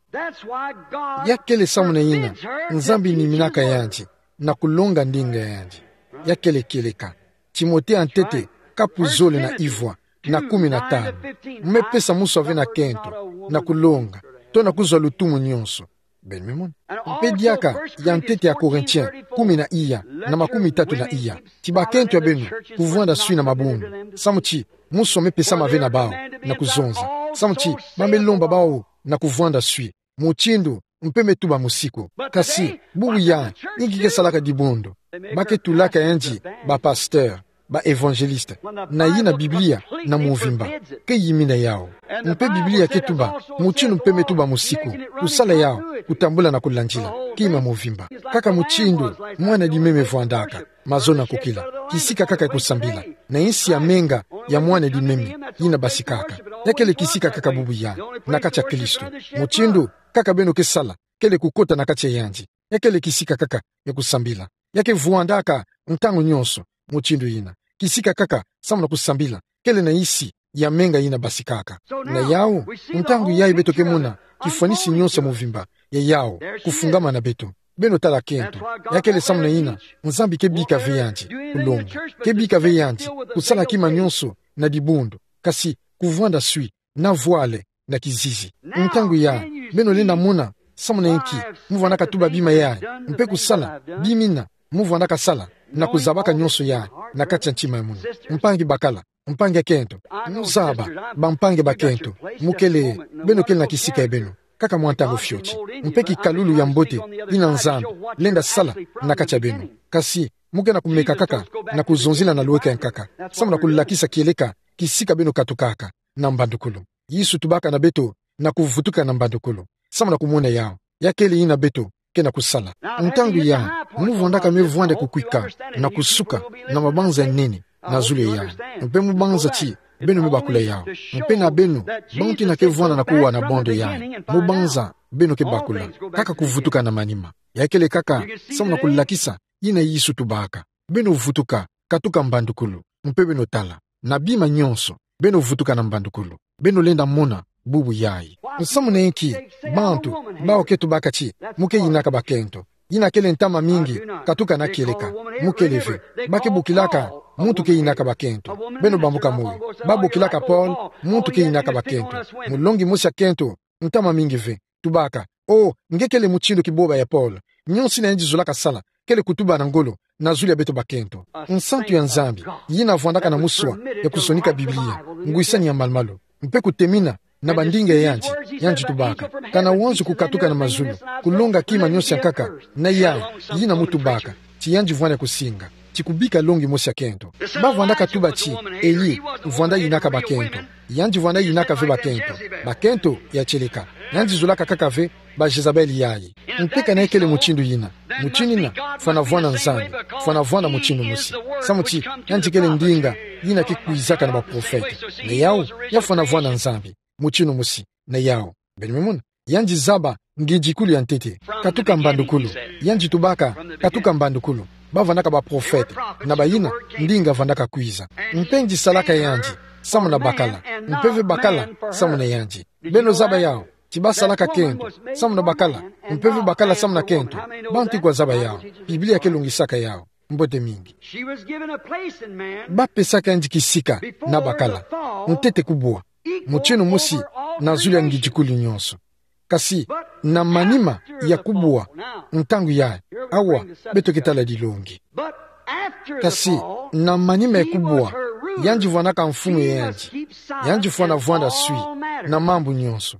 Ya kele samu na ina Nzambi niminaka yandi na kulonga ndinga ya yandi. Ya kele kieleka. Timote ya ntete, kapu zole na ivwa na kumi na tanu. Mu me pesa mosi ave na kento na kulonga, to na kuzwa lutumu nionso. Beno me mona? Mpe diaka ya ntete ya Corinthiens kumi na iya, na makumi tatu na iya: ti bakento ya beno kuvwanda swi na mabundu, samu ti mosi me pesama ve na bau na kuzonza, samu ti ba me lomba bau na kuvwanda swi, mutindu mpe me tuba mosiku. Kasi bubu yayi, inki ke salaka dibundu? Ba ke tulaka yandi ba pasteur, ba évangéliste, na yina Biblia na muvimba ke yimina yau. Mpe Biblia ke tuba mutindu mpe me tuba mosiku. Kusala yau, kutambula na kulandila kima muvimba. Kaka mutindu mwana di meme vwandaka, mazono ya kukila, kisika kaka ya kusambila na insi ya menga ya mwana di meme yina basikaka. Ya kele kisika kaka bubu yayi na kati ya Kristo. Mutindu kaka beno ke sala kele kukota na kati ya yandi. Ya kele kisika kaka ya kusambila. Ya ke vwandaka ntangu nionso mutindu yina. Kisika kaka samu na kusambila kele na insi ya menga yina basikaka. Na yau, ntangu yayi beto ke mona kifwanisi nionso ya muvimba ya yau kufungama na beto. Beno tala kento. Ya kele samu na ina Nzambi ke bika ve yandi kulonga, ke bika ve yandi kusala kima nionso na dibundu, kasi kuvwanda swi na vwale na kizizi. Ntangu yayi, beno lenda mona samu na inki mu vwandaka tuba bima yayi, mpe kusala bima ina mu vwandaka sala, na kuzabaka nionso yayi na kati ya ntima ya munu. Mpangi bakala, mpangi ya kento, mu zaba, bampangi ya bakento, mu kele, beno kele na kisika ya beno kaka mwa ntangu fioti. Mpe kikalulu ya mbote yina Nzambi lenda sala na kati ya beno. Kasi mu ke na kumeka kaka na kuzonzila na lweka ya nkaka, samu na kulakisa kieleka kisika beno katukaka na mbandukulu. Yesu tubaka na beto na kuvutuka na mbandukulu samu na kumona yau. Ya kele yina beto ke na kusala. Ntangu yayi, mu vwandaka me vwanda kukwika na kusuka na mabanza ya nene na zulu ya yayi. Mpe mu banza ti beno me bakula yau. Mpe na beno, bantu yina ke vwanda na kuwa na bondo yayi, mu banza beno ke bakula kaka kuvutuka na manima. Ya kele kaka samu na kulakisa yina Yesu tubaka. Beno vutuka katuka mbandukulu, mpe beno tala, na bima nionso, beno vutuka na mbandukulu. Beno lenda mona bubu yayi. Nsamu na inki bantu bawu ke tubaka ti mu ke yinaka bakento? Yina kele ntama mingi katuka na kieleka. Mu kele ve. Ba ke bokilaka muntu ke yinaka bakento. Beno bambuka moyo. Ba bokilaka Paul muntu ke yinaka bakento. Mulongi mosi ya kento, ntama mingi ve, tubaka: Oh, nge kele mutindu kiboba ya Paul. Nionso yina yandi zolaka sala kele kutuba na ngolo na zulu ya beto bakento. Nsantu ya Nzambi, yina vwandaka na muswa ya kusonika Biblia, ngwisani ya malumalu, mpe kutemina na bandinga ya yandi, yandi tubaka: Kana wanzu kukatuka na mazulu, kulonga kima nionso ya nkaka, na yayi, yina mu tubaka ti yandi vwanda kusinga, ti kubika longi mosi ya kento. Ba vwandaka tuba ti Elie vwanda yinaka bakento. Yandi vwanda yinaka ve bakento. Bakento ya kieleka. Yandi zolaka kaka ve ba Jezabel yayi. Mpe kana ya kele mutindu yina, mutindu yina fwana vwanda Nzambi, fwana vwanda mutindu mosi. Samu ti yandi kele ndinga yina ke kwizaka na baprofete. Na yawu, ya fwana vwanda Nzambi mutindu mosi. Na yawu, beno me mona, yandi zaba ngidikulu ya ntete. Katuka mbandukulu. Yandi tubaka katuka mbandukulu. Ba vandaka baprofete, na bayina ndinga vandaka kwiza. Mpe ngisalaka yandi samu na bakala, mpe ve bakala samu na yandi. Beno zaba yawu, ti ba salaka kento samu na bakala, mpe ve bakala samu na kento. Bantu kwa zaba yawu, Biblia ke longisaka yawu. Mbote mingi. She was given a place in man. Ba pesaka yandi kisika na bakala, ntete kubwa, mutindu mosi na zulu ya ngidikulu nyonso. Kasi na manima ya kubwa, ntangu yayi, awa beto ke tala dilongi. But after Kasi, na manima ya kubwa, yandi vwandaka mfumu ya yandi. Yandi fwana vwanda swi na mambu nyonso.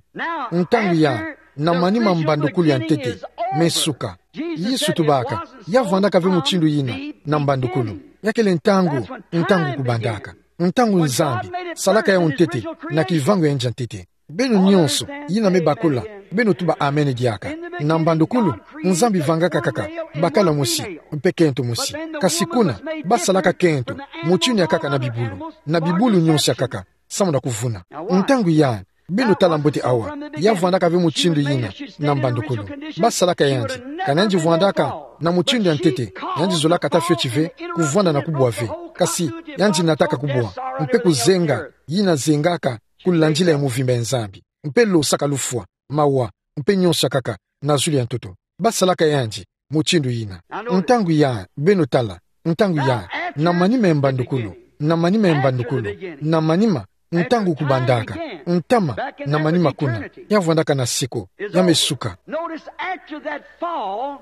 Ntangu ya, na manima mbandukulu ya ntete mesuka. Yesu tubaka, ya vwandaka ve mutindu yina na mbandukulu. Ya kele ntangu, ntangu kubandaka. Ntangu Nzambi salaka yau ntete, na kivangu ya nza ntete. Beno nyonso yina me bakula, beno tuba amen diaka. Na mbandukulu, Nzambi vangaka kaka bakala mosi, mpe kento mosi. Kasi kuna, basalaka kento mutindu ya nkaka na bibulu, na bibulu nyonso ya nkaka, samu na kuvuna. Ntangu ya, beno tala mbote awa, ya vwandaka ve mutindu yina na mbandukulu. Basalaka yandi, kana yandi vwandaka na mutindu ya ntete, yandi zolaka ata fioti ve kuvwanda na kubwa ve. Kasi, yandi nataka kubwa, mpe kuzenga yina zengaka kulandila ya muvimba ya Nzambi, mpe losaka lufwa, mawa, mpe nyonso ya nkaka na zulu ya ntoto. Basalaka yandi mutindu yina. Ntangu ya, beno tala, ntangu ya, na manima ya mbandukulu, na manima ya mbandukulu, na manima, ntangu kubandaka, ntama, na manima kuna, ya vwandaka na seko, ya mesuka. Notice, after that fall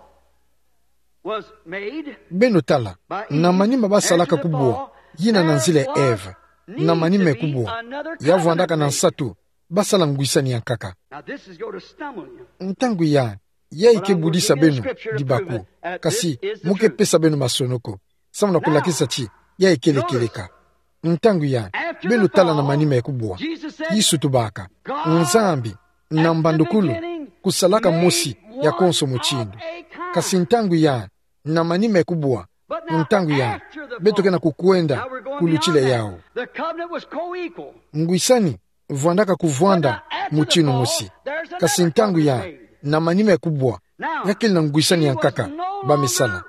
was made, beno tala, na manima basalaka kubwa yina na nzila ya Eve, na manima ya kubwa, ya vwandaka na nsatu, basala ngwisani ya nkaka. Now, this is going to stumble you. Ntangu ya, ya ike budisa beno dibaku, kasi mu ke pesa beno masonoko, samu na kulakisa ti, ya ikele kieleka. Ntangu ya, beno tala na manima ya kubwa. Yesu tubaka, Nzambi, na mbandukulu, kusalaka mosi ya konso mutindu. Kasi ntangu ya, na manima ya kubwa, ntangu ya, beto ke na kukwenda kulutila yau. The covenant was co-equal. Ngwisani vwandaka kuvwanda mutindu mosi. Kasi ntangu ya, na manima ya kubwa, ya kele na ngwisani ya nkaka ba mesala.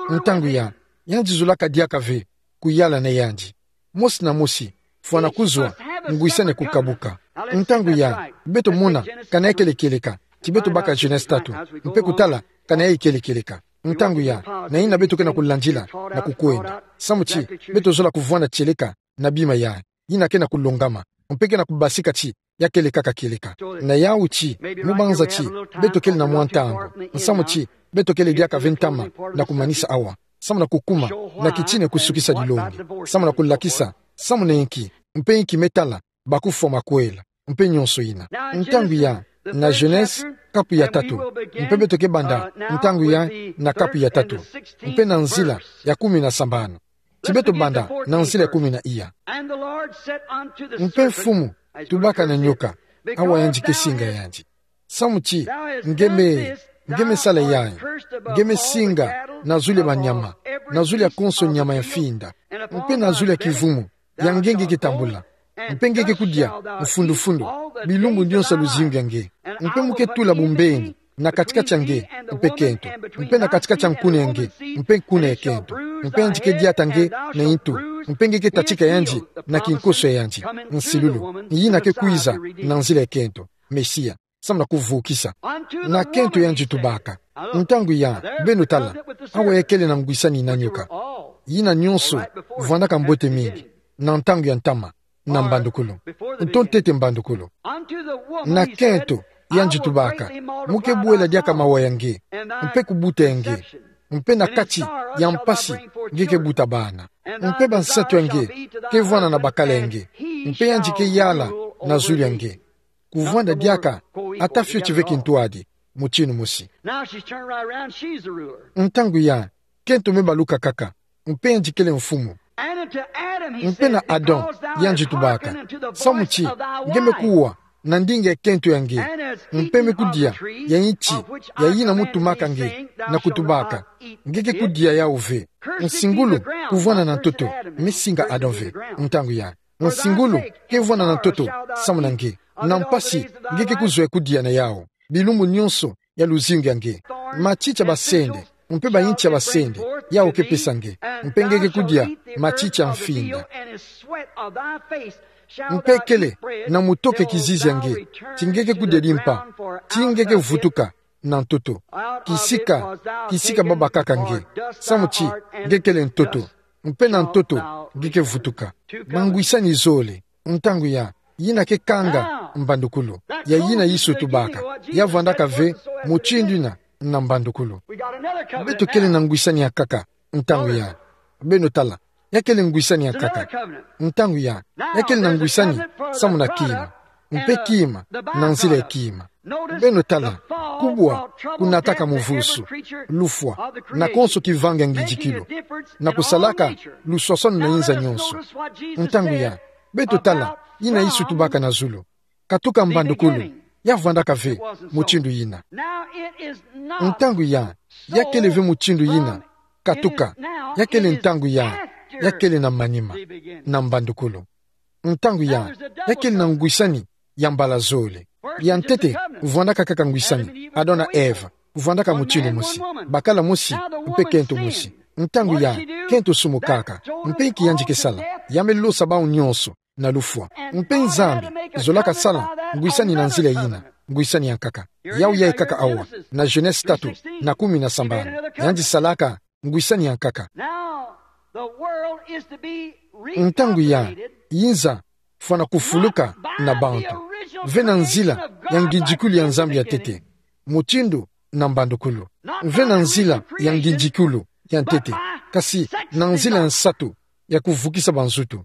Ntangu ya, yandi zolaka diaka ve kuyala na yandi. Mosi na mosi fwana kuzwa ngwisani ya kukabuka. Ntangu ya, beto mona kana ya kele kieleka. Ti beto baka Genese tatu, mpe kutala kana ya ikele kieleka. Ntangu ya, na yina beto ke na kulandila na kukwenda. Samu ti, beto zola kuvwanda tieleka na bima ya, yina ke na kulongama, mpe ke na kubasika ti, ya kele kaka kieleka. Na yau ti, mu banza ti, beto kele na mwa ntangu, nsamu ti, beto kele diaka ve ntama na kumanisa awa, samu na kukuma na kitina ya kusukisa dilongi, samu na kulakisa samu na inki, mpe inki me tala bakufwa makwela, mpe nyonso yina. Ntangu ya, na Genese, kapu ya tatu, mpe beto ke banda ntangu ya, na kapu ya tatu, mpe na nzila ya kumi na sambanu. Ti beto banda na nzila ya kumi na iya. Mpe Mfumu tubaka na nyoka, awa yandi ke singa yandi: Samu ti, nge me, nge me sala yayi, nge me singa na zulu ya banyama, na zulu ya konso nyama ya mfinda, mpe na zulu ya kivumu ya nge nge ke tambula, mpe nge ke kudia mfundufundu bilumbu nyonso ya luzingu ya nge, mpe mu ke tula bumbeni na katikati ya nge mpe kento, mpe na katikati ya nkuna ya nge mpe nkuna ya kento, mpe yandi ke diata nge na intu, mpe nge ke tatika yandi na kinkoso ya yandi. Nsilulu, yina ke kwiza na nzila ya kento, Mesia, samu na kuvukisa. Na kento yandi tubaka. Ntangu ya, beno tala, awa ya kele na ngwisani na nyoka. Yina nyonso vwandaka mbote mingi na ntangu ya ntama, na mbandukulu, nto ntete mbandukulu. Na kento yandi tubaka: Mu ke bwela diaka mawa ya nge, mpe kubuta ya nge, mpe na kati ya mpasi nge ke buta bana, mpe bansatu ya nge ke vwanda na bakala ya nge, mpe yandi ke yala na zulu ya nge. Kuvwanda diaka ata fioti ve kintwadi, mutindu mosi. Now she's turned right around, she's the ruler. Ntangu ya, kento me baluka kaka, mpe yandi kele mfumu. And unto Adam he said, Mpe na Adam, because thou hast hearkened unto the voice of thy wife. Yandi tubaka: Samu ti, nge me kuwa na ndinga ya kento ya nge, mpe me kudia ya inti ya yina mu tumaka nge na kutubaka, nge ke kudia yau ve. Nsingulu kuvwanda na ntoto, me singa Adam ve. Ntangu ya, nsingulu ke vwanda na ntoto samu na nge, na mpasi nge ke kuzwa kudia na yau bilumbu nyonso ya luzingu ya nge. Matiti ya basende, mpe bainti ya basende, yau ke pesa nge, mpe nge ke kudia matiti ya mfinda. Mpe kele na mutoke kizizi ya nge, ti nge ke kudia dimpa, ti nge ke vutuka na ntoto. Kisika, kisika babakaka nge, samu ti nge kele ntoto, mpe na ntoto nge ke vutuka. Bangwisani zole. Ntangu ya, yina ke kanga mbandukulu ya yina Yesu tubaka, ya vwandaka ve mutindu yina na mbandukulu. Beto kele na ngwisani ya nkaka ntangu ya. Beno tala, ya kele ngwisani ya nkaka. Ntangu ya, ya kele na ngwisani samu na kima, mpe kima, na nzila ya kima. Beno tala, kubwa kunataka muvusu, lufwa, na konso kivanga ngidikilu, na kusalaka luswaswanu na inza nyonso. Ntangu ya, beto tala yina Yesu tubaka na zulu. Katuka mbandukulu, ya vwandaka ve mutindu yina. Ntangu ya, ya kele ve mutindu yina. Katuka, ya kele ntangu ya, ya kele na manima, na mbandukulu. Ntangu ya, ya kele na ngwisani ya mbala zole. Ya ntete, vwandaka kaka ngwisani, Adam na Ève, vwandaka mutindu mosi, bakala mosi, mpe kento mosi. Ntangu ya, kento sumukaka, mpe inki yandi ke sala, ya me losa bawu nyonso na lufwa. Mpe Nzambi zolaka sala ngwisani na nzila yina, ngwisani ya nkaka. Yawu yayi kaka awa, na Genèse tatu, na kumi na sambanu. Yandi salaka ngwisani ya nkaka. Ntangu ya, inza fwana kufuluka na bantu, ve na nzila ya ngidikilu ya Nzambi ya ntete, mutindu na mbandukulu. Ve na nzila ya ngidikilu ya ntete, kasi na nzila ya nsatu ya kuvukisa banzutu.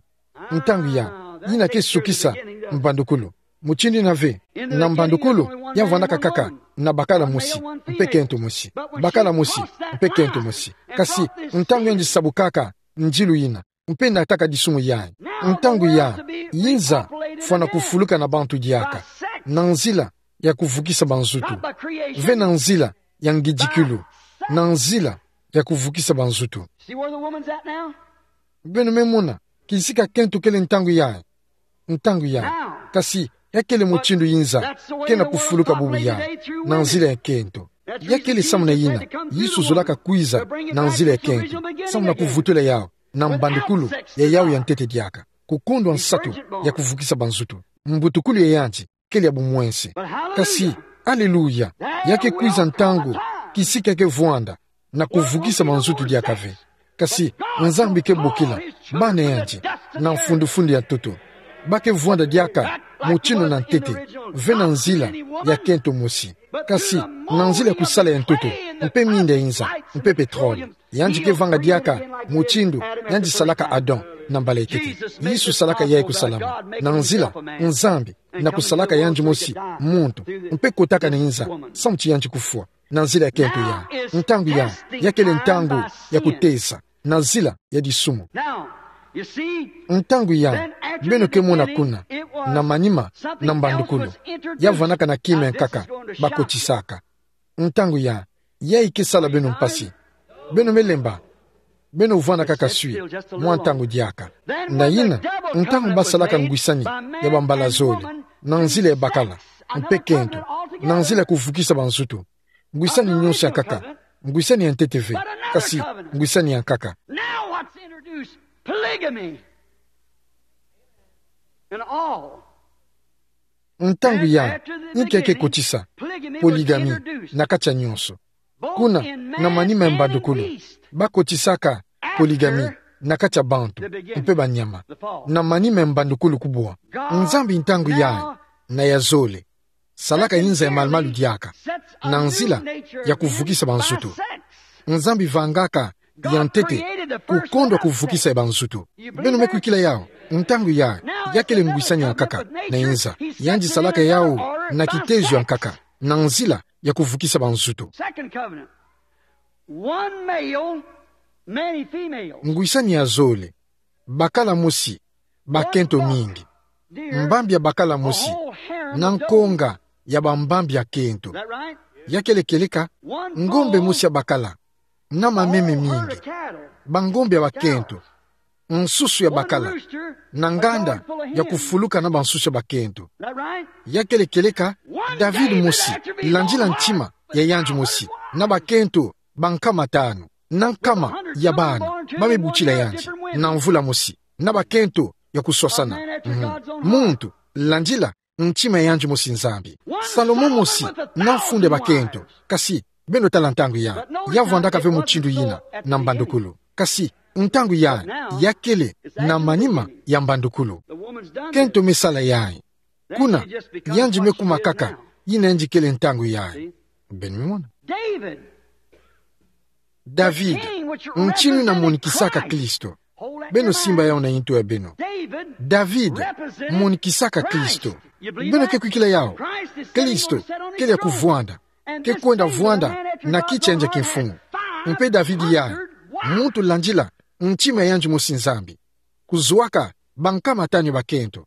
Ntangu ya, yina ke sukisa mbandukulu. Mutindu yina ve, na mbandukulu, ya vwandaka kaka na bakala mosi, mpe kento mosi. Bakala mosi, mpe kento mosi. Kasi, ntangu yandi sabukaka ndilu yina, mpe nataka disumu yayi, ntangu ya, inza fwana kufuluka na bantu diaka, na nzila ya kuvukisa banzutu. Ve na nzila ya ngidikilu, na nzila ya kuvukisa banzutu. Beno me mona kisika kento kele ntangu yayi. Ntangu ya, kasi ya kele mutindu inza ke na kufuluka bubu yayi, na nzila ya kento. Ya kele samu na yina Yesu zolaka kwiza, na nzila ya kento, samu na kuvutula yawu na mbandukulu ya yawu ya ntete diaka, kukondwa nsatu ya kuvukisa banzutu. Mbutukulu ya yandi kele ya bumwense. Kasi, aleluya, ya ke kwiza ntangu kisika ke vwanda na kuvukisa banzutu diaka ve. Kasi Nzambi ke bokila bana yandi na mfundufundu ya ntoto. Ba ke vwanda diaka mutindu na ntete, ve na nzila ya kento mosi, kasi na nzila ya kusala ya ntoto, mpe minda inza, mpe pétrole. Yandi ke vanga diaka mutindu yandi salaka Adam na mbala ya ntete. Yesu salaka yayi kusalama na nzila Nzambi na kusalaka yandi mosi muntu, mpe kotaka na inza samu ti yandi kufwa na nzila ya kento ya. Ntangu ya, ya kele ntangu ya kuteza na nzila ya disumu. Ntangu ya, beno ke mona kuna, na manima, na mbandukulu, ya vwandaka na kima ya nkaka ba kotisaka. Ntangu ya, yayi ke sala beno mpasi. Beno me lemba. Beno vwanda kaka swi mwa ntangu diaka. Na yina, ntangu ba salaka ngwisani ya bambala zole, na nzila ya bakala, mpe kento, na nzila ya kuvukisa banzutu. Ngwisani nyonso ya nkaka, ngwisani ya ntete ve, kasi ngwisani ya nkaka. Now what's introduced? Polygamy. And all. Ntangu ya, inki ya ke kotisa polygamie na kati ya nyonso. Kuna, na manima ya mbandukulu, ba kotisaka polygamie na kati ya bantu mpe banyama. Na manima ya mbandukulu kubwa, Nzambi ntangu yayi, na ya zole, salaka inza ya malumalu diaka, na nzila ya kuvukisa banzutu. Nzambi vangaka ya ntete kukondwa kuvukisa ya banzutu. Beno me kwikila yawu? Ntangu yayi, ya kele ngwisani ya nkaka na inza. Yandi salaka yawu na kitezo ya nkaka, na nzila ya kuvukisa banzutu. Second covenant. One male, many females. Ngwisani ya zole, bakala mosi, bakento mingi. Mbambi ya bakala mosi, na nkonga ya bambambi ya kento. Ya kele kieleka, ngombe mosi ya bakala, na mameme mingi, bangombe ya bakento, nsusu ya bakala, na nganda ya kufuluka na bansusu ya bakento. Ya kele kieleka, David mosi, landila ntima ya yandi mosi, na bakento bankama tanu, na nkama ya bana ba me butila yandi, na mvula mosi, na bakento ya kuswasana. Mhm. Muntu, landila ntima ya yandi mosi Nzambi. Salomo mosi, na funda ya bakento, kasi beno tala ntangu ya, ya vwandaka ve mutindu yina na mbandukulu. Kasi ntangu ya, ya kele na manima ya mbandukulu. Kento me sala yayi. Kuna, yandi me kuma kaka yina yandi kele ntangu yayi. Beno me mona? David. David, ntinu ina monikisaka Kristo. Beno simba yawu na ntu ya beno. David, monikisaka Kristo. Beno ke kwikila yawu. Kristo, kele ya kuvwanda. Ke kwenda vwanda na kiti ya nza kimfumu. Mpe David yayi, muntu landila ntima ya yandi mosi Nzambi. Kuzuaka bankama tanu ya bakento.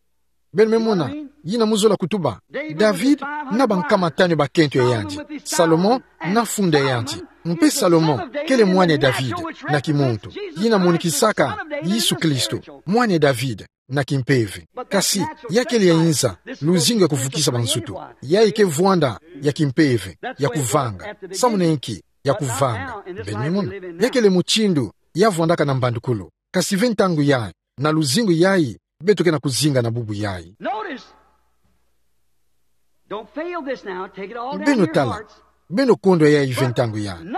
Beno me mona, yina mu zola kutuba. David na bankama tanu ya bakento ya yandi. Salomon na funda ya yandi. Mpe Salomon, kele mwana ya David, na kimuntu. Yina monikisaka Yesu Kristo, mwana ya David, na kimpeve. Kasi, ya kele ya inza, luzingu ya kuvukisa banzutu. Yayi ke vwanda ya kimpeve, ya kuvanga. Samu na inki, ya kuvanga. Beno me mona. Ya kele mutindu ya vwandaka na mbandukulu. Kasi ve ntangu yayi, na luzingu yayi, beto ke na kuzinga na bubu yayi. Notice. Don't fail this now. Take it all down to your hearts. Beno tala. Beno kondwa yayi ve ntangu yayi.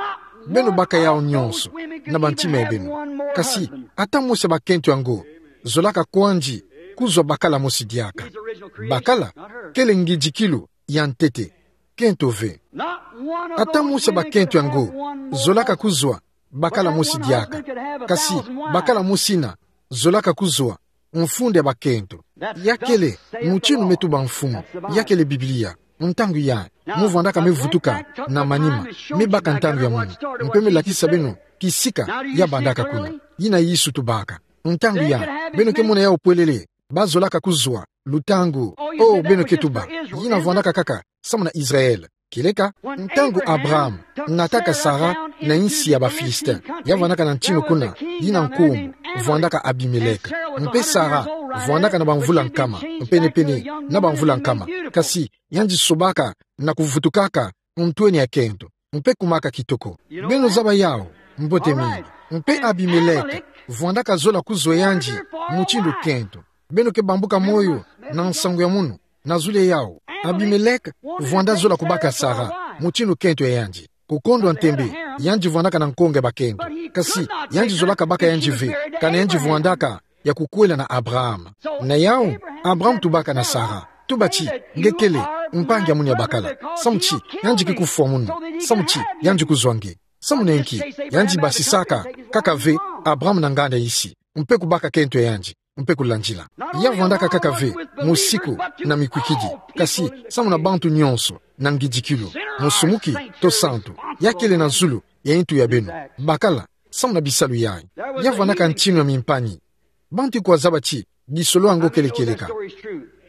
Beno baka yawu nyonso na bantima ya beno. Kasi, ata mosi ya bakento yango zolaka kwandi kuzwa bakala mosi diaka. Bakala, kele ngidikilu ya ntete. Kento ve. Ata mosi ya bakento yango zolaka kuzwa bakala mosi diaka. Kasi, bakala mosi ina zolaka kuzwa mfunda ya bakento. Ya kele mutinu me tuba mfumu. Ya kele Biblia. Ntangu yayi, mu vwandaka me vutuka na manima, me baka ntangu ya munu. Mpe me lakisa beno kisika ya bandaka kuna. Yina Yesu tubaka. Ntangu yayi, beno ke mona yawu pwelele, ba zolaka kuzwa lutangu. Oh, beno ke tuba. Yina vwandaka kaka samu na Israël. Kieleka, ntangu Abraham nataka Sara na insi ya ba Philistin, ya vwandaka na ntinu kuna, yina nkumbu vwandaka Abimelech. Mpe Sara vwandaka na bamvula nkama, mpenepene na bamvula nkama. Kasi, yandi sobaka na kuvutukaka ntweni ya kento, mpe kumaka kitoko. Beno zaba yawu mbote mingi. Mpe Abimelech vwandaka zola kuzwa yandi mutindu kento. Beno ke bambuka moyo na nsangu ya munu, na zulu yawu. Abimelech vwanda zola kubaka Sara mutindu kento ya yandi. Kukondwa ntembe, yandi vwandaka na nkonga ya bakento. Kasi, yandi zolaka baka yandi ve, kana yandi vwandaka ya kukwela na Abraham. Na yawu, Abraham tubaka na Sara. Tuba ti, nge kele mpangi ya munu ya bakala. Samu ti, yandi ke kufwa munu. Samu ti, yandi kuzwa nge. Samu na inki, yandi basisaka kaka ve Abraham na nganda isi, mpe kubaka kento ya yandi, mpe kulandila. Ya vwandaka kaka ve musiku na mikwikidi, kasi samu na bantu nyonso na ngidikilu, musumuki to santu, ya kele na zulu ya intu ya beno. Bakala, samu na bisalu yayi. Ya vwandaka ntinu ya mimpangi. Bantu kwa zaba ti, bisolo yango kele kieleka.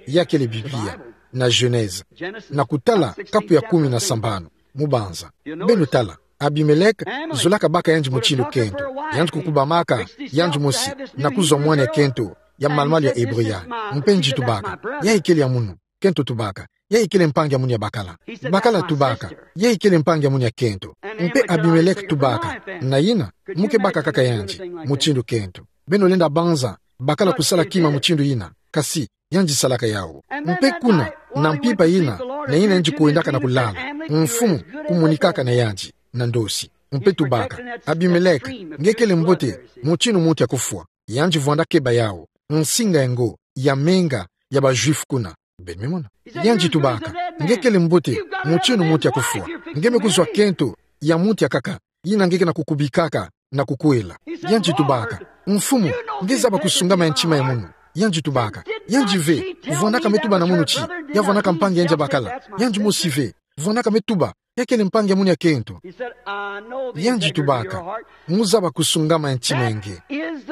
Ya kele Biblia, na Genèse. Na kutala kapu ya kumi na sambanu, mu banza. Beno tala, Abimelech zolaka baka yandi mutindu kento. Yandi kukubamaka yandi mosi na kuzwa mwana ya kento ya malumalu ya Hébreu yayi. Mpe nge tubaka, yayi kele ya munu. Kento tubaka, yayi kele mpangi ya munu ya bakala. Bakala tubaka, yayi kele mpangi ya munu ya kento. Mpe Abimelech tubaka, na yina, mu ke baka kaka yandi mutindu kento. Beno lenda banza bakala kusala kima mutindu yina, kasi yandi salaka yawu. Mpe kuna, na mpimpa yina, na yina yandi kwendaka na kulala, mfumu kumonikaka na yandi na ndosi. Mpe tubaka, Abimelech, nge kele mbote mutindu muntu ya kufwa. Yandi vwanda keba yawu nsinga yango ya menga ya ba Juifs kuna. Beno me mona. Yandi tubaka, nge kele mbote mutindu muntu ya kufwa. Nge me kuzwa kento ya muntu ya nkaka, yina nge ke na kukubikaka na kukwela. Yandi tubaka, mfumu, nge zaba kusungama ya ntima ya munu. Yandi tubaka, yandi ve, vwandaka me tuba na munu ti, ya vwandaka mpangi ya yandi ya bakala. Yandi mosi ve, vwandaka me tuba, ya kele mpangi ya munu ya kento. Yandi tubaka, mu zaba kusungama ya ntima ya nge.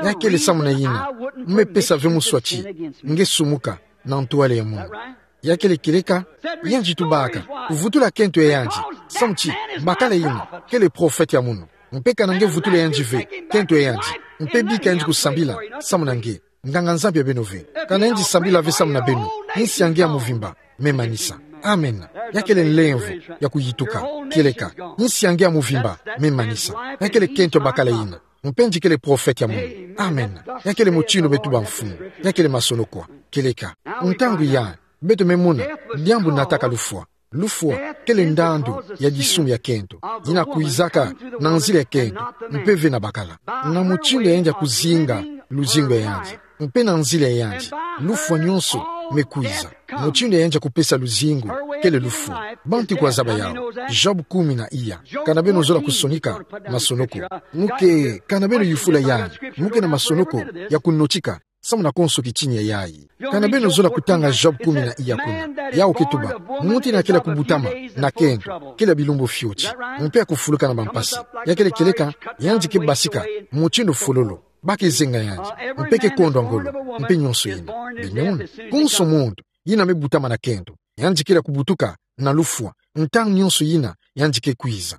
Ya kele samu na yina, me pesa ve muswa ti nge sumuka na ntwala ya munu. Ya kele kieleka, yandi tubaka, vutula kento ya yandi. Samu ti, bakala yina kele prophète ya munu. Mpe kana nge vutula yandi ve kento ya yandi, mpe bika yandi kusambila samu na nge, nganga-nzambi ya beno ve. Kana yandi sambila ve samu na beno, insi ya nge ya muvimba me manisa. Amen. Ya kele nlemvo ya kuyituka. Kieleka, insi ya nge ya muvimba me manisa. Ya kele kento ya bakala yina. Mpe nge kele prophète ya munu. Amen. Ya kele mutindu me tuba mfumu. Ya kele masonoko. Kieleka, ntangu yayi, beto me mona diambu nataka lufwa. Lufwa kele ndandu ya disumu ya kento, yina kwizaka na nzila ya kento, mpe ve na bakala. Na mutindu ya yandi ya kuzinga luzingu ya yandi, mpe na nzila ya yandi, lufwa nyonso me kwiza. Mutindu ya yandi ya kupesa luzingu, kele lufwa. Bantu kwa zaba yau. Job kumi na iya. Kana beno zola kusonika masonoko. Muke, kana beno yufula yandi. Muke na masonoko ya kunotika. Samu na konso kitinye yayi. Kana beno zola kutanga Job kumi na iya kuna. Yau ke tuba. Muntu ina kele kubutama na kento. Kele bilumbu fioti. Mpe ya kufuluka na bampasi. Ya kele kieleka, yandi ke basika. Mutindu fololo. Ba ke zenga yandi. Mpe ke kondwa ngolo. Mpe nionso ina. Beno mona. Konso muntu ina me butama na kento. Yandi kele kubutuka na lufwa. Ntangu nionso ina, yandi ke kwiza.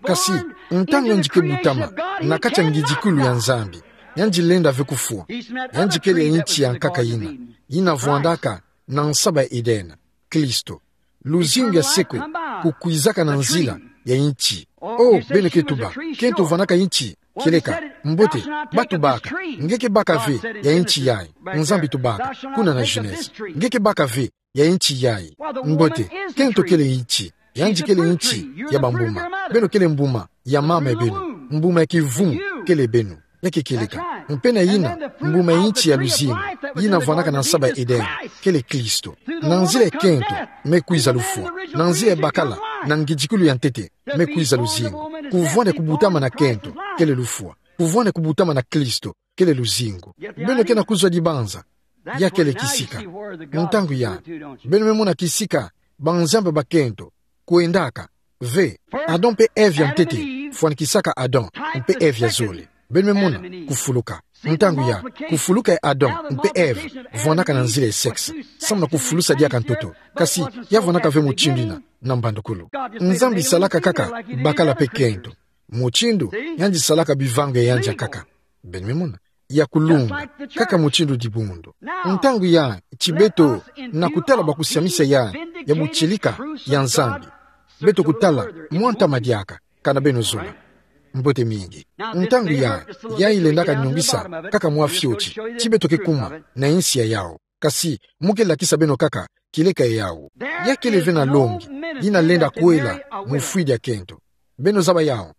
Kasi, ntangu yandi ke butama, na kati ya ngidikulu ya Nzambi. Yandi lenda ve kufwa. Yandi kele ya inti ya nkaka ina. Ina vwandaka na nsaba ya Edene. Klisto. Luzingu ya seko, kukwizaka na nzila ya inti. Oh, beno ke tuba, kento vwandaka inti. Kieleka, mbote, ba tubaka, nge ke baka ve ya inti yayi. Nzambi tubaka, kuna na Genèse. Nge ke baka ve ya inti yayi. Mbote, kento kele inti, yandi kele inti ya bambuma. Beno kele mbuma ya mama ya beno. Mbuma ya kivumu kele beno. Ya ke kieleka. Mpe na ina, mbuma ya inti ya luzingu, ina vwandaka na nsaba ya Edene, kele Klisto. Na nzila ya kento, me kwiza lufwa. Na nzila ya bakala, na ngidikulu ya ntete, me kwiza luzingu. Kuvwanda kubutama na kento, kele lufwa. Kuvwanda kubutama na Klisto, kele luzingu. Beno ke na kuzwa dibanza. Ya kele kisika. Ntangu ya. Beno me mona kisika, banzambi ba kento. Kwendaka. Ve. Adam mpe Ève ya ntete. Fwanikisaka Adam. Mpe Ève ya zole. Beno me mona. Kufuluka. Ntangu ya. Kufuluka ya Adam. Mpe Ève. Vwandaka na nzila ya sexe. Samu na kufulusa diaka ntoto. Kasi, ya vwandaka ve mutindu ina. Na mbandukulu. Nzambi salaka kaka. Bakala mpe kento. Mutindu. Yandi salaka bivangu ya yandi ya nkaka. Beno me mona. Ya kulunga, kaka mutindu dibundu. Ntangu ya, ti beto, na kutala ba kusiamisa ya, ya butieleka, ya Nzambi. Beto kutala, mwa ntama diaka, kana beno zola. Mbote mingi. Ntangu ya, ya ilendaka nyungisa, kaka mwa fioti, ti beto ke kuma, na insi ya yau. Kasi, mu ke lakisa beno kaka, kieleka ya yau. Ya kele ve na longi, ina lenda kwela, mufwidi ya kento. Beno zaba yau.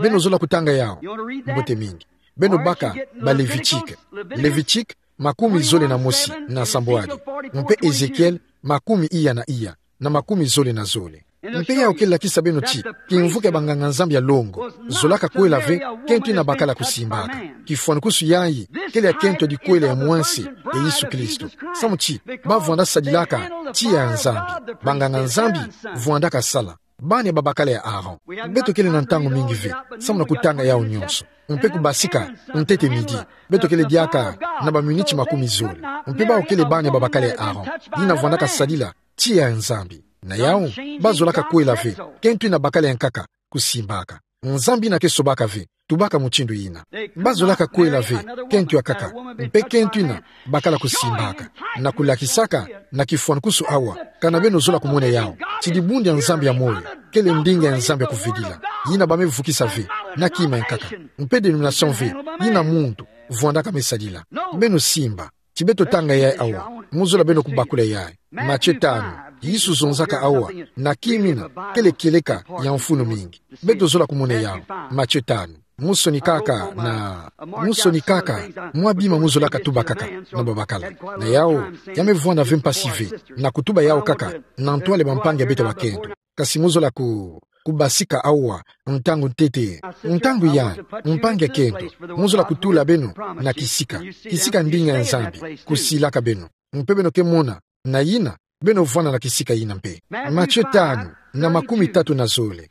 Beno zola kutanga yau. Mbote mingi. Beno baka ba Levitique. Levitique, makumi zole na mosi, na sambwadi. Mpe Ezekiel, makumi iya na iya, na makumi zole na zole. Mpe yau ke lakisa beno ti, kimvuka ya banganga-Nzambi ya longo, zolaka kwela ve, kento ina bakala kusimbaka. Kifwanukusu yayi, kele ya kento ya dikwela ya mwense, ya Yesu Kristo. Samu ti, ba vwanda sadilaka, tiya ya Nzambi, banganga-Nzambi, vwandaka sala. Bana ya babakala ya Aaron. Beto kele na ntangu mingi ve, samu na kutanga yau nyonso. Mpe kubasika, ntete midi. Beto kele diaka, na ba miniti makumi zole. Mpe bau kele bana ya babakala ya Aaron. Ina vwandaka sadila, tiya ya Nzambi. Na yau, ba zolaka kwela ve, kento ina bakala ya nkaka, kusimbaka. Nzambi ina ke sobaka ve, tubaka mutindu ina. Ba zolaka kwela ve, kento ya nkaka, mpe kento ina, bakala kusimbaka. Na kulakisaka, na kifwanukusu awa, kana beno zola kumona yau. Ti dibundu ya Nzambi ya moyo, kele ndinga ya Nzambi ya kuvidila. Ina ba me vukisa ve, na kima ya nkaka. Mpe dénomination ve, ina muntu, vwandaka me sadila. Beno simba. Ti beto tanga yayi awa, mu zola beno kubakula yayi. Matthieu tanu, Yesu zonzaka awa, na kima ina, kele kieleka ya mfunu mingi. Beto zola kumona yau, Matthieu tanu. Mu sonikaka na, mu sonikaka, mwa bima mu zolaka tubakaka, na babakala. Na yau, ya me vwanda ve mpasi ve, na kutuba yau kaka, na ntwala ya bampangi ya beto ya bakento. Kasi mu zola ku, kubasika awa, ntangu ntete, ntangu ya, mpangi ya kento, mu zola kutula beno, na kisika, kisika ndinga ya Nzambi, kusilaka beno. Mpe beno ke mona, na ina, beno vwanda na kisika ina mpe. Matthieu tanu, na makumi tatu na zole.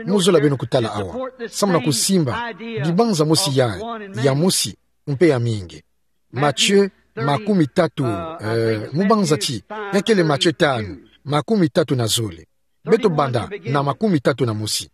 Mu zola beno kutala awa. Samu na kusimba, dibanza mosi ya, ya mosi, mpe ya mingi. Matthieu, makumi tatu, eh, mu banza ti, ya kele Matthieu tanu, makumi tatu na zole. Beto banda na makumi tatu na mosi.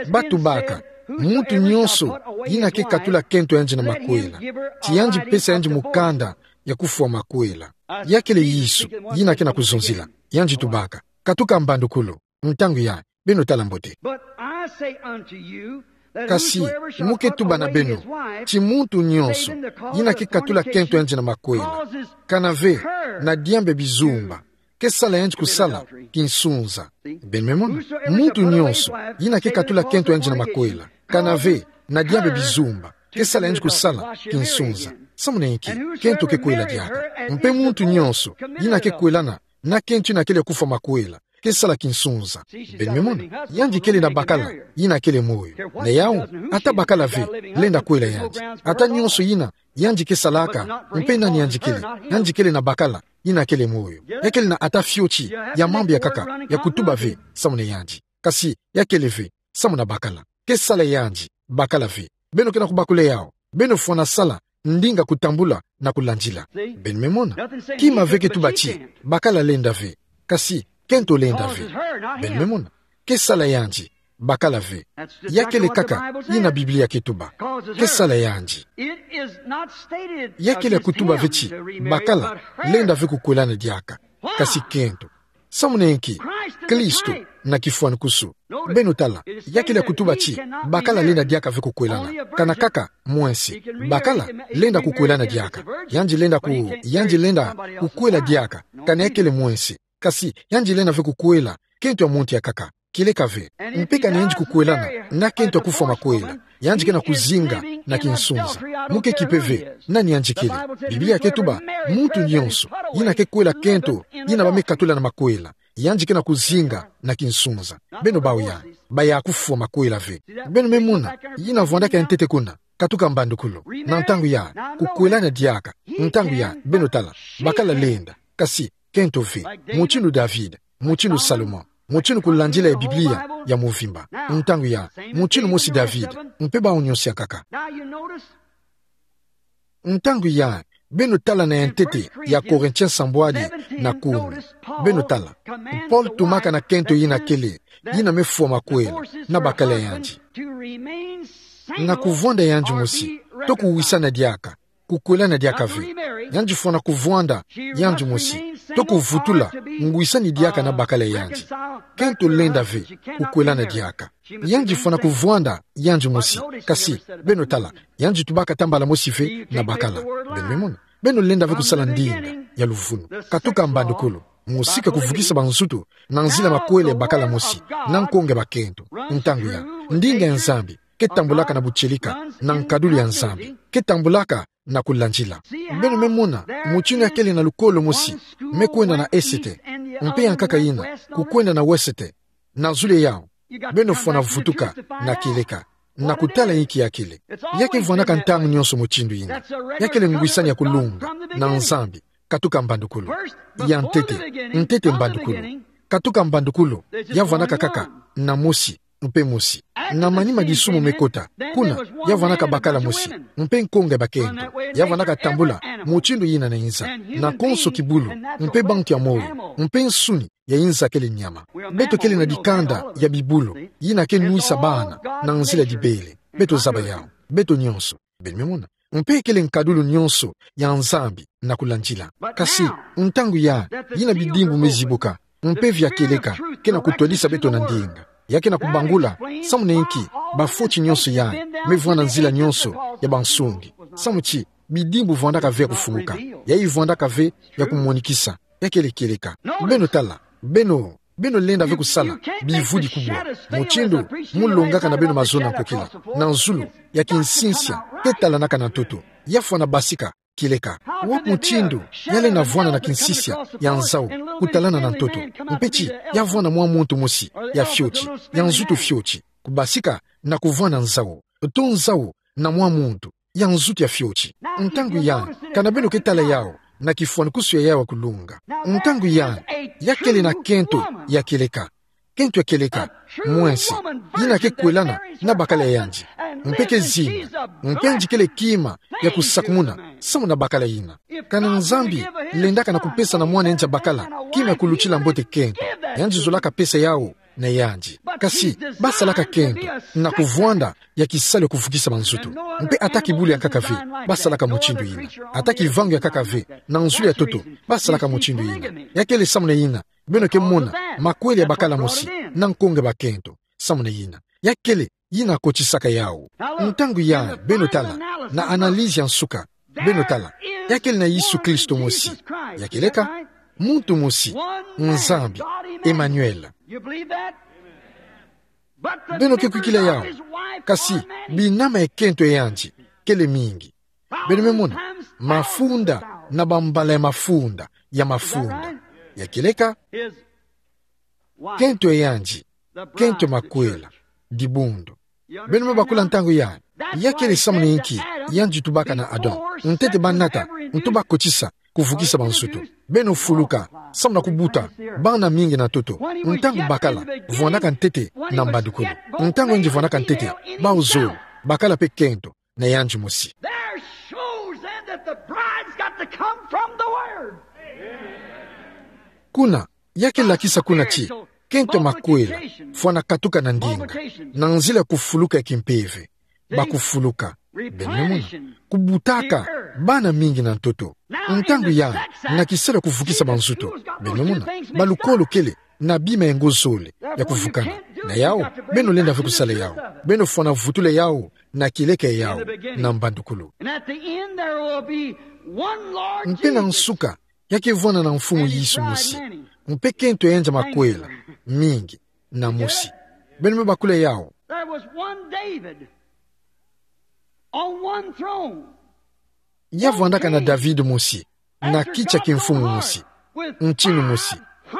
Ba tubaka, muntu nyonso, ina ke katula kento yandi na makwela. Ti yandi pesa yandi mukanda ya kufwa makwela. Ya kele Yesu, ina ke na kuzonzila. Yandi tubaka. Katuka mbandukulu, ntangu ya, beno tala mbote. But I say unto you, that Kasi, whosoever shall mu ke tuba na beno, ti muntu nyonso, ina ke katula kento yandi na makwela. Kana ve, na diambu ya bizumba. Ke sala yandi kusala, kinsunza. Beno me mona, muntu nyonso, ina ke katula kento yandi na makwela. Kana ve, na diambu ya bizumba. Ke sala yandi kusala, kinsunza. Samuna inki, kento ke kwela diaka. Mpe muntu nyonso yina ke kwelana na kento yina kele ya kufwa makwela, ke sala kinsunza. Beno me mona, yandi kele na bakala yina kele moyo. Na yau, ata bakala ve lenda kwela yandi. Ata nyonso yina yandi ke salaka, mpe nani yandi kele, yandi kele na bakala yina kele moyo. Ya kele na ata fioti ya mambu ya nkaka ya kutuba ve samuna yandi. Kasi ya kele ve samuna bakala. Ke sala yandi bakala ve. Beno ke na kubakula yau. Beno fwana sala ndinga kutambula na kulandila. Beno me mona. Kima ve ke tuba ti bakala lenda ve. Kasi kento lenda ve. Beno me mona. Ke sala yandi bakala ve. Ya kele nkaka yina Biblia ke tuba. Ke sala yandi. Ya kele ya kutuba ve ti bakala lenda ve kukwelana diaka. Kasi kento. Samuna inki, Kristo na kifwanukusu. Beno tala, ya kele ya kutuba ti bakala lenda diaka ve kukwelana. Kana nkaka mwensi. Bakala lenda kukwelana diaka. Yandi lenda ku, yandi lenda kukwela diaka. Kana ya kele mwensi. Kasi yandi lenda ve kukwela kento ya muntu ya nkaka. Kieleka ve. Mpe kana yandi kukwelana na kento ya kufwa makwela, yandi ke na kuzinga na kinsunza. Mu ke kipe ve nani yandi kele. Biblia ke tuba, muntu nyonso yina ke kwela kento yina ba me katula na makwela, yandi ke na kuzinga na kinsunza. Beno bau ya, ba ya kufwa makwela ve. Beno me mona, yina vwandaka ya ntete kuna, katuka mbandukulu. Na ntangu ya kukwelana diaka, ntangu ya, beno tala, bakala lenda. Kasi kento ve, mutindu David, mutindu Salomon, mutindu kulandila ya Biblia ya mvimba. Ntangu ya, mutindu mosi David, mpe bau nyonso ya nkaka. Ntangu ya, beno tala na ya ntete ya Korintien sambwadi na kumi. Beno tala, Paul tumaka na kento yina kele, yina me fwa makwela na bakala yandi. Na kuvwanda yandi mosi, to kuwisana diaka, kukwelana diaka ve. Yandi fwana kuvwanda yandi mosi, to kuvutula ngwisani diaka na bakala yandi. Kento lenda ve kukwelana diaka. Yandi fwana kuvwanda yandi mosi. Kasi, beno tala, yandi tubaka ata mbala mosi ve na bakala. Beno me mona. Beno lenda ve kusala ndinga ya luvunu. Katuka mbandukulu. Mosika kuvukisa banzutu na nzila makwela ya bakala mosi, na nkonge bakento. Ntangu ya, ndinga ya Nzambi ke tambulaka na butieleka, na nkadulu ya Nzambi ke tambulaka na kulandila. Beno me mona, mutindu ya kele na lukolo mosi me kwenda na esete, mpe ya nkaka yina kukwenda na wesete. Na zulu ya yau, beno fwana vutuka na kieleka, na kutala inki ya kele. Ya ke vwandaka ntangu nyonso mutindu yina. Ya kele ngwisani ya kulunga na Nzambi, katuka mbandukulu. Ya ntete, ntete mbandukulu. Katuka mbandukulu, ya vwandaka kaka na mosi, mpe mosi. Na manima disumu me kota, kuna, ya vwandaka bakala mosi, mpe nkonge bakento. Ya vwandaka tambula mutindu yina na inza, na konso kibulu, mpe bantu ya moyo, mpe nsuni ya inza kele nyama. Beto kele na dikanda ya bibulu yina ke nwisa bana na nzila dibele. Beto zaba yau, beto nyonso. Beno me mona. Mpe kele nkadulu nyonso ya Nzambi na kulandila. Kasi, ntangu ya, yina bidimbu me zibuka, mpe via kieleka ke na kutwadisa beto na ndinga. Ya ke na kubangula samu na inki bafoti nyonso ya me vwanda nzila nyonso ya bansungi. Samu ti bidimbu vwandaka ve ya kufumuka. Yayi vwandaka ve ya kumonikisa. Ya kele kieleka. Beno tala, beno, beno lenda ve kusala bivudi kubwa. Mutindu mu longaka na beno mazono ya nkokila, na zulu ya kinsinsia ke talanaka na ntoto, ya fwana basika kieleka. Wapi mutindu ya lenda vwanda na kinsinsia ya nzau kutalana na ntoto, mpe ti ya vwanda mwa muntu mosi ya fioti, ya nzutu fioti, kubasika na kuvwanda nzau, to nzau na mwa muntu ya nzutu ya fioti? Ntangu ya, kana beno ke tala yau na kifwanukusu ya yau ya kulunga. Ntangu ya, ya kele na kento ya kieleka. Kento ya kieleka, mwensi, yina ke kwelana na bakala yandi, mpe ke zinga, mpe yandi kele kima ya kusakumuna samu na bakala yina. Kana Nzambi lendaka na kupesa na mwana yandi ya bakala kima ya kulutila mbote kento, yandi zolaka pesa yau na yandi. Kasi, basalaka kento na kuvwanda ya kisalu ya kuvukisa banzutu. Mpe ata kibulu ya nkaka ve basalaka mutindu yina. Ata kivangu ya nkaka ve na nzulu ya ntoto basalaka mutindu yina. Ya kele samu na yina beno ke mona makwela ya bakala mosi na nkonge bakento. Samu na yina, ya kele yina kotisaka yau. Ntangu ya, beno tala, na analyse ya nsuka, beno tala, ya kele na Yesu Kristo mosi. Ya kieleka, muntu mosi, Nzambi, Emmanuel. Beno ke kwikila yau? Kasi binama ya kento ya yandi kele mingi. Beno me mona, mafunda na bambala ya mafunda, ya mafunda. Ya kieleka, kento yandi, kento makwela, dibundu. Beno me bakula ntangu ya, ya kele samu na inki yandi tubaka na Adam. Ntete banata, nto bakotisa, kuvukisa bansuto. Beno fuluka, samu na kubuta bana mingi na ntoto. Ntangu bakala vwandaka ntete na mbandukulu. Ntangu yandi vwandaka ntete, bau zole, bakala pe kento na yandi mosi. There shows then that the bride's got to come from the Word. Kuna, ya ke lakisa kuna ti, kento makwela fwana katuka na ndinga, na nzila ya kufuluka ya kimpeve. Bakufuluka. Beno me mona, kubutaka bana mingi na ntoto. Ntangu ya, na kisalu ya kuvukisa bansuto. Beno me mona, balukolo kele na bima ya ngo zole ya kuvukana. Na yau, beno lenda ve kusala yau. Beno fwana vutula yau na kieleka yau, na mbandukulu. And at the end there will be one Lord Jesus. Mpe na nsuka, ya ke vwanda na Mfumu Yesu mosi. Mpe kento yandi makwela mingi na mosi. Beno me bakula yau. There was one David on one throne. Ya vwandaka na David mosi, na kiti ya kimfumu mosi, ntinu mosi,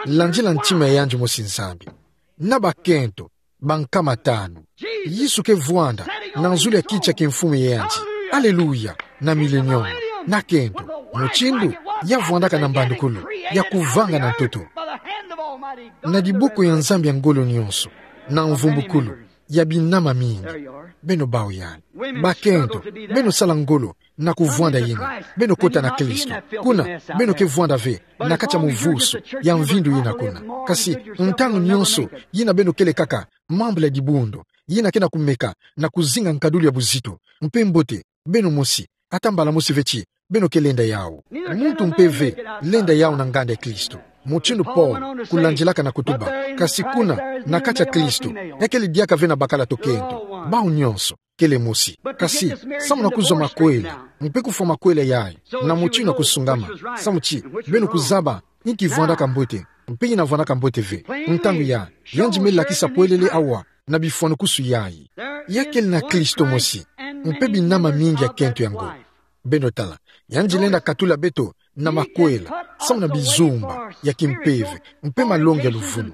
landila ntima ya yandi mosi Nzambi, na bakento bankama tanu. Yesu ke vwanda na nzulu ya kiti ya kimfumu ya yandi. Aleluya, na millennium, na kento, mutindu ya vwandaka na mbandukulu, ya kuvanga na ntoto, na diboko ya Nzambi ya ngolo nyonso, na mvumbukulu ya binama mingi. Beno bau yandi. Bakento, beno sala ngolo na kuvwanda yina. Beno kota na Kristo. Kuna, beno ke vwanda ve na kati ya muvusu ya mvindu yina kuna. Kasi, ntangu nyonso yina beno kele kaka membre ya dibundu yina ke na kumeka na kuzinga nkadulu ya buzito, mpe mbote, beno mosi, ata mbala mosi ve ti beno ke lenda yau. Muntu mpe ve lenda yau na nganda ya Kristo, mutindu Paul kulandilaka na kutuba. Kasi kuna, na kati ya Kristo, ya kele diaka ve na bakala to kento. Bau nyonso kele mosi. Kasi, samu na kuzwa makwela, mpe kufwa makwela yayi na mutindu ya kusungama, samu ti beno kuzaba inki vwandaka mbote, mpe yina vwandaka mbote ve. Ntangu ya, yandi me lakisa polele awa na bifwanukusu yayi. Ya kele na Kristo mosi, mpe binama mingi ya kento ya ngo. Beno tala, yandi lenda katula beto na makwela, samu na bizumba ya kimpeve, mpe malongi ya luvunu.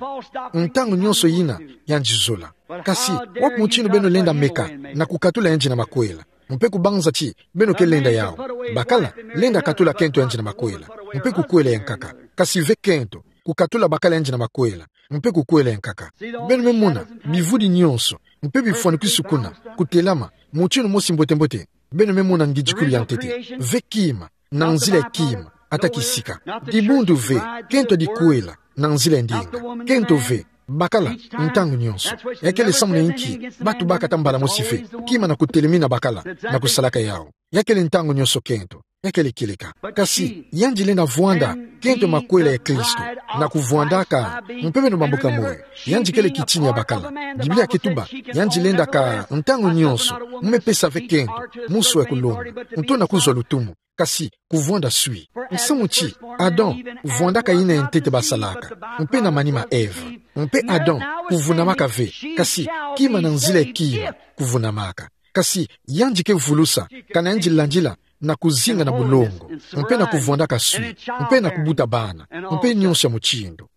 Ntangu nyonso yina, yandi zola. Kasi, wapi mutindu beno lenda meka na kukatula yandi na makwela, mpe kubanza ti beno ke lenda yau? Bakala, lenda katula kento yandi na makwela, mpe kukwela ya nkaka. Kasi ve kento, kukatula bakala yandi na makwela, mpe kukwela ya nkaka. Beno me mona, bivudi nyonso, mpe bifwanukisu kuna, kutelama, mutindu mosi mbote-mbote. Beno me mona ngidikulu ya ntete. Ve kima, na nzila ya kima, ata kisika. Dibundu ve, kento dikwela, na nzila ya ndinga. Kento ve, bakala, ntangu nyonso. Ya kele samu na inki, batubaka ata mbala mosi ve, kima na kutelemina bakala, na kusalaka yau. Ya kele ntangu nyonso kento. Ya kele kieleka. Kasi, yandi lenda vwanda kento makwela ya Kristo, na kuvwandaka, mpe beno bambuka moyo. Yandi kele kitini ya bakala. Biblia ke tuba, yandi lendaka ntangu nyonso, mu me pesa ve kento, muswa ya kulonga. Nto na kuzwa lutumu, kasi kuvwanda swi. Nsamu ti, Adam, vwandaka yina ya ntete basalaka, mpe na manima Eva. Mpe Adam, kuvunamaka ve, kasi kima na nzila ya kima, kuvunamaka. Kasi yandi ke vulusa, kana yandi landila na kuzinga na bulongo, mpe na kuvwandaka swi, mpe na kubuta bana, mpe nyonso ya mutindu.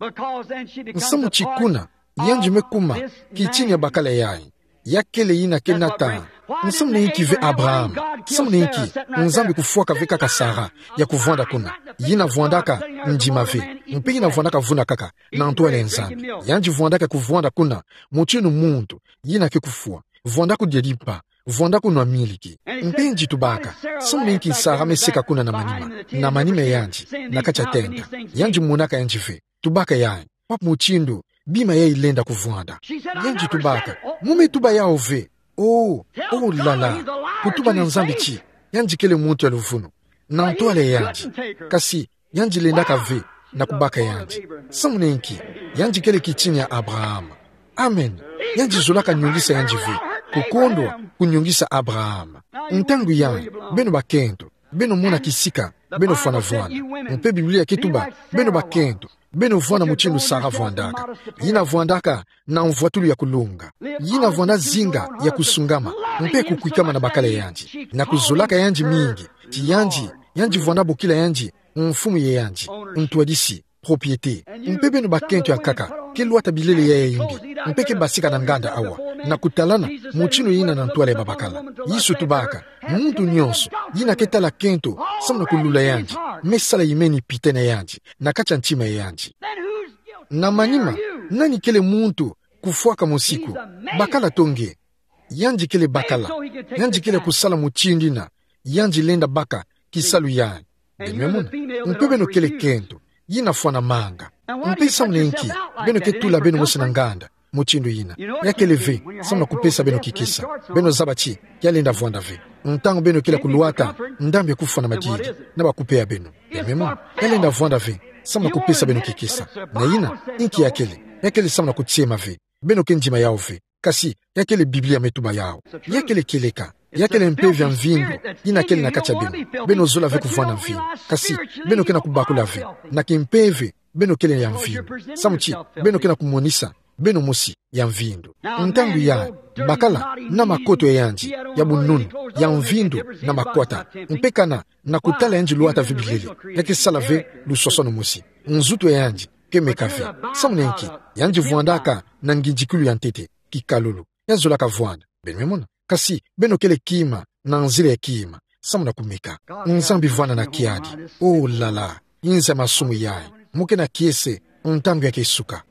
Nsamu ti kuna, yandi me kuma kitini ya bakala yayi. Ya kele yina ke nata. Nsamu na inki ve Abraham? Nsamu na inki Nzambi kufwaka ve kaka Sara ya kuvwanda kuna? Yina vwandaka ndima ve, mpe yina vwandaka vuna kaka na ntwala ya Nzambi. Yandi vwandaka kuvwanda kuna, mutindu muntu yina ke kufwa. Vwanda kudia dimpa, vwanda kunwa miliki. Mpe yandi tubaka, nsamu na inki Sara me seka kuna na manima, na manima yandi, na kati ya tenta? Yandi monaka yandi ve. Tubaka yayi, wapi mutindu bima yayi lenda kuvwanda? Yandi tubaka, mu me tuba yau ve. Oh, oh la la. Kutuba na Nzambi ti yandi kele muntu ya luvunu na ntwala ya yandi. Kasi yandi lendaka ve na kubaka yandi. Nsamu na inki? Yandi kele kitini ya Abraham. Amen. Yandi zolaka nyungisa yandi ve, kukondwa kunyungisa Abraham. Ntangu yayi, beno bakento, beno mona kisika beno fwana vwanda. Mpe Biblia ke tuba, beno bakento, Beno vwanda mutindu Sara vwandaka. Yina vwandaka na mvwatulu ya kulunga. Yina vwanda zinga ya kusungama, mpe kukwikama na bakala yandi, na kuzolaka yandi mingi. Ti yandi, yandi vwanda bokila yandi mfumu ye yandi, ntwadisi, propriété. Mpe beno bakento yankaka, ke lwata bilele ya yayimbi, mpe ke basika na nganda awa, na kutalana mutindu yina na ntwala ya babakala. Yesu tubaka, muntu nyonso yina ke tala kento samu na kulula yandi, me sala yimeni pite na yandi, na kati ya ntima ya yandi. Na manima, nani kele muntu kufwaka mosi ko? Bakala to nge. Yandi kele bakala. Yandi kele kusala mutindu yina yandi lenda baka kisalu yandi. Beno me mona. Mpe beno kele kento yina fwana manga. Mpe samu na nki beno ke tula beno mosi na nganda mutindu yina? Ya kele ve samu na kupesa beno kikesa. Beno zaba ti ya lenda vwanda ve ntangu beno kele kulwata ndambu ya kufwa na madidi na bakupea beno. Beno me mona. Ya lenda vwanda ve samu na kupesa beno kikesa. Na yina, nki ya kele? Ya kele samu na kutiema ve. Beno ke ndima yawu ve. Kasi ya kele Biblia me tuba yawu. Ya kele kieleka. Ya kele mpeve ya mvindu yina kele na kati ya beno. Beno zola ve kuvwanda mvindu, kasi beno ke na kubakula ve na kimpeve beno kele ya mvindu, samu ti beno ke na kumonisa beno mosi ya mvindu. Ntangu yandi, bakala na makoto ya yandi ya bununu, ya mvindu na makwata, mpe kana na kutala yandi lwata ve bilele, ya ke sala ve luswaswanu mosi. Nzutu ya yandi ke meka ve. Samu na nki? Yandi vwandaka na ngindikilu ya ntete, kikalulu. Ya zolaka vwanda. Beno me mona. Kasi beno kele kima na nzila ya kima samu na kumeka. Nzambi vwanda na kiadi. Oh là là. Nza masumu yayi. Mu ke na kiese ntangu ya ke suka.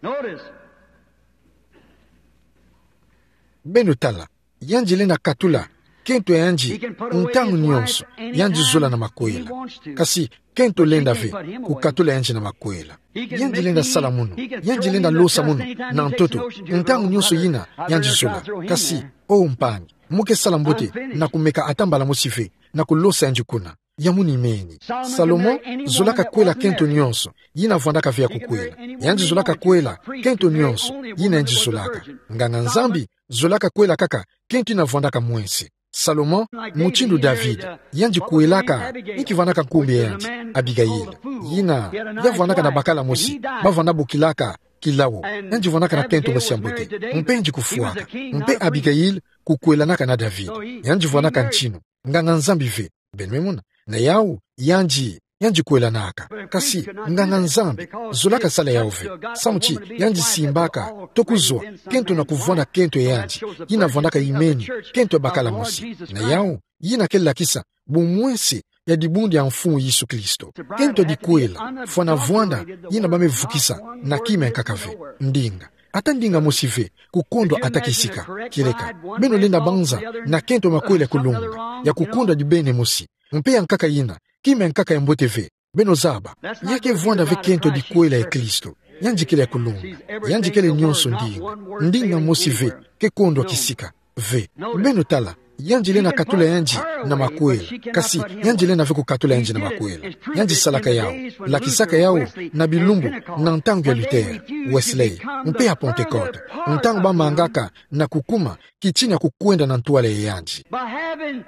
Beno tala, yandi lenda katula kento ya yandi ntangu nyonso yandi zola na makwela. Kasi kento lenda ve kukatula yandi na makwela. Yandi lenda sala munu, yandi lenda losa munu na ntoto ntangu nyonso yina yandi zola. Kasi, oh mpangi, mu ke sala mbote na kumeka ata mbala mosi ve na kulosa yandi kuna. Ya munu imeni. Salomon zolaka kwela kento nyonso yina vwandaka ve ya kukwela. Yandi zolaka kwela kento nyonso yina yandi zolaka. Nganga-Nzambi zolaka kwela kaka kento yina vwandaka mwese. Salomon, mutindu David, yandi kwelaka, inki vwandaka nkumbu ya yandi? Abigail. Yina ya vwandaka na bakala mosi ba vwanda bokilaka Kilawo. Yandi vwandaka na kento mosi ya mbote. Mpe yandi kufwaka. Mpe Abigail kukwelanaka na David. Yandi vwandaka ntinu. Nganga-Nzambi ve. Beno me mona. Na yawu, yandi, yandi kwelanaka. Kasi nganga-Nzambi zolaka sala yawu ve, samu ti yandi simbaka to kuzwa kento na kuvwanda kento ya yandi yina vwandaka imeni, kento ya bakala mosi. Na yawu, yina ke lakisa bumwese ya dibundu ya Mfumu Yesu Kristo. Kento ya dikwela fwana vwanda yina ba me vukisa na kima ya nkaka ve. Ndinga. Ata ndinga mosi ve kukondwa ata kisika. Kieleka beno lenda banza na kento ya makwela ya kulunga, ya kukondwa dibene mosi, mpe ya nkaka yina, kima ya nkaka ya mbote ve. Beno zaba, ya ke vwanda ve kento ya dikwela ya Kristo. Yandi kele ya kulunga. Yandi kele nyonso ndinga. Ndinga mosi ve ke kondwa kisika. Ve. Beno tala, yandi lenda katula yandi na makwela. Kasi yandi lenda ve kukatula yandi na makwela. Yandi salaka yawu, lakisaka yawu na bilumbu, na ntangu ya Luther, Wesley, mpe ya Pentecôte, ntangu ba mangaka na kukuma kitina kukwenda na ntwala ya yandi. By having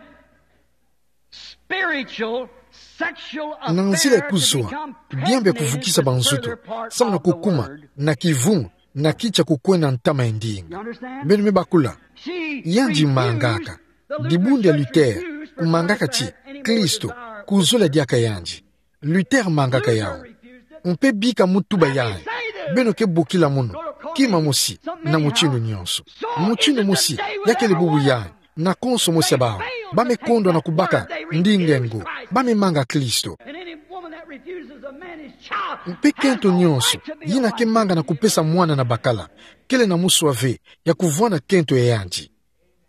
spiritual, sexual affairs to become pregnant with the further part of the word. Na nzila ya kuzwa diambu ya kuvukisa banzutu samu na kukuma na kivumu na kitia kukwenda ntama ya ndinga. Beno me bakula. Yandi mangaka. Dibundu ya Luther kumangaka ti Kristo kuzola diaka yandi. Luther mangaka yawu. Mpe bika mu tuba yayi, beno ke bokila munu kima mosi na mutindu nyonso. Mutindu mosi, ya kele bubu yayi, na konso mosi ya bawu ba me kondwa na kubaka ndinga ngo, ba me manga Kristo. Mpe kento nyonso yina ke manga na kupesa mwana na bakala kele na muswa ve ya kuvwanda kento ya yandi.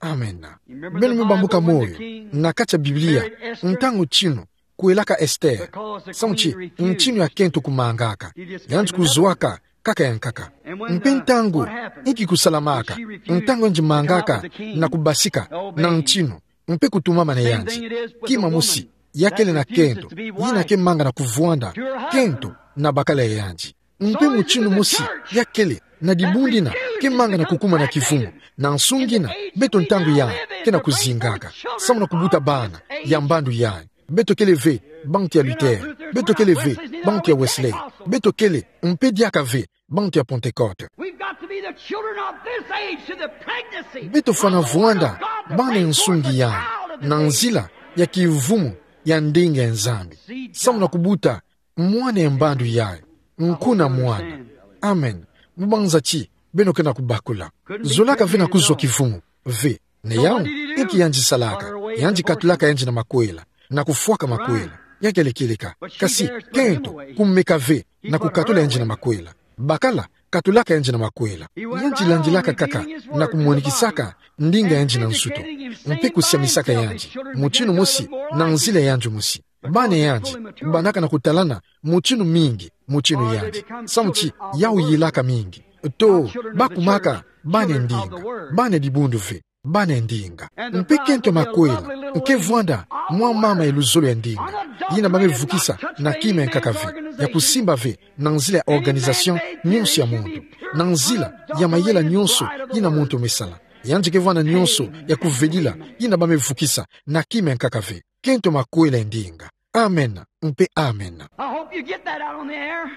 Amena. Beno me bambuka moyo na kati ya Biblia, ntangu ntinu kwelaka Esther. Samu ti ntinu ya kento kumangaka. Yandi kuzwaka kaka ya nkaka. Mpe ntangu, inki kusalamaka ntangu yandi mangaka na kubasika na ntinu, mpe kutumama na yandi? Kima mosi, ya kele na kento yina ke manga na kuvwanda kento na bakala ya yandi. Mpe mutindu mosi ya kele na dibundu yina ke manga na kukuma na kivumu, na nsunga yina beto ntangu yayi ke na kuzingaka samu na kubuta bana ya mbandu yayi. Beto kele ve bantu ya Luther. Beto kele ve, bantu ya Wesley. Beto kele, mpe diaka ve, bantu ya Pentecôte. We've got to be the children of this age to the pregnancy. Beto fwana vwanda bana ya nsungi yayi, na nzila ya kivumu ya ndinga ya Nzambi. Samu na kubuta mwana ya mbandu yayi, nkuna mwana. Amen. Mubanza ti beno ke na kubakula. Zolaka ve na kuzwa kivumu ve. Na yau, inki yandi salaka? Yandi katulaka yandi na makwela, na kufwaka makwela. Ya kele kieleka. Kasi kento, kumeka ve na kukatula yandi na makwela. Bakala, katulaka yandi na makwela. Yandi landilaka kaka na kumonikisaka ndinga yandi na nsuto, mpe kusiamisaka yandi mutinu mosi na nzila ya yandi mosi. Bana yandi, banaka na kutalana mutinu mingi, mutinu yandi. Samu ti yau yilaka mingi. To, bakumaka bana ya ndinga, bana ya dibundu ve, bana ya ndinga. Mpe kento ya makwela, nke vwanda mwa mama ya luzolo ya ndinga, yina ba me vukisa na kima ya nkaka ve, ya kusimba ve na nzila ya organisation nyonso ya muntu, na nzila ya mayela nyonso yina muntu me sala. Yandi ke vwanda nyonso ya kuvedila yina ba me vukisa na kima ya nkaka ve. Kento ya makwela ya ndinga. Amen, mpe amen. I hope you get that out on the air.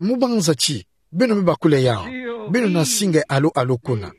Mubanza ti beno me bakula yau. Beno na singa alo alo kuna.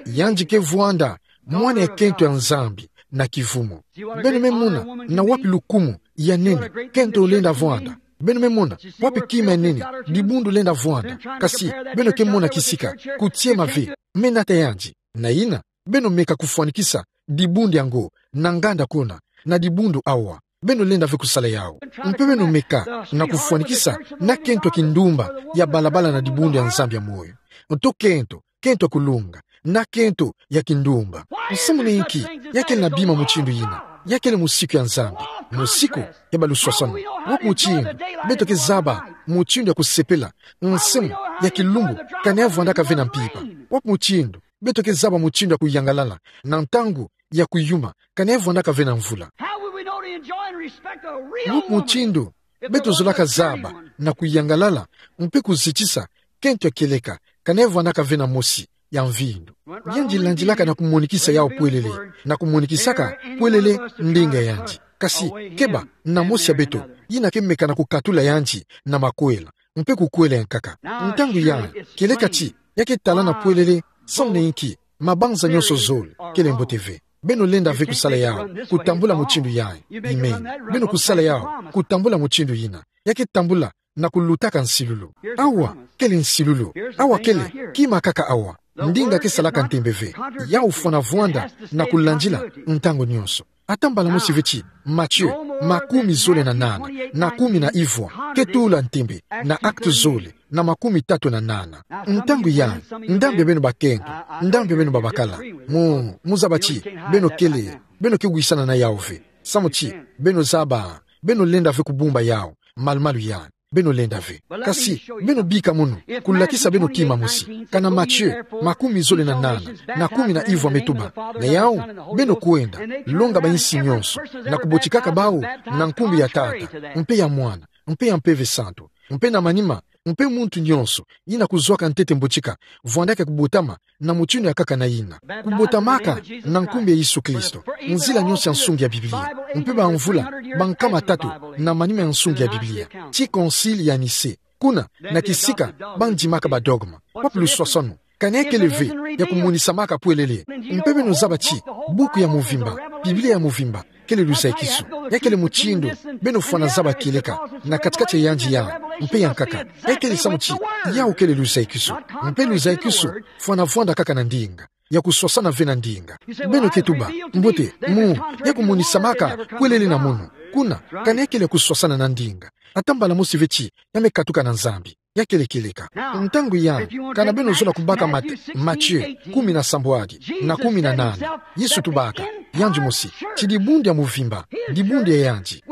Yandi ke vwanda mwana ya kento ya Nzambi na kivumu. Beno me mona na wapi lukumu ya nene kento lenda vwanda. Beno me mona wapi kima ya nene dibundu lenda vwanda. Kasi beno ke mona kisika, kutiema ve, me nata yandi. Na yina, beno meka kufwanikisa dibundu yango na nganda kuna, na dibundu awa. Beno lenda ve kusala yau. Mpe beno meka na kufwanikisa na kento ya kindumba ya balabala na dibundu ya Nzambi ya moyo. Nto kento, kento ya kulunga, na kento ya kindumba. Nsamu na inki ya kele na bima mutindu yina? Ya kele musiku ya Nzambi, musiku ya baluswaswanu. Wapi mutindu beto ke zaba mutindu ya kusepela nsamu ya kilumbu kani ya vwandaka ve na mpimpa? Wapi mutindu beto ke zaba mutindu ya kuyangalala na ntangu ya kuyuma kani ya vwandaka ve na mvula? How will we know to enjoy and respect a real woman? Wapi mutindu beto zolaka zaba na kuyangalala mpe kuzitisa kento ya kieleka kani ya vwandaka ve na mosi ya mvindu? Yandi landilaka na kumonikisa yau pwelele, na kumonikisaka pwelele ndinga yandi. Kasi keba na mosi ya beto yina ke meka na kukatula yandi na makwela, mpe kukwela ya nkaka. Ntangu yayi, kieleka ti ya ke talana pwelele. Samu na inki? Mabanza nyonso zole kele mbote ve. Beno lenda ve kusala yau kutambula mutindu yayi. Amen. Beno kusala yau kutambula mutindu yina. Ya ke tambula na kulutaka nsilulu. Awa kele nsilulu. Awa kele kima kaka awa. Ndinga ke salaka ntembe ve. Yau fwana vwanda na kulandila ntangu nyonso. Ata mbala mosi ve ti Matthieu makumi zole na nana, na kumi na ivwa, ke tula ntembe na Actes zole na makumi tatu na nana. Ntangu yayi, ndambu ya beno bakento, ndambu ya beno babakala, mu, mu zaba ti beno kele, beno ke wisana na yau ve. Samu ti beno zaba, beno lenda ve kubumba yau malumalu yayi. Beno lenda ve. Kasi beno bika munu, kulakisa beno kima mosi. Kana Matthieu makumi zole na nana, na kumi na ivwa me tuba: Na yau, beno kwenda, longa ba insi nyonso, na kubotikaka bau na nkumbu ya Tata, mpe ya Mwana, mpe ya Mpeve Santu, mpe na manima, mpe muntu nyonso yina kuzwaka ntete mbotika, vwandaka kubotama na mutindu ya nkaka na yina. Kubotamaka na nkumbu ya Yesu Kristo, nzila nyonso ya nsungi ya Biblia, mpe bamvula bankama tatu na manima ya nsungi ya Biblia, tii Concile ya Nicée. Kuna, na kisika bandimaka ba dogme. Wapi luswaswanu? Kana ya kele ve ya kumonisamaka pwelele? Mpe beno zaba ti buku ya mvimba, Biblia ya mvimba, kele luzayikisu. Ya kele mutindu beno fwana zaba kieleka na kati-kati ya yandi yayi mpe ya nkaka. Ya kele samu ti yau kele luzayikisu. Mpe luzayikisu fwana vwanda kaka na ndinga, ya kuswasana ve na ndinga. Beno ke tuba: Mbote, mu, ya kumonisamaka pwelele na munu. Kuna, kana ya kele ya kuswasana na ndinga. Ata mbala mosi ve ti ya me katuka na Nzambi. Ya kele kieleka. Ntangu yayi, kana beno zola kubaka Mat-, Matthieu kumi na sambwadi na kumi na nana, Yesu tubaka yandi mosi ti dibundu ya mvimba, dibundu ya yandi,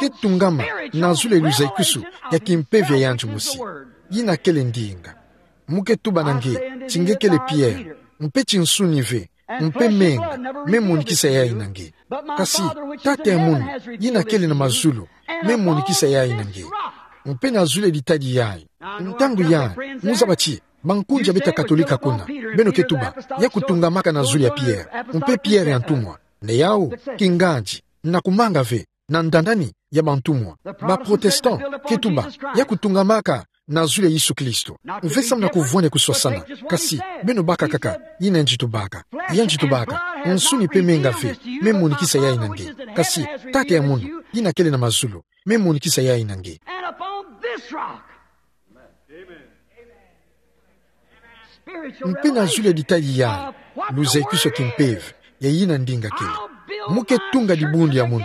ke tungama na zulu ya luzayikisu ya kimpeve ya yandi mosi. Yina kele ndinga. Mu ke tuba na nge ti nge kele Pierre, mpe ti nsuni ve, mpe menga me monikisa yayi na nge. Kasi Tata ya munu yina kele na mazulu me monikisa yayi na nge. Mpe na zulu ya ditadi yayi. Ntangu yayi, mu zaba ti bankundi ya beto ya Katolika kuna, beno ke tuba ya kutungamaka na zulu ya Pierre, mpe Pierre ya ntumwa. Na yau, kingandi, na kumanga ve, na ndandani ya bantumwa. Ba Protestant ke tuba ya kutungamaka na zulu ya Yesu Kristo. Ve samu na kuvwani kuswasana, kasi beno baka kaka, yina yandi tubaka. Yandi tubaka: Nsuni mpe menga ve me monikisa yayi na nge, kasi Tata ya munu, yina kele na mazulu, me monikisa yayi na nge. And upon this rock, spiritual revelation, mpe na zulu ya ditadi yayi, luzayikusu ya kimpeve ya yina ndinga kele, mu ke tunga dibundu ya munu,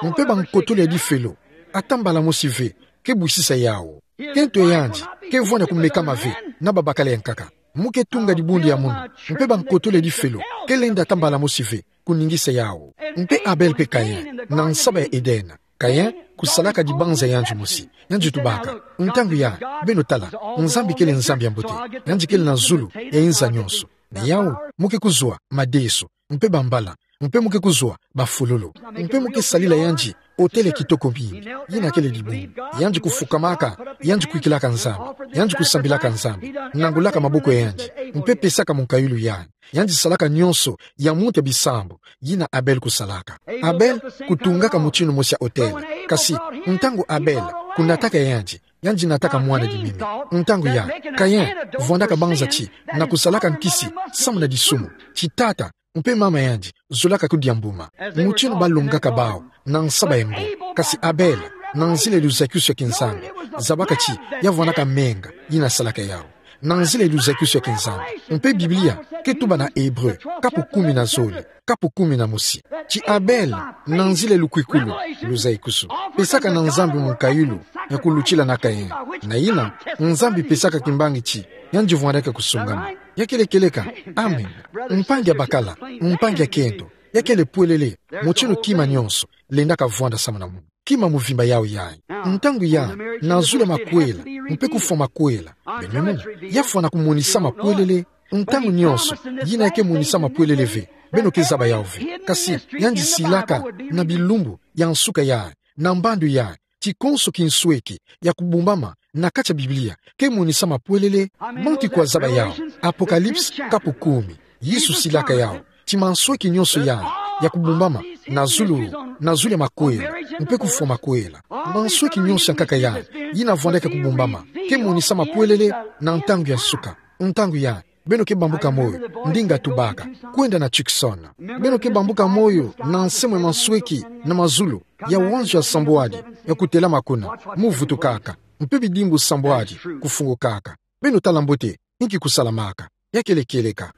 mpe bankotolo ya difelo ata mbala mosi ve ke bwisisa yawu. Kento ya yandi ke vwani ya kumekama ve na babakala ya nkaka. Mu ke tunga dibundu ya munu, mpe bankotolo ya difelo ke lenda ata mbala mosi ve kuningisa yawu. Mpe Abel mpe Kayen, na nsaba ya Eden, Kayen kusalaka dibanza ya yandi mosi. Yandi tubaka: Ntangu yayi, beno tala, Nzambi kele Nzambi ya mbote, yandi kele na zulu ya inza nyonso. Na yawu, mu ke kuzwa madeso, mpe bambala, mpe mu ke kuzwa bafololo, mpe mu ke salila yandi otele kitoko mingi. Yina kele dibundu. Yandi kufukamaka, yandi kwikilaka Nzambi, yandi kusambilaka Nzambi, nangulaka maboko ya yandi, mpe pesaka munkayulu yayi. Yandi salaka nyonso ya muntu ya bisambu, yina Abel kusalaka. Abel kutungaka mutindu mosi ya otele. Kasi ntangu Abel kunataka yandi, yandi nataka mwana dimimi. Ntangu yayi, Kayen vwandaka banza ti na kusalaka nkisi samu na disumu ti tata mpe mama yandi zolaka kudia mbuma. Mutindu balongaka bawu na nsaba ya ngo. Kasi Abel, na nzila ya luzayikusu ya kinzambi, zabaka ti ya vwandaka menga yina salaka yawu. Na nzila ya luzayikusu ya kinzambi. Mpe Biblia ke tuba na Ebre, kapu kumi na zole, kapu kumi na mosi, ti Abel, na nzila ya lukwikulu, luzayikusu, pesaka na Nzambi munkayulu ya kulutila na Kayen. Na yina, Nzambi pesaka kimbangi ti yandi vwandaka kusungama. Ya kele kieleka. Amen. Mpangi ya bakala, mpangi ya kento, ya kele pwelele, mutindu kima nyonso lendaka vwanda samu na munu. Kima muvimba yawu yayi. Ntangu yayi, na zulu ya makwela mpe kufwa makwela, beno mona, ya fwana kumonisama pwelele. Ntangu nyonso yina ya ke monisama pwelele ve, beno ke zaba yawu ve. Kasi yandi silaka na bilumbu ya nsuka yayi, na mbandu yayi, ti konso kinsweki ya kubumbama na kati ya Biblia ke monisama pwelele. Bantu kwa zaba yawu, Apocalypse kapu kumi. Yesu silaka yawu ti mansweki nyonso yayi ya kubumbama na zulu, na zulu ya makwela mpe kufwa makwela. Mansweki nyonso ya nkaka yayi yina vwandaka kubumbama ke monisama pwelele na ntangu ya nsuka. Ntangu yayi, beno ke bambuka moyo, ndinga tubaka, kwenda na Tucson. Beno ke bambuka moyo na nsembo ya mansweki na mazulu, ya wanzo ya sambwadi ya kutelama kuna, mu vutukaka, mpe bidimbu sambwadi kufungukaka. Beno tala mbote inki kusalamaka. Ya kele kieleka.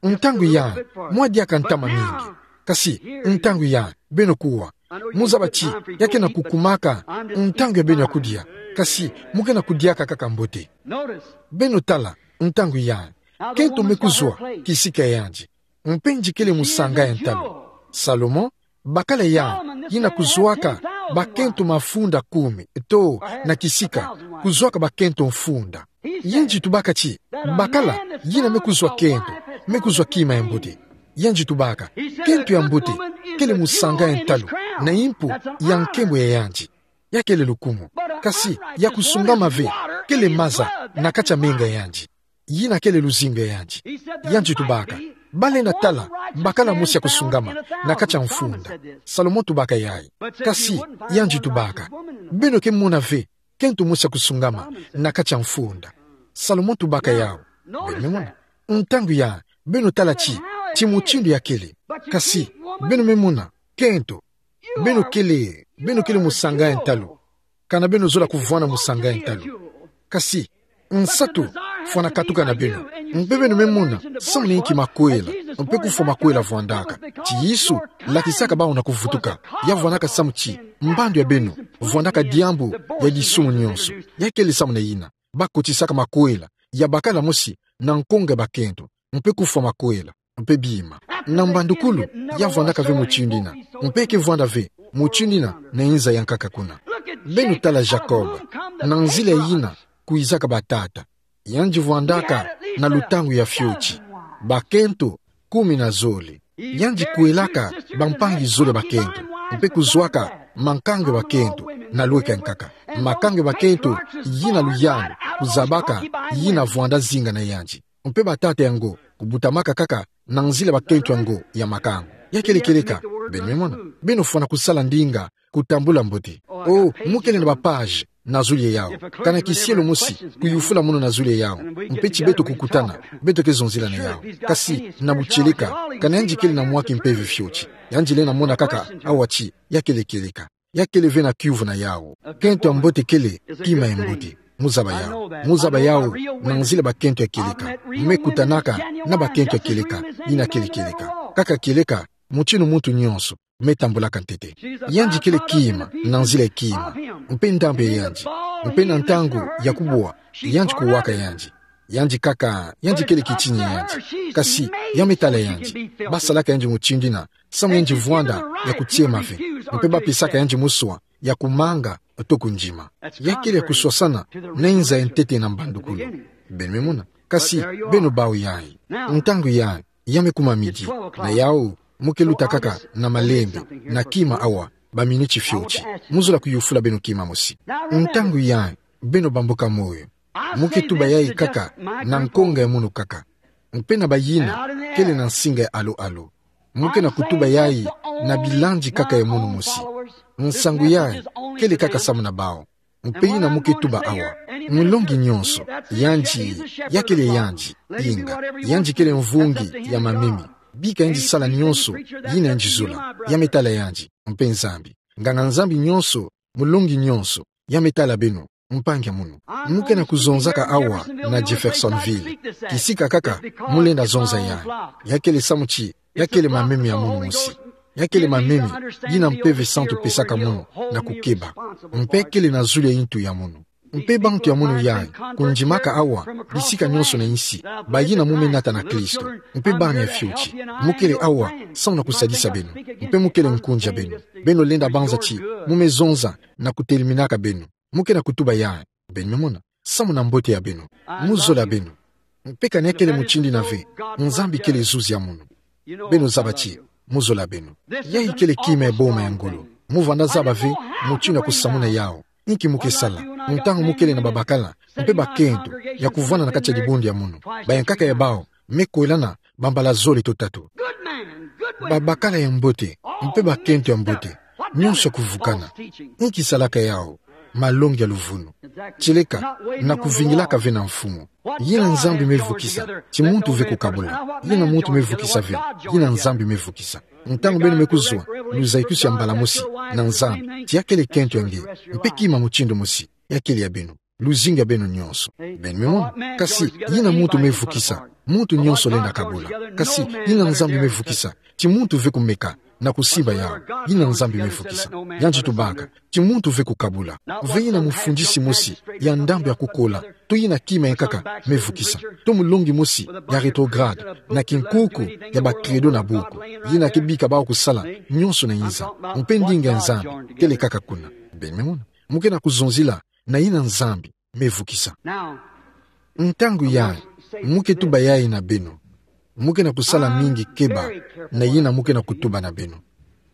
Ntangu yayi, mwa diaka ntama mingi. Kasi ntangu yayi, beno kuwa. Mu zaba ti ya ke na kukumaka ntangu ya beno ya kudia. Kasi mu ke na kudiaka kaka mbote. Beno tala, ntangu yayi, kento me kuzwa kisika ya yandi, mpe yandi kele musanga ya ntalu. Salomon, bakala yayi, yina kuzwaka bakento mafunda kumi, to, na kisika, kuzwaka bakento mfunda. Yandi tubaka ti bakala yina me kuzwa kento, me kuzwa kima ya mbote. Yandi tubaka, kento ya mbote kele musanga ya ntalu na impu ya nkembo ya yandi. Ya kele lukumu. Kasi ya kusungama ve kele maza na kati ya menga ya yandi. Yina kele luzingu ya yandi. Yandi tubaka, balenda tala bakala mosi ya kusungama na kati ya mfunda. Salomon tubaka yayi. Kasi yandi tubaka, beno ke mona ve kento mosi ya kusungama na kati ya mfunda. Salomon tubaka yawu. Beno me mona. Ntangu yayi, beno tala ti, ti mutindu ya kele. Kasi beno me mona, kento, beno kele, beno kele musanga ya ntalu. Kana beno zola kuvwanda musanga ya ntalu. Kasi nsatu fwana katuka na beno. Mpe beno me mona samu na inki makwela mpe kufwa makwela vwandaka. Ti Yesu lakisaka bawu na kuvutuka, ya vwandaka samu ti mbandu ya beno vwandaka diambu ya disumu nyonso. Ya kele samu na yina bakotisaka makwela ya bakala mosi na nkonga ya bakento, mpe kufwa makwela, mpe bima. Na mbandukulu, ya vwandaka ve mutindu yina, mpe ke vwanda ve mutindu yina na inza ya nkaka kuna. Beno tala Jacob, na nzila yina kwizaka batata. Yandi vwandaka na lutangu ya fioti, bakento kumi na zole. Yandi kwelaka bampangi zole bakento, mpe kuzwaka makango ya bakento na lweka ya nkaka. Makango ya bakento yina luyalu kuzabaka yina vwanda zinga na yandi. Mpe batata yango kubutamaka kaka na nzila bakento yango ya makango. Ya kele kieleka, beno me mona. Beno fwana kusala ndinga, kutambula mbote. Oh, mu kele na ba page na zulu ya yawu. Kana kisielo mosi kuyufula mono na zulu ya yawu, mpe ti beto kukutana, beto ke zonzila na yawu. Kasi na butieleka, kana yandi kele na mwa kimpeve fioti. Yandi lenda mona kaka awa ti ya kele kieleka. Ya kele ve na kiuvu na yawu. Kento ya mbote kele kima ya mbote. Mu zaba yawu. Mu zaba yawu, nanzila bakento ya kieleka. Me kutanaka na bakento ya kieleka, yina kele kieleka. Kaka kieleka, mutindu muntu nyonso me tambulaka ntete. Yandi kele kima, nanzila ya kima. Mpe ndambu ya yandi. Mpe na ntangu ya kubwa, yandi kuwaka yandi. Yandi kaka, yandi kele kitini ya yandi. Kasi, ya me tala yandi. Basalaka yandi mutindu yina, samu yandi vwanda ya kutiema ve. Mpe bapesaka yandi muswa ya kumanga to kundima. Ya kele ya kuswasana na inza ya ntete na mbandukulu. Beno me mona. Kasi, beno bawu yayi. Ntangu yayi, ya me kuma midi. Na yawu, mu ke luta kaka na malembe, na kima awa, ba minuti fioti. Mu zola kuyufula beno kima mosi. Ntangu yayi, beno bambuka moyo. Mu ke tuba yayi kaka na nkonga ya munu kaka. Mpe na bayina kele na nsinga ya alo-alo. Mu ke na kutuba yayi na bilandi kaka ya munu mosi. Nsangu yayi kele kaka samu na bawu. Mpe yina mu ke tuba awa. Mulongi nyonso, yandi, ya kele yandi, inga, yandi kele mvungi ya mamemi. Bika yandi sala nyonso yina yandi zola, ya me tala yandi, mpe Nzambi. Nganga-Nzambi nyonso, mulongi nyonso, ya me tala beno, mpangi ya munu. Mu ke na kuzonzaka awa na Jeffersonville. Kisika kaka mu lenda zonza yayi. Ya kele samu ti ya kele mamemi ya munu mosi. Ya kele mamemi yina Mpeve Santu pesaka munu na kukeba. Mpe kele na zulu ya yintu ya munu. Mpe bantu ya munu yayi, kundimaka awa bisika nyonso na insi, bayina mu me nata na Kristo. Mpe bana ya fioti, mu kele awa samu na kusadisa beno. Mpe mu kele nkunzi ya beno. Beno lenda banza ti mu me zonza na kuteleminaka beno. Mu ke na kutuba yayi. Beno me mona. Samu na mbote ya beno. Mu zola beno. Mpe kana ya kele mutindu yina ve, Nzambi kele zuzi ya munu. Beno zaba ti mu zola beno. Yayi kele kima ya boma ya ngolo. Mu vanda zaba ve mutindu ya kusamuna yawu. Inki mu ke sala ntangu mu kele na babakala mpe bakento ya kuvwanda na kati ya dibundu ya munu? Bayankaka ya bawu me kwelana bambala zole to tatu. Babakala ya mbote mpe bakento ya mbote, nyonso ya kuvukana. Inki salaka yawu? Malongi ya luvunu. Tieleka na kuvingilaka ve na mfumu. Yina Nzambi me vukisa, ti muntu ve kukabula. Yina muntu me vukisa ve, yina Nzambi me vukisa. Ntangu beno me kuzwa luzayikusi ya mbala mosi na Nzambi, ti ya kele kento ya nge, mpe kima mutindu mosi, ya kele ya beno. Luzingu ya beno nyonso. Beno me mona. Kasi yina muntu me vukisa, muntu nyonso lenda kabula. Kasi yina Nzambi me vukisa, ti muntu ve kumeka na kusimba yawu. Yina Nzambi me vukisa. Yandi tubaka ti muntu ve kukabula. Ve yina mufundisi mosi ya ndambu ya kukola, to yina kima yankaka me vukisa, to mulongi mosi ya rétrograde, na kinkuku ya ba credo na buku, yina ke bika bawu kusala nyonso na inza. Mpe ndinga ya Nzambi kele kaka kuna. Beno me mona. Mu ke na kuzonzila na yina Nzambi me vukisa. Ntangu yayi, mu ke tuba yayi na beno. Mu ke na kusala mingi keba na yina mu ke na kutuba na beno.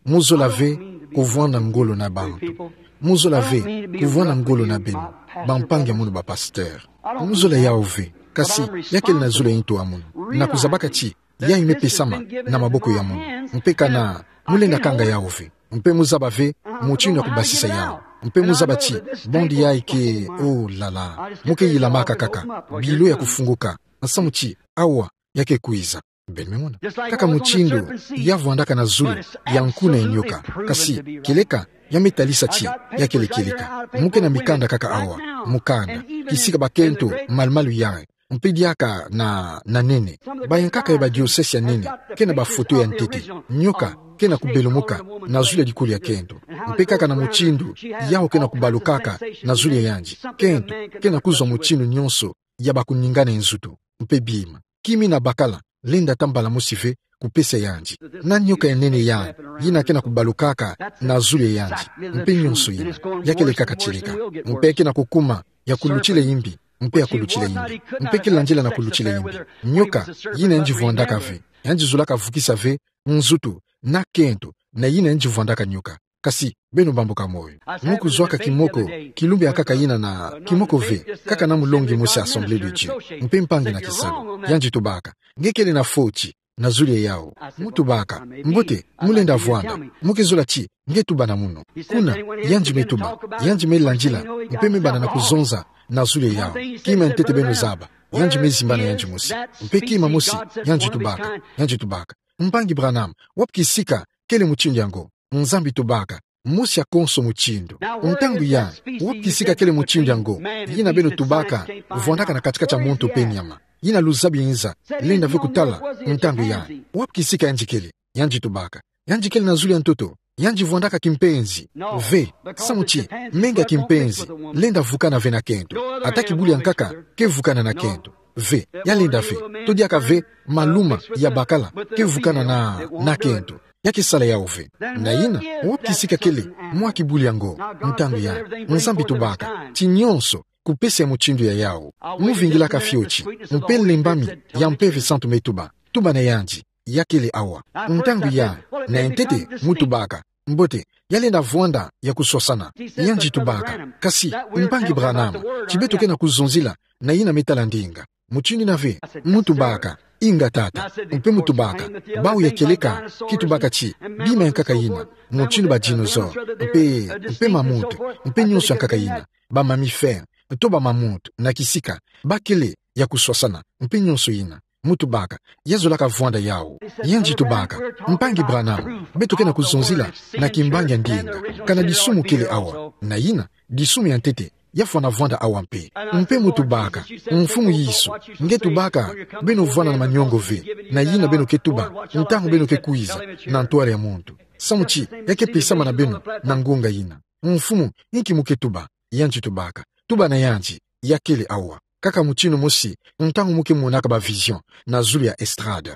Mu zola ve kuvwanda ngolo na bantu. Mu zola ve kuvwanda ngolo na beno, bampangi ya munu bapasteur. Mu zola yawu ve, kasi ya kele na zulu ya yintu ya munu. Na kuzabaka ti yayi me pesama na maboko ya munu. Mpe kana mu lenda kanga yawu ve. Mpe mu zaba ve mutindu ya kubasisa yawu. Mpe mu zaba ti bande yayi ke, oh là là, mu ke yilamaka kaka bilo ya kufunguka, samu ti awa ya ke kwiza. Beno me mona. Kaka mutindu ya vwandaka na zulu ya nku na nyoka. Kasi kieleka ya me talisa ti ya kele kieleka. Mu ke na mikanda kaka awa, mukanda, kisika bakento malu-malu yayi. Mpe diaka na, na nene. Bayankaka ya badiosesi ya nene ke na bafoto ya ntete. Nyoka ke na kubelumuka na zulu ya likulu ya kento. Mpe kaka na mutindu yawu ke na kubalukaka na zulu ya yandi, kento ke na kuzwa mutindu nyonso ya bakuningana ya nzutu, mpe bima. Kima yina bakala lenda ta mbala mosi ve kupesa yandi. Na nyoka ya nene yayi, yina ke na kubalukaka na zulu ya yandi, mpe nyonso yina, ya kele kaka tieleka. Mpe ke na kukuma ya kulutila yimbi, mpe ya kulutila yimbi, mpe ke landila na kulutila yimbi. Nyoka yina yandi vwandaka ve, yandi zolaka vukisa ve nzutu na kento na yina yandi vwandaka nyoka. Kasi beno bambuka moyo. Mu kuzwaka kimoko, kilumbu yankaka yina na kimoko ve, kaka na mulongi mosi ya Assemblée de Dieu, mpe mpangi na kisalu. Yandi tubaka: Nge kele na foti na zulu ya yawu. Mu tubaka: Mbote, mu lenda vwanda. Mu ke zola ti nge tuba na munu. Kuna, yandi me tuba, yandi me landila, mpe me banda na kuzonza na zulu ya yawu. Kima ya ntete beno zaba, yandi me zimbana yandi mosi. Mpe kima mosi, yandi tubaka, yandi tubaka: Mpangi Branham, wapi kisika kele mutindu yango? Nzambi tubaka: Mosi ya konso mutindu. Ntangu ya, wapi kisika kele mutindu yango yina beno tubaka vwandaka na kati-kati ya muntu mpe nyama? Yina luzabi nza, lenda ve kutala ntangu ya. Wapi kisika yandi kele? Yandi tubaka: Yandi kele na zulu ya ntoto. Yandi vwandaka kimpenzi. Ve, samu ti menga kimpenzi lenda vukana ve na kento. Ata kibuli ya nkaka ke vukana na kento. Ve, ya lenda ve. To diaka ve maluma ya bakala ke vukana na, na kento. Ya ke sala yawu ve. Na yina, wapi kisika kele mwa kibuli yango? Ntangu ya, Nzambi tubaka ti nyonso kupesa ya mutindu ya yawu. Mu vingilaka fioti, mpe lembami ya Mpeve Santu me tuba: Tuba na yandi, ya kele awa. Ntangu ya, na ya ntete, mu tubaka: Mbote, ya lenda vwanda ya kuswasana. Yandi tubaka: Kasi, Mpangi Branham, ti beto ke na kuzonzila na yina me tala ndinga. Mutindu yina ve? Mu tubaka: Inga tata. Mpe mu tubaka: Bawu ya kieleka ki tubaka ti bima ya nkaka yina, mutindu ba dinosaure, mpe, mpe mammouth, mpe nyonso ya nkaka yina, ba mammifère, to ba mammouth na kisika, ba kele ya kuswasana, mpe nyonso yina. Mu tubaka: Ya zolaka vwanda yawu. Yandi tubaka: Mpangi Branham, beto ke na kuzonzila na kimbangi ya ndinga. Kana disumu kele awa? Na yina, disumu ya ntete ya fwana vwanda awa mpe. Mpe mu tubaka: Mfumu Yesu, nge tubaka beno vwanda na maniongo ve na yina beno ke tuba ntangu beno ke kwiza na ntwala ya muntu, samu ti ya ke pesama na beno na ngonga yina. Mfumu, inki mu ke tuba? Yandi tubaka: Tuba na yandi, ya kele awa. Kaka mutindu mosi ntangu mu ke monaka ba vision na zulu ya estrade.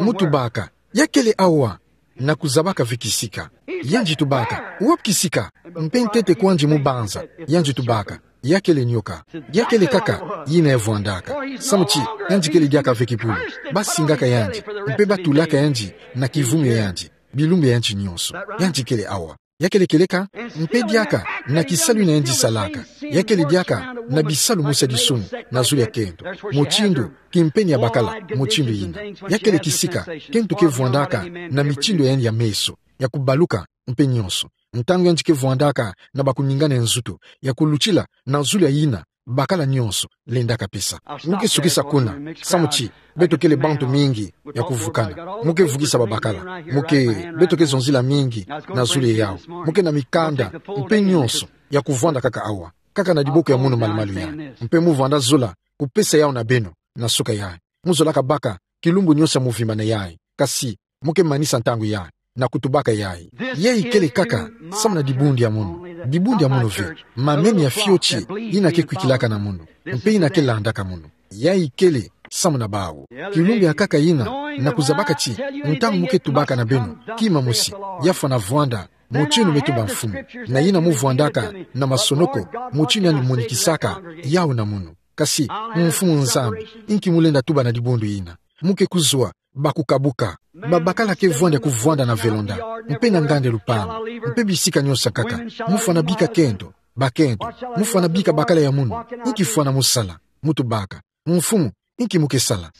Mu tubaka: Ya kele awa. Na kuzabaka ve kisika. Yandi tubaka: Wapi kisika? Mpe ntete kwandi mu banza, yandi tubaka: Ya kele nioka. Ya kele kaka yina ya vwandaka. Samu ti yandi kele diaka ve kibulu. Ba singaka yandi, mpe ba tulaka yandi na kivumu ya yandi, bilumbu ya yandi nyonso. Yandi kele awa. Ya kele kieleka, mpe diaka na kisalu yina yandi salaka. Ya kele diaka na bisalu mosi ya disumu na zulu ya kento. Mutindu kimpeni ya bakala mutindu yina. Ya kele kisika kento ke vwandaka na mitindu ya yandi ya meso, ya kubaluka, mpe nyonso. Ntangu yandi ke vwandaka na ba kuningana ya nzutu, ya kulutila na zulu ya yina bakala nyonso lendaka pesa. Mu ke sukisa kuna, samu ti beto kele bantu mingi ya kuvukana. Mu ke vukisa babakala. Mu ke, beto ke zonzila mingi na zulu ya yawu. Mu ke na mikanda mpe nyonso ya kuvwanda kaka awa, kaka na diboko ya munu malumalu ya. Mpe mu vwanda zola kupesa yawu na beno na suka ya. Mu zolaka baka kilumbu nyonso ya muvimba na yayi. Kasi mu ke manisa ntangu yayi na kutubaka yayi. Yayi kele kaka samu na dibundu ya munu. Dibundu ya munu ve. Mameni ya fioti yina ke kwikilaka na munu, mpe yina ke landaka munu. Yayi kele samu na bawu. Kilumbu ya nkaka yina, na kuzabaka ti ntangu mu ke tubaka na beno kima mosi, ya fwana vwanda mutindu me tuba Mfumu, na yina mu vwandaka na masonoko, mutindu yandi monikisaka yawu na munu. Kasi, Mfumu Nzambi, inki mu lenda tuba na dibundu yina? Mu ke kuzwa ba kukabuka. Babakala ke vwanda ya kuvwanda na velonda, mpe na nganda ya lupangu, mpe bisika nyonso ya nkaka. Mu fwana bika kento, bakento? Mu fwana bika bakala ya munu? Inki fwana mu sala? Mu tubaka: Mfumu, inki mu ke sala?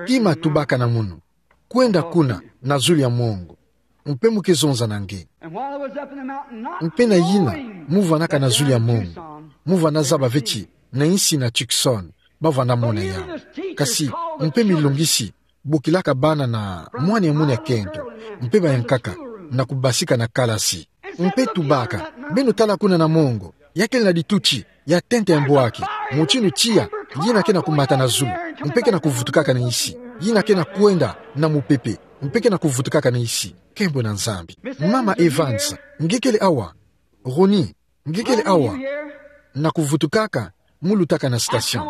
Kima tubaka na munu: Kwenda kuna na zulu ya mongo, mpe mu ke zonza na nge. Mpe na yina, mu vwandaka na zulu ya mongo, mu vwanda zaba ve ti na insi na Tucson ba vwanda mona yawu. Kasi, mpe milongisi bokilaka bana na mwana ya munu ya kento, mpe ba ya nkaka, na kubasika na kalasi. Mpe tubaka: Beno tala kuna na mongo, ya kele na dituti ya tente ya mbwaki, mutindu tiya yina ke na kumata na zulu, mpe ke na kuvutukaka na insi, yina ke na kwenda na mupepe, mpe ke na kuvutukaka na insi. Nkembo na Nzambi. Mama Evans, nge kele awa? Ronnie, nge kele awa? Na kuvutukaka, mu lutaka na station.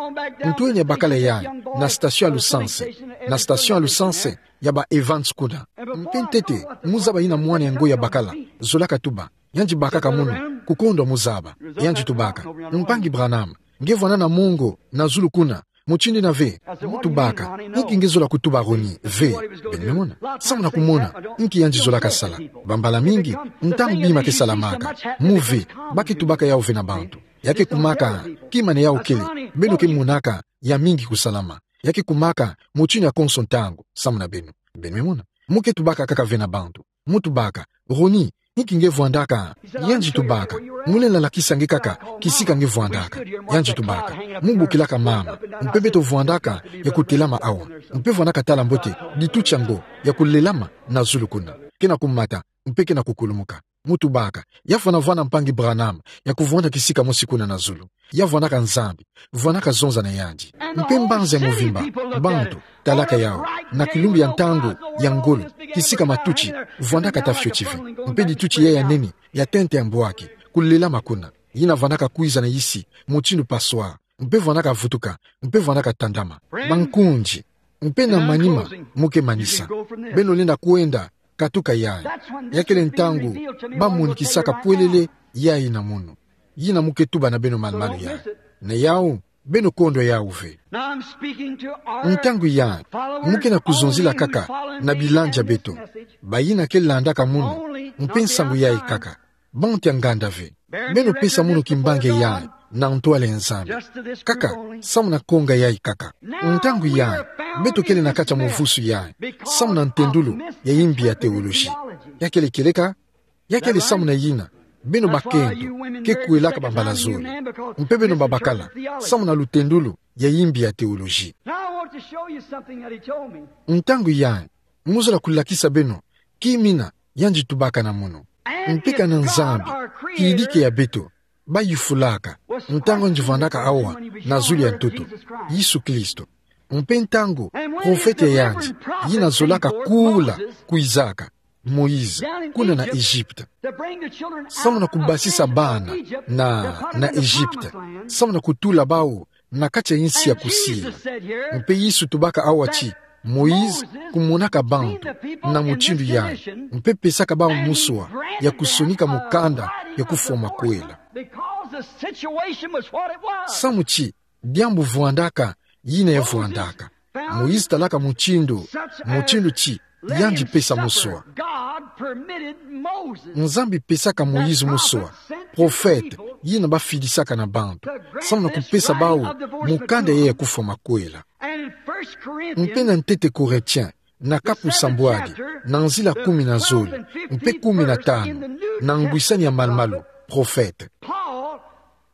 Ntwenya bakala yayi na station ya lusanse, na station ya lusanse ya ba Evans kuna. Mpe ntete, mu zaba yina mwana yango ya bakala zolaka tuba. Yandi bakaka munu, kukondwa mu zaba. Yandi tubaka: Mpangi Branham, nge vwanda na mongo na zulu kuna, mutindu yina ve? Mu tubaka: Inki nge zola kutuba, Ronnie? Ve. Beno me mona. Samu na kumona inki yandi zolaka sala. Bambala mingi, ntangu bima ke salamaka, mu ve, ba ke tubaka yawu ve na bantu. Ya ke kumaka kima na yawu kele, beno ke monaka ya mingi kusalama. Ya ke kumaka motini ya konso ntangu, samu na beno. Beno me mona. Mu ke tubaka kaka ve na bantu. Mu tubaka: Ronnie, inki nge vwandaka? Yandi tubaka: Mu lenda lakisa nge kaka kisika nge vwandaka. Yandi tubaka: Mu bokilaka mama. Mpe beto vwandaka ya kutelama awa. Mpe vwandaka tala mbote dituti yango ya kulelama na zulu kuna. Ke na kumata, mpe ke na kukulumuka. Mu tubaka: Ya fwana vwanda mpangi Branham ya kuvwanda kisika mosi kuna na zulu. Ya vwandaka Nzambi. Vwandaka zonza na yandi. Mpe mbanza ya movimba, bantu, talaka yawu, na kilumbu ya ntangu ya ngolo, kisika matuti, vwandaka ta fioti ve. Mpe dituti yayi ya nene, ya tente ya mbwaki, kulelama kuna. Yina vwandaka kwiza na yisi, mutindu passoire. Mpe vwandaka vutuka, mpe vwandaka tandama. Bankundi, mpe na manima, mu ke manisa. Beno lenda kwenda katuka yayi. Ya kele ntangu ba monikisaka pwelele yayi na munu. Yina mu ke tuba na beno malumalu yayi. Na yawu, beno kondwa yawu ve. Ntangu yayi, mu ke na kuzonzila kaka na bilandia beto. Bayina ke landaka munu, mpe nsangu yayi kaka. Bantu ya nganda ve. Beno pesa munu kimbangi yayi na ntwala ya Nzambi. Kaka, samu na konga yayi kaka. Ntangu yayi, beto kele na kati ya muvusu yayi, samu na ntendulu ya imbi ya teoloji. Ya kele kieleka, ya kele samu na yina, beno bakento, ke kwelaka bambala zole. Mpe beno babakala, samu na lutendulu ya imbi ya teoloji. Now I want to show you something that he told me. Ntangu yayi, mu zola kulakisa beno kimina yandi tubaka na munu. Mpe kana Nzambi, kidike ya beto, bayufulaka, ntangu yandi vwandaka awa na zulu ya ntoto, Yesu Kristo. Mpe ntangu profete ya yandi, yina zolaka kula, kwizaka, Moïse, kuna na Egypte. Samu na kubasisa bana na, na Egypte. Samu na kutula bawu na kati ya insi ya kusila. Mpe Yesu tubaka awa ti, Moïse kumonaka bantu na mutindu yayi, mpe pesaka bawu muswa ya kusonika mukanda ya kufwa makwela. Because the situation was what it was. Samu ti, diambu vwandaka yina ya vwandaka. Moïse talaka mutindu, mutindu ti, yandi pesa muswa. God permitted Moses, Nzambi pesaka Moïse muswa, profete, yina bafidisaka na bantu, samu na kupesa bawu mukanda ya kufwa makwela. And in First Corinthians, mpe na ntete Corinthiens, na kapu sambwadi, na nzila kumi na zole, mpe kumi na tanu, na ngwisani ya malumalu, profete. Paul,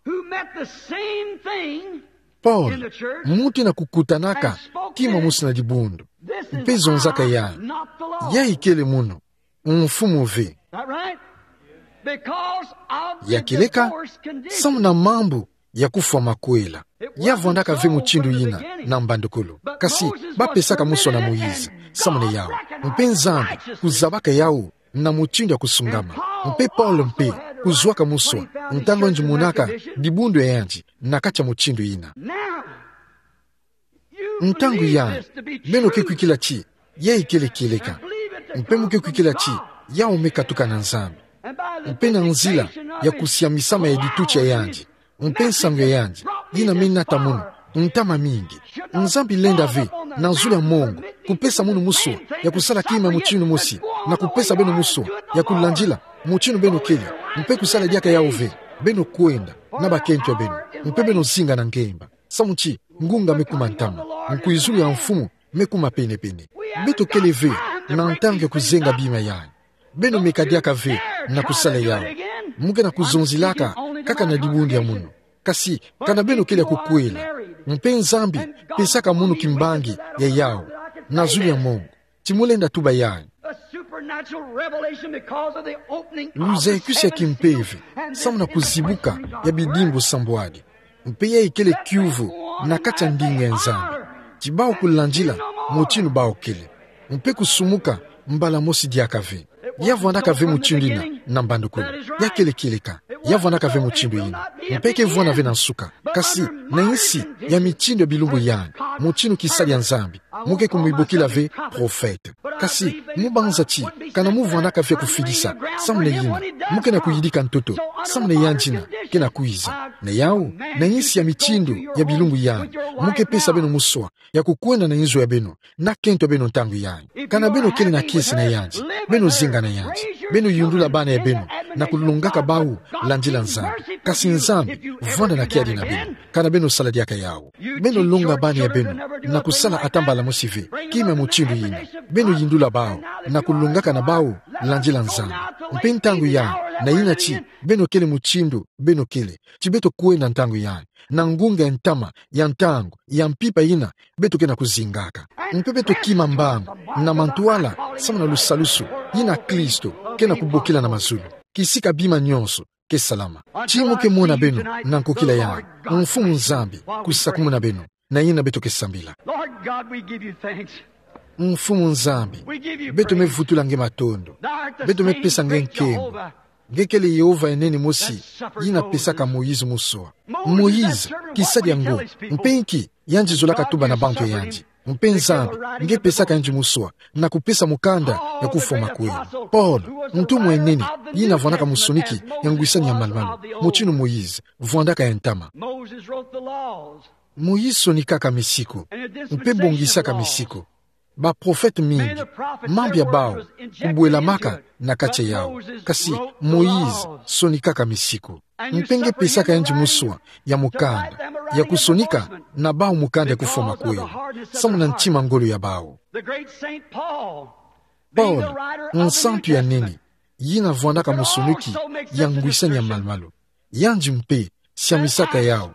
who met the same thing Paul, in the church, muntu na kukutanaka, and spoke kima this. Mosi na dibundu. This is Mpe zonzaka the ya. Not the law. Yayi kele munu, mfumu ve. That right? Because of the Ya kieleka, divorce condition. Samu na mambu ya kufwa makwela. Ya vwandaka ve mutindu yina, na mbandukulu. Kasi, bapesaka muswa na Moïse, samu na yawu. Mpe Nzambi, kuzabaka yawu, na mutindu ya kusungama. Mpe Paul mpe, kuzwaka muswa, ntangu yandi monaka, dibundu ya yandi, na kati ya mutindu yina. Now, you Ntangu believe yayi, this to be beno ke true. Kwikila ti, yayi kele kieleka. Mpe mu ke kwikila ti, yawu me katuka na Nzambi. Mpe na nzila ya kusiamisama ya dituti ya yandi, mpe nsangu ya yandi, yina me nata munu, ntama mingi. Nzambi lenda ve, na zulu ya mongo, kupesa munu muswa ya kusala kima mutindu mosi, na kupesa beno muswa ya kulandila mutindu beno kele, mpe kusala diaka yawu ve, beno kwenda na bakento ya beno, mpe beno zinga na ngemba. Samu ti, ngunga me kuma ntama, nkwizulu ya mfumu me kuma penepene. Beto kele ve na ntangu ya kuzenga bima yayi. Beno meka diaka ve na kusala yawu. Mu ke na kuzonzelaka kaka na dibundu ya munu. Kasi, kana beno kele ya kukwela, mpe Nzambi pesaka munu kimbangi ya yawu, na zulu ya mongo. Ti mu lenda tuba yayi. A supernatural revelation because of the opening of the Luzayikusi ya seven kimpeve, seals and the samu na kuzibuka ya bidimbu sambwadi. Mpe yayi kele kiuvu na kati ya ndinga ya Nzambi. Ti bawu kulandila mutindu bawu kele. Mpe kusumuka mbala mosi diaka ve. Ya vwandaka ve mutindu yina na mbandukulu. Ya kele kieleka. Ya vwandaka ve mutindu yina. Mpe ke vwanda ve na nsuka. Kasi, na insi ya mitindu ya bilumbu yandi, mutindu kisalu ya Nzambi, mu ke kumibokila ve profete. Kasi, mu banza ti, kana mu vwandaka ve ya kufidisa, samu na yina, mu ke na kuyidika ntoto, samu na yandina, ke na kwiza. Na yawu, na insi ya mitindu ya bilumbu yandi, mu ke pesa beno muswa ya kukwenda na inzo ya beno, na kento ya beno ntangu yandi. Kana beno kele na kiese na yandi, beno zinga na yandi, beno yundula bana ya beno, na kulongaka bawu landila Nzambi. Kasi Nzambi vwanda na kiadi na beno, ka na beno sala diaka yawu. Beno longa bana ya beno na kusala atambala mosi ve kima mutindu yina. Beno yindula bawu na kulongaka na bawu landila Nzambi. Mpe ntangu ya, na yina ti beno kele mutindu beno kele, ti beto kwenda ntangu ya na ngunga ya ntama, ya ntangu, ya mpimpa yina beto ke na kuzingaka. Mpe beto kima mbangu na mantwala samu na lusalusu yina Kristo ke na kubokila na mazulu. Kisika bima nyonso ke salama. Ti mu ke mona beno na nkokila ya, Mfumu Nzambi kusakumuna beno, na yina beto ke sambila. Lord God, we give you thanks. Mfumu Nzambi, beto me vutula nge matondo. Beto me pesa nge nkembo. Nge kele Yehova ya nene mosi yina pesaka Moïse muswa. Moïse, kisadi yango, mpe nki yandi zolaka tuba na bantu ya yandi? Mpe Nzambi nge pesaka yandi muswa na kupesa mukanda ya kufwa makwela. Paul, ntumwa ya nene yina vwandaka musoniki ya ngwisani ya malumalu, mutinu Moïse vwandaka ya ntama. Moïse sonikaka misiku mpe bongisaka misiku. Baprofete mingi, mambu ya bawu kubwelamaka na kati ya yawu. Kasi Moïse sonikaka misiku. Mpe nge pesaka yandi muswa ya mukanda ya kusonika na bawu mukanda ya kufwa makwela samu na ntima ngolo ya bawu. Paul, nsantu ya nene yina vwandaka musoniki ya ngwisani ya malumalu, yandi mpe siamisaka yawu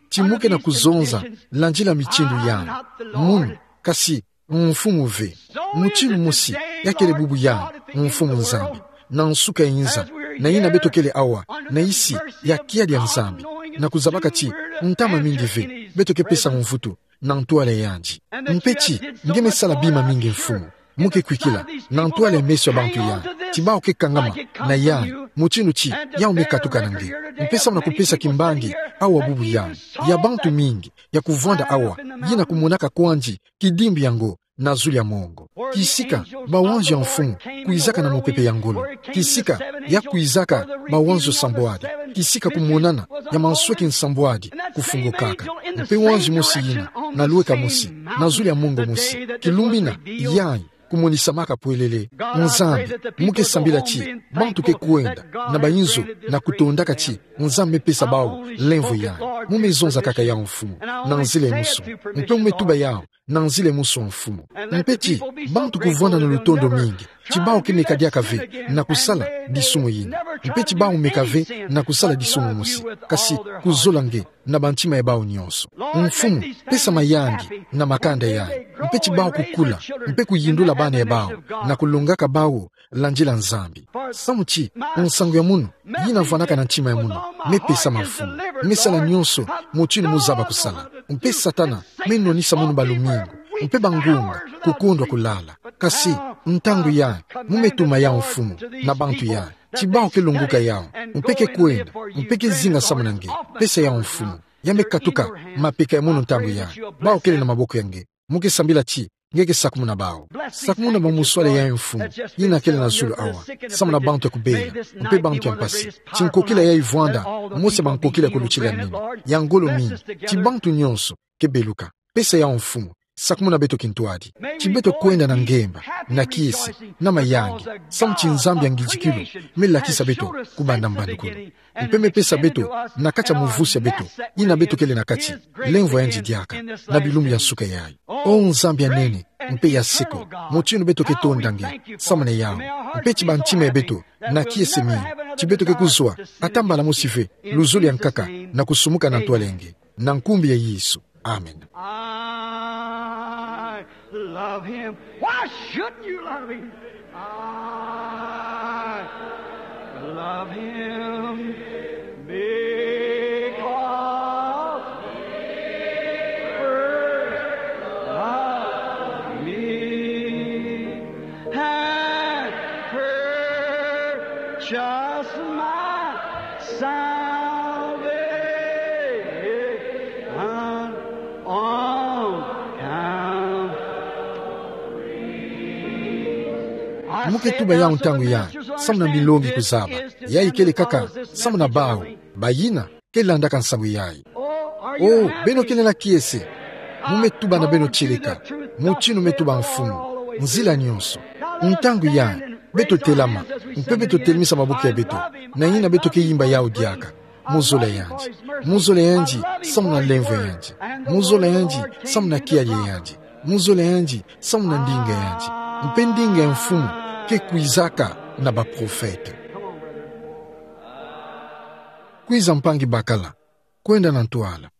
ti mu ke na kuzonza landila mitindu ya munu, kasi Mfumu ve. Mutinu mosi ya kele bubu ya Mfumu Nzambi na nsuka ya inza, na yina beto kele awa na isi ya kiadi ya Nzambi, na kuzabaka ti ntama mingi ve beto ke pesa mvutu na ntwala ya yandi. Mpe ti nge me sala bima mingi, Mfumu. Mu ke kwikila na ntwala ya meso ya bantu ya ti bawu ke kangama na yandi, mutinu ti yawu me katuka na nge. Mpe samu na kupesa kimbangi awa bubu ya, ya bantu mingi ya kuvwanda awa yina kumonaka kwandi kidimbu yango na zulu ya mongo. Kisika bawanzo ya Mfumu kwizaka na mupepe ya ngolo. Kisika ya kwizaka bawanzo sambwadi. Kisika kumonana ya mansweki sambwadi kufungukaka. Mpe wanzo mosi yina na lweka mosi na zulu ya mongo mosi, kilumbu yina yayi kumonisamaka pwelele. Nzambi, mu ke sambila ti bantu ke kwenda na bayinzo na kutondaka ti Nzambi me pesa bawu lemvo yayi. Mu me zonzakaka yawu, Mfumu, na nzila emosi. Mpe mu me tuba yawu na nzila emosi, Mfumu. Mpe ti bantu kuvwanda na lutondo mingi ti bawu ke meka diaka ve na kusala disumu yina. Mpe ti bawu meka ve na kusala disumu mosi, kasi kuzola nge na bantima ya bawu nyonso. Mfumu, pesa mayangi na makanda yayi. Mpe ti bawu kukula mpe kuyindula bana ya bawu na kulongaka bawu landila Nzambi. Samu ti nsangu ya munu yina vwandaka na ntima ya munu me pesama, Mfumu. Me sala nyonso mutinu mu zaba kusala. Mpe Satana me nwanisa munu balumingu mpe bangunga, kukondwa kulala. Kasi ntangu yayi mu me tuma yawu, Mfumu, na bantu yayi ti bawu ke longoka yawu mpe ke kwenda mpe ke zinga samu na nge. Pesa yawu, Mfumu. Ya me katuka mapeka ya munu ntangu yayi. Bawu kele na maboko ya nge. Mu ke sambila ti nge ke sakumuna bawu. Sakumuna bamuswale yayi, Mfumu, yina kele na zulu awa, samu na bantu ya kubela mpe bantu ya mpasi. Ti nkokila yayi vwanda mosi ya bankokila ya kulutila nini, ya ngolo mingi, ti bantu nyonso ke beluka. Pesa yawu, Mfumu. Sakumuna beto kintwadi ti beto kwenda na ngemba, na kiese, na mayangi, samu ti Nzambi ya ngidikilu me lakisa beto kubanda mbandukulu mpe me pesa beto na kati ya muvusi ya beto yina beto kele na kati, lemvo ya yandi diaka na bilumbu ya nsuka yayi. O Nzambi ya nene mpe ya seko, mutinu beto ke tonda nge samu na yawu. Mpe ti bantima ya beto na kiese mingi ti beto ke kuzwa atambala mosi ve luzolo ya nkaka na kusumuka na ntwala ya nge. Na nkumbu ya Yesu. Amen. I love him. Why shouldn't you love him? I love him because he first loved me and purchased my salvation on Calvary. Mu ke tuba yawu ntangu yayi samu na milongi kuzaba. Yayi kele kaka samu na bawu bayina ke landaka nsangu yayi. O, beno kele na kiese, mu me tuba na beno tieleka, mutinu me tuba, Mfumu, nzila nyonso. Ntangu yayi beto telama Mpe beto telimisa maboko ya beto, na ngina beto ke yimba yawu diaka. Mu zola yandi. Mu zola yandi, samu na lemvo yandi. Mu zola yandi, samu na kialie yandi. Mu zola yandi, samu na ndinga yandi. Mpe ndinga ya mfumu ke kwizaka na baprofete. Kwiza mpangi bakala, kwenda na ntwala.